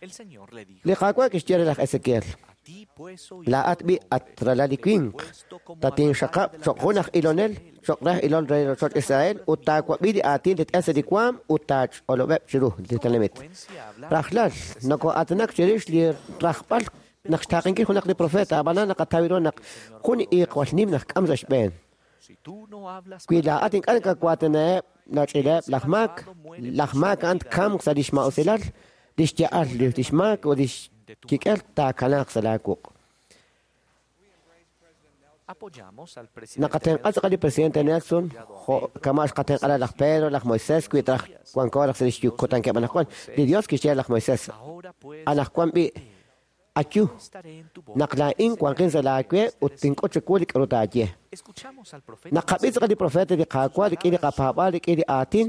S10: El Señor le dijo:
S3: Li Qaawa' kixye re laj Ezequiel,
S10: A ti pues, oh
S3: laa'at b'i at ralal li winq, tatinxaqab' cho'q jun aj ilonel cho'q raj ilol re rochoch Israel ut taawab'i li aatin li t'en sa' li waam ut taach'olob'eb' chiru li tenamit. Rajlal noko'aatinak chirix li rajb'al naq xtaaqenkil junaq li profeta ab'anan naqataw ru naq jun iiq jwal nim naq k'am sa' xb'een.
S10: si tú no hablas
S3: Wi laa'at ink'a' nakawaatinaheb' nach'ileb' laj maak, laj maak a'an tkamq sa' lix ma'usilal, lix ya'al lix maak ut lix kik'el taakanaaq sa' laawuq'.
S10: apoyamos al presidente
S3: Naqatenq'a tz'aqal li presidente Nelson, jo' kama' xqatenq'ala laj Pedro, laj Moisés, wi traj wanko raj sa' lix kutankeb' anaqwan. Li Dios kixye laj Moisés,
S10: Ahora pues
S3: anaqwan b'i ayu,
S10: estaré en tu boca.
S3: naq laa'in wanqin sa' laawe ut tink'ut chiwu li k'aru taaye.
S10: Escuchamos al profeta
S3: Naqab'i tz'aqal li profeta li Qaawa' rik'in li qapaab'aal rik'in li aatin,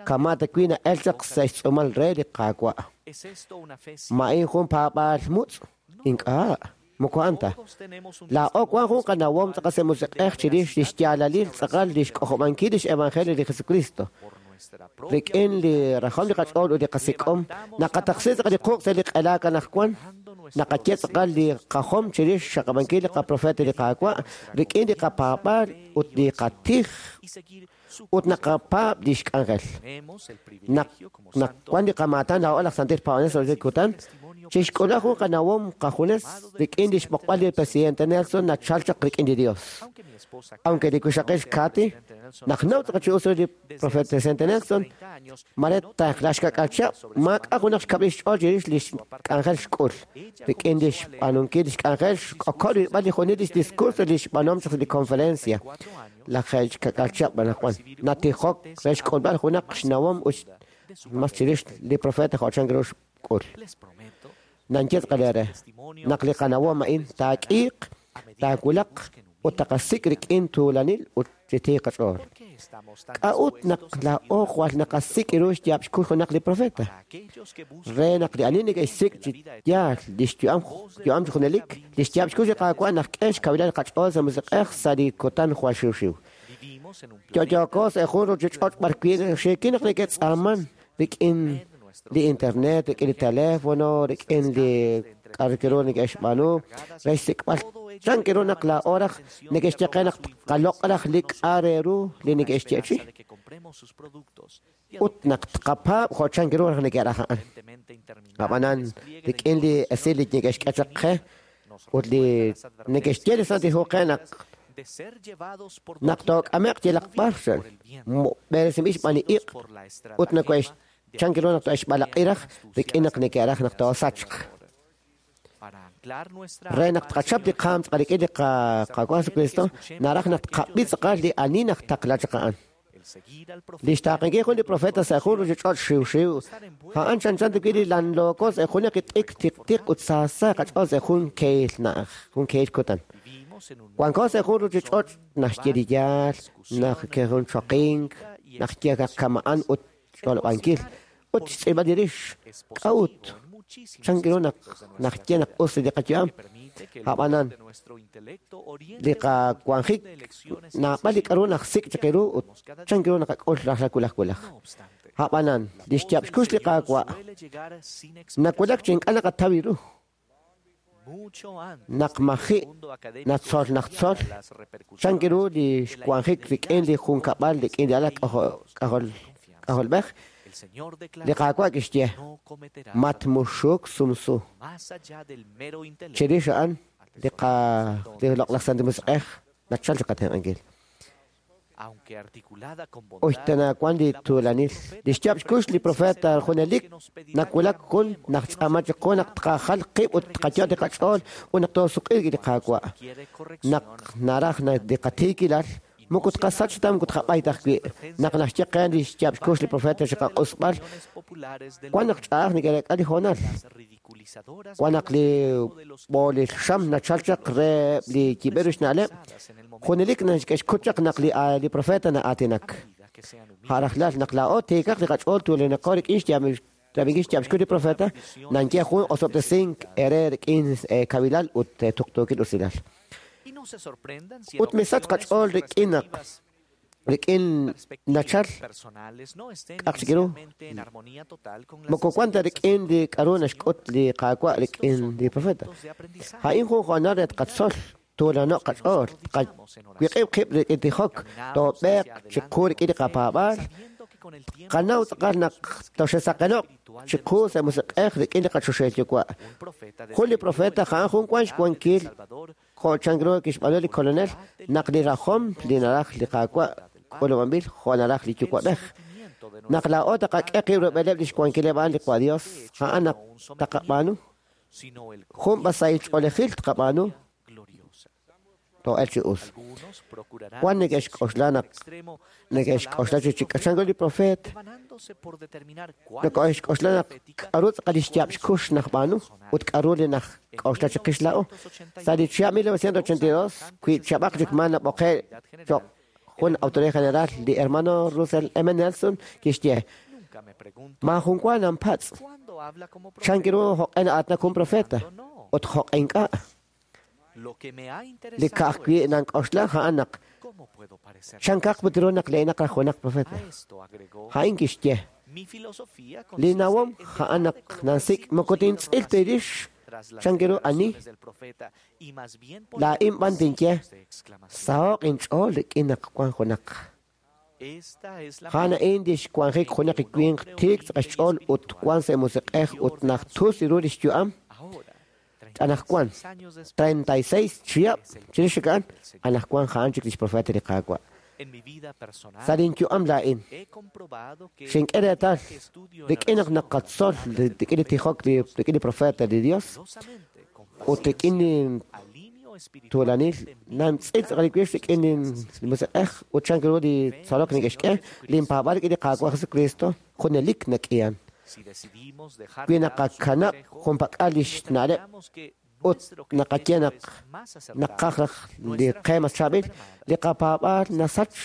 S3: kama' ta wi na'el chaq sa' xtz'uumal re li Qaawa'.
S10: ¿Es esto una fe
S3: Ma in jun paab'aal mutz'? Ink'a', moko a'an ta.
S10: Todos tenemos un
S3: Laa'o wan jun qanawom tz'aqal sa' musiq'ej chirix lix yaalalil tz'aqal lix k'ojob'ankil lix evangelio li Jesucristo.
S10: por nuestra propia
S3: Rik'in li rajom li qach'ool ut li qasik'om, naqataqsi tz'aqal li quq' sa' li q'elaak anaqwan, naqaye tz'aqal li qajom chirix xaqab'ankil li qaprofeta li Qaawa' rik'in li qapaab'aal ut li qatij
S10: y seguir su
S3: ut naqapaab' lix k'anjel.
S10: Tenemos el
S3: Naq
S10: privilegio como
S3: naq
S10: santos
S3: wan li qamaatan laa'o laj Santil Paab'anel sa' li kutan, chixk'ula jun qanawom qajunes rik'in lix b'oqb'al li presidente Nelson nachal chaq rik'in li Dios.
S10: aunque mi esposa
S3: Aunque li wixaqil Kathy, naq naw tz'aqal chi us ru li profeta presidente Nelson,
S10: 30 años
S3: mare taqlax kak'al chab', maak'a junaq xkab'il xch'ool chirix lix k'anjel xk'ul. Rik'in lix b'aanunkil lix k'anjel xk'okol rilb'al li junil lix discurso lix b'aanuhom chaq li conferencia.
S10: 4 años
S3: Laj xkak'al chab' anaqwan natijok re xk'ulb'al junaq xnawom ut mas chirix li profeta jo' chan ru xk'ul.
S10: les prometo
S3: Nanye tz'aqal re naq li qanawom a'in taak'iiq, taawulaq ut taqasik' rik'in tuulanil ut chi tiik qach'ool.
S10: ¿Por qué es
S3: K'a'ut naq laa'o jwal naqasik' ru xyaab' xkux junaq li profeta? Re naq li ani neke'xsik' chi yaal li xyu'am yu'am chi junelik, li xyaab' xkux li Qaawa' naq k'e xkawilal qach'ool sa' musiq'ej sa' li kutan jwal xiwxiw. Yo'yooko sa' jun ruuchich'och' b'arwi' xiikin naq neke'tz'aaman rik'in li internet, rik'in li teléfono, rik'in li k'a'ru ru neke'xb'aanu re xsik'b'al chan ru naq laa'o raj neke'xye qe naq tqaloq' raj li k'a' re ru li neke'xyeechi ut naq tqapaab' jo' chan ru raj neke'raj a'an. Ab'anan rik'in li esil li neke'xk'e chaq qe ut li neke'xye li Santil Hu qe naq naq took'ame'q yalaq b'ar b'eresinb'il xb'aan li iq' ut nako'ex chan ru naq to'exb'alaq'i raj rik'in naq neke'raj naq toosachq. Re naq tqachap li qaam tz'aqal rik'in li Qaawa' Jesucristo, naraj naq tqab'i tz'aqal li ani naq taqla chaq a'an. Li xtaaqenkil jun li profeta sa' jun ruuchich'och' xiwxiw, a'an chanchan rik'in li lanlooko sa' jun li t'ik tiqtiq ut saasa qach'ool sa' jun kehil na'aj, jun kehil kutan. Wanko sa' jun ruuchich'och' naxye li yaal, naq jun choqink, naxye kama'an ut xch'olob'ankil ut xtz'ilb'al li rix. K'a'ut chan ru naq naxye naq us li qayu'am? Ab'anan li qawanjik naab'al li k'a'ru naqsik' chaq ru ut chan ru naqak'ul rajlal wulaj wulaj. Ab'anan li xyaab' xkux li Qaawa' nawulak chi ink'a' naqataw ru. Naq maji' natzol naqtzol chan ru li xwanjik rik'in li junkab'al rik'in li alal k'ajolb'ej, li Qaawa' kixye matmuxuk sumsu. Chirix a'an li loq'laj Santil Musiq'ej nachal chi qatenq'ankil. Uxtanawan li tuulanil. Li xyaab' xkux li profeta junelik nawulak jun naq tz'aama chiqu naq tqajal qib' ut tqayo' li qach'ool ut naq toosuq'iiq li Qaawa'. Naq naraj li qatiikilal moko tqasach ta moko tqab'ay ta ajwi'. Naq naxye qe li xyaab' xkux li profeta chi qaq'usb'al, wan naq ch'a'aj neke'reek'a li hoonal. Wan naq li b'oolil xam nachal chaq re li yib'er xna'leb', junelik naxk'exkut chaq naq li profeta na'aatinak. Rajlal naq laa'o tiikaq li qach'ool tuulanaqo rik'in xyaab' xkux li profeta, nanye jun osob'tesink ere rik'in kawilal ut tuqtuukil usilal. Ut misach qach'ool rik'in naq rik'in nachal k'aq chik ru moko wan ta rik'in li k'a'ru naxk'ut li Qaawa' rik'in li profeta. A'in jun hoonal re tqatzol tuulano'q qach'ool, tqawiq'ib' qib' rik'in tijok, toob'eeq chiqu rik'in li qapaab'aal, qanaw tz'aqal naq toxesaqeno'q chiqu sa' musiq'ej rik'in li qachoxahil Yuwa'. Jun li profeta a'an jun wan xwankil jo' chan ru kixb'aanu li kolonel naq li rajom li naraj li Qaawa' k'ulub'anb'il jo' naraj li Yuwa'b'ej. Naq laa'o taqak'e qib' rub'eleb' li xwankileb' a'an li Qaawa' Dios, a'an naq taqab'aanu jun b'asahil ch'oolejil tqab'aanu to'el chi us. Wan neke'xk'oxla naq neke'xk'oxla chi chik'achan li profeet, neke'xk'oxla naq k'a'ru tz'aqal li xyaab' xkux naqb'aanu ut k'a'ru li naqk'oxla chiqix laa'o. Sa' li chihab' 1982, wi chab'aq chik ma nab'oqe' cho'q jun autoridad general li hermano Russell M. Nelson kixye maajun wa nanpatz' chan ru jo'q'e na'aatinak jun profeta ut jo'q'e ink'a'. Li ka'ajwi' nank'oxla a'an naq chankaq put ru naq le'inaq raj junaq profeta. A'in kixye li nawom a'an naq nansik' moko tintz'il ta rix chan ru ani laa'in b'an tinye saho'q inch'ool rik'in naq wan junaq. A'an a'in li xwanjik junaq li winq tiik tz'aqal xch'ool ut wan sa' musiq'ej ut naq tus ru li xyu'am. Anajwan 36 chihab' chirix a'an anajwan a'an chik li xprofeta li Qaawa'. Sa' linyu'am laa'in xink'e reetal rik'in naq naqatzol rik'in li tijok rik'in li profeta li Dios ut rik'in li tuulanil nantz'il tz'aqal li wix rik'in li musiq'ej ut chan ru li tzolok neke'xk'e linpaab'al rik'in li Qaawa' Jesucristo junelik nak'ihan. Wi naqakanab' junpak'al li xna'leb' Ut naqaye naq naqaj raj li qe mas chaab'il, li qapaab'aal nasach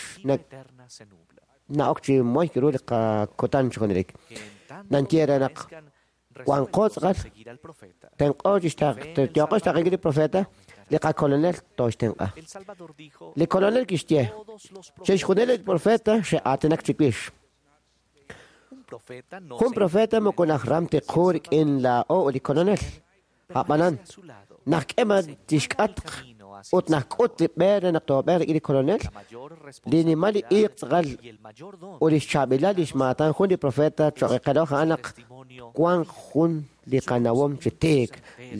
S3: na'ok chi moy ru li qakutan chi junelik. Nanye re naq wanqo tz'aqal tenq'o chi yooqo xtaqenkil li profeta, li qakolonel tooxtenq'a. Li kolonel kixye, chixjunil li profeta xe'aatinak chiwix. Jun profeta moko najram tiqu rik'in laa'o ut li kolonel. A'b'anan, naq k'ema tixk'atq ut naq k'ut li b'e re naq toob'e rik'in li kolonel, li nimal li iiq tz'aqal ut lix chaab'ilal lix maatan jun li profeta cho'q qeloj a'an naq wank jun li qanawom chi tiik,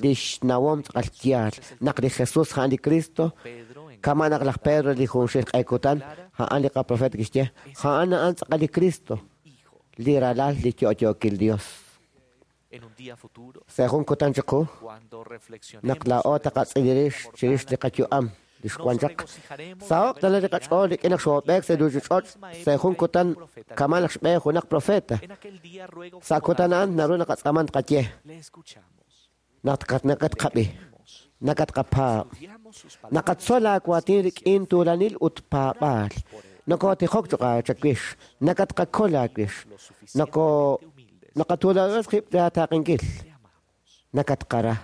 S3: lix nawom tz'aqal yaal, naq li Jesús a'an li Cristo, kama naq laj Pedro li junxil q'ekutan, a'an li qaprofeta kixye, a'an a'an tz'aqal li Cristo, li ralal li yo'yookil Dios. Sa' jun kutan chiqu, naq laa'o taqatz'ilirix chirix li qayu'am li xwan chaq. Saho'q tana li qach'ool rik'in naq xoob'eek sa' ruuchich'och' sa' jun kutan kama naq xb'e junaq profeta. Sa' kutan a'an naru naqatz'aaman tqaye naq nakatqab'i, nakatqapaab', naqatzol aawaatin rik'in tuulanil ut paab'aal. Nokotijok cho'q chawix, nakatqakol aawix, noko naqatuulanos qib' taaqenkil, nakatqara.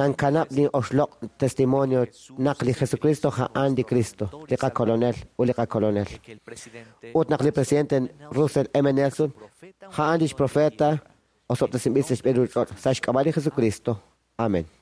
S3: Nankanab' li oxloq' testimonio naq li Jesucristo a'an li Cristo, li qakolonel ut li qakolonel. Ut naq li presidente Russell M. Nelson a'an lix profeta osob'tesinb'il sa' xb'een ruuchich'och' sa' xk'ab'a' li Jesucristo. Amen.
S11: Amen.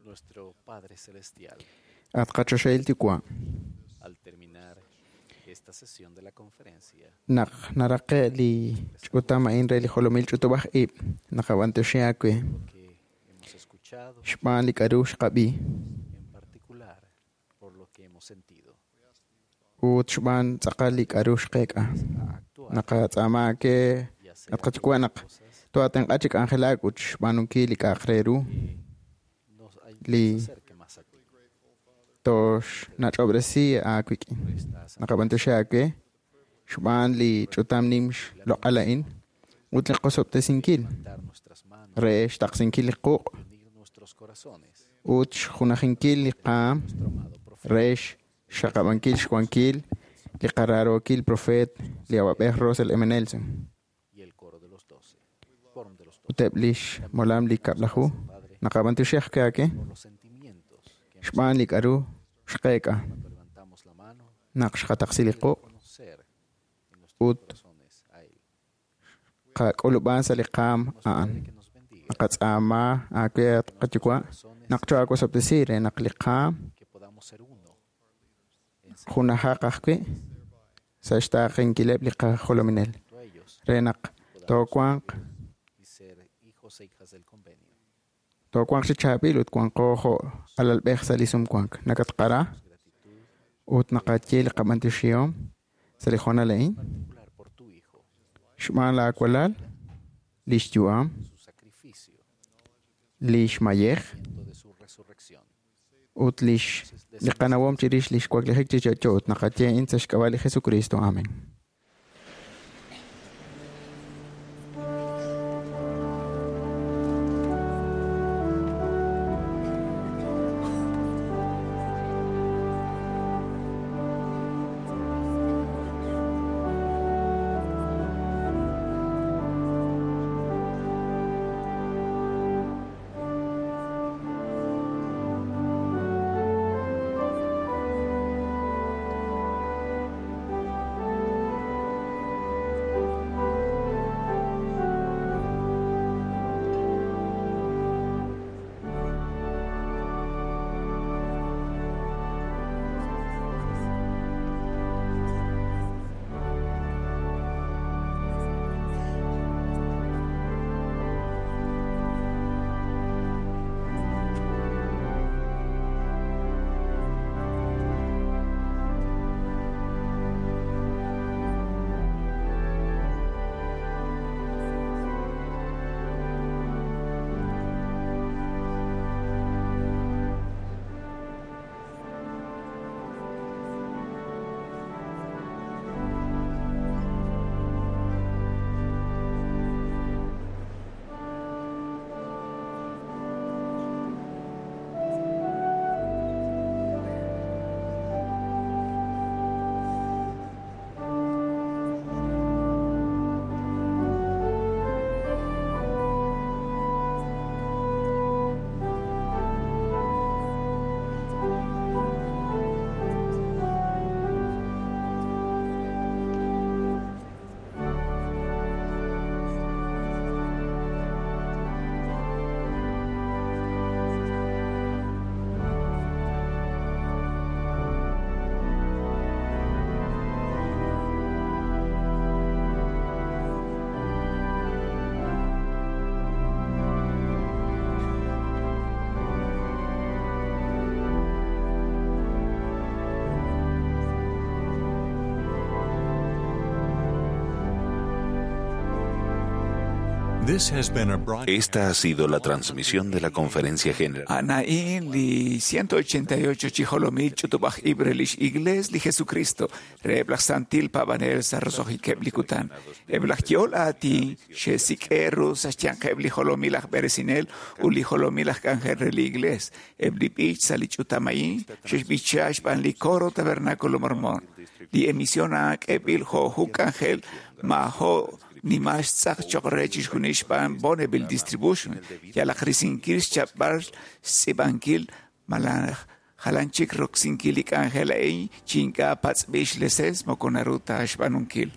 S10: Nuestro Padre Celestial,
S5: At qachoxahil Yuwa',
S10: al terminar esta sesión de la conferencia,
S5: naq naraqe' li ch'utam a'in re li jolomil ch'utub'aj ib' naqab'antioxi aawe
S10: que hemos escuchado,
S5: xb'aan li k'a'ru xqab'i
S10: en particular por lo que hemos sentido,
S5: ut xb'aan tz'aqal li k'a'ru xqeek'a. Naqatz'aama aawe at qaYuwa' naq toatenq'a chi k'anjelak ut xb'aanunkil li k'a'aq re ru
S10: nos, ay-
S5: li
S10: nos acerque más a ti.
S5: toxnach'ob'resi aawik'in. Naqab'antioxi aawe xb'aan li ch'utam nim xloq'al a'in ut li qosob'tesinkil
S10: Levantar nuestras manos,
S5: re xtaqsinkil li quq'
S10: unir nuestros corazones,
S5: ut xjunajinkil li qaam
S10: nuestro amado profeta,
S5: re xxaqab'ankil xwankil li qaraarookil profeet li awab'ej Russell M. Nelson
S10: y el coro de los doce, quórum de los
S5: ut
S10: doce,
S5: eb' lix molam li kab'laju. Naqab'antioxi ajwi' aawe
S10: por los sentimientos que hemos
S5: xb'aan li k'a'ru xqeek'a
S10: cuando levantamos la mano,
S5: naq xqataqsi li quq'
S10: reconocer en nuestros
S5: ut
S10: corazones a Él.
S5: qak'ulub'an sa' li qaam a'an.
S10: Padre, que nos bendiga,
S5: Naqatz'aama aawe at qaYuwa' naq choawosob'tesi re naq li qaam
S10: que podamos ser uno en
S5: junajaq ajwi' sa' xtaaqenkileb' li qajolominel
S10: seguimiento a ellos
S5: re naq toowanq
S10: y ser hijos e hijas del convenio.
S5: toowanq chi chaab'il ut wanqo jo' alalb'ej sa' li sumwank. Nakatqara ut naqaye li qab'antioxihom sa' li hoonal a'in
S10: Particular por tu Hijo,
S5: xb'aan laawalal, li xyu'am,
S10: su sacrificio,
S5: li xmayej
S10: de su resurrección.
S5: ut lix li qanawom chirix li xwaklijik chi yo'yo ut naqaye a'in sa' xk'ab'a' li Jesucristo. Amén.
S8: This has been a broadcast.
S1: Esta ha sido la transmisión de la Conferencia General.
S2: Anaín li 188 chi jolomil ch'utub'aj ib' re lix Iglees li Jesucristo re eb' laj santil paab'anel sa' roso'jikeb' li kutan. Eb' laj yo'ol aatin xe'sik'e ru sa' xyanqeb' li jolomil aj b'eresinel ut li jolomil aj k'anjel re li Iglees. Eb' li b'ich sa' li ch'utam a'in xe'xb'icha xb'aan li coro Tabernáculo Mormón. Li emisión a'an k'eb'il jo' jun k'anjel ma' jo' nimal xtz'aq choq' re chixjunil xb'aan Bonneville Distribution yalaq risinkil xchapb'al xtz'iib'ankil malaj jalan chik roksinkil li k'anjel a'in chi ink'a' patz'b'il xleses moko naru ta xb'aanunkil.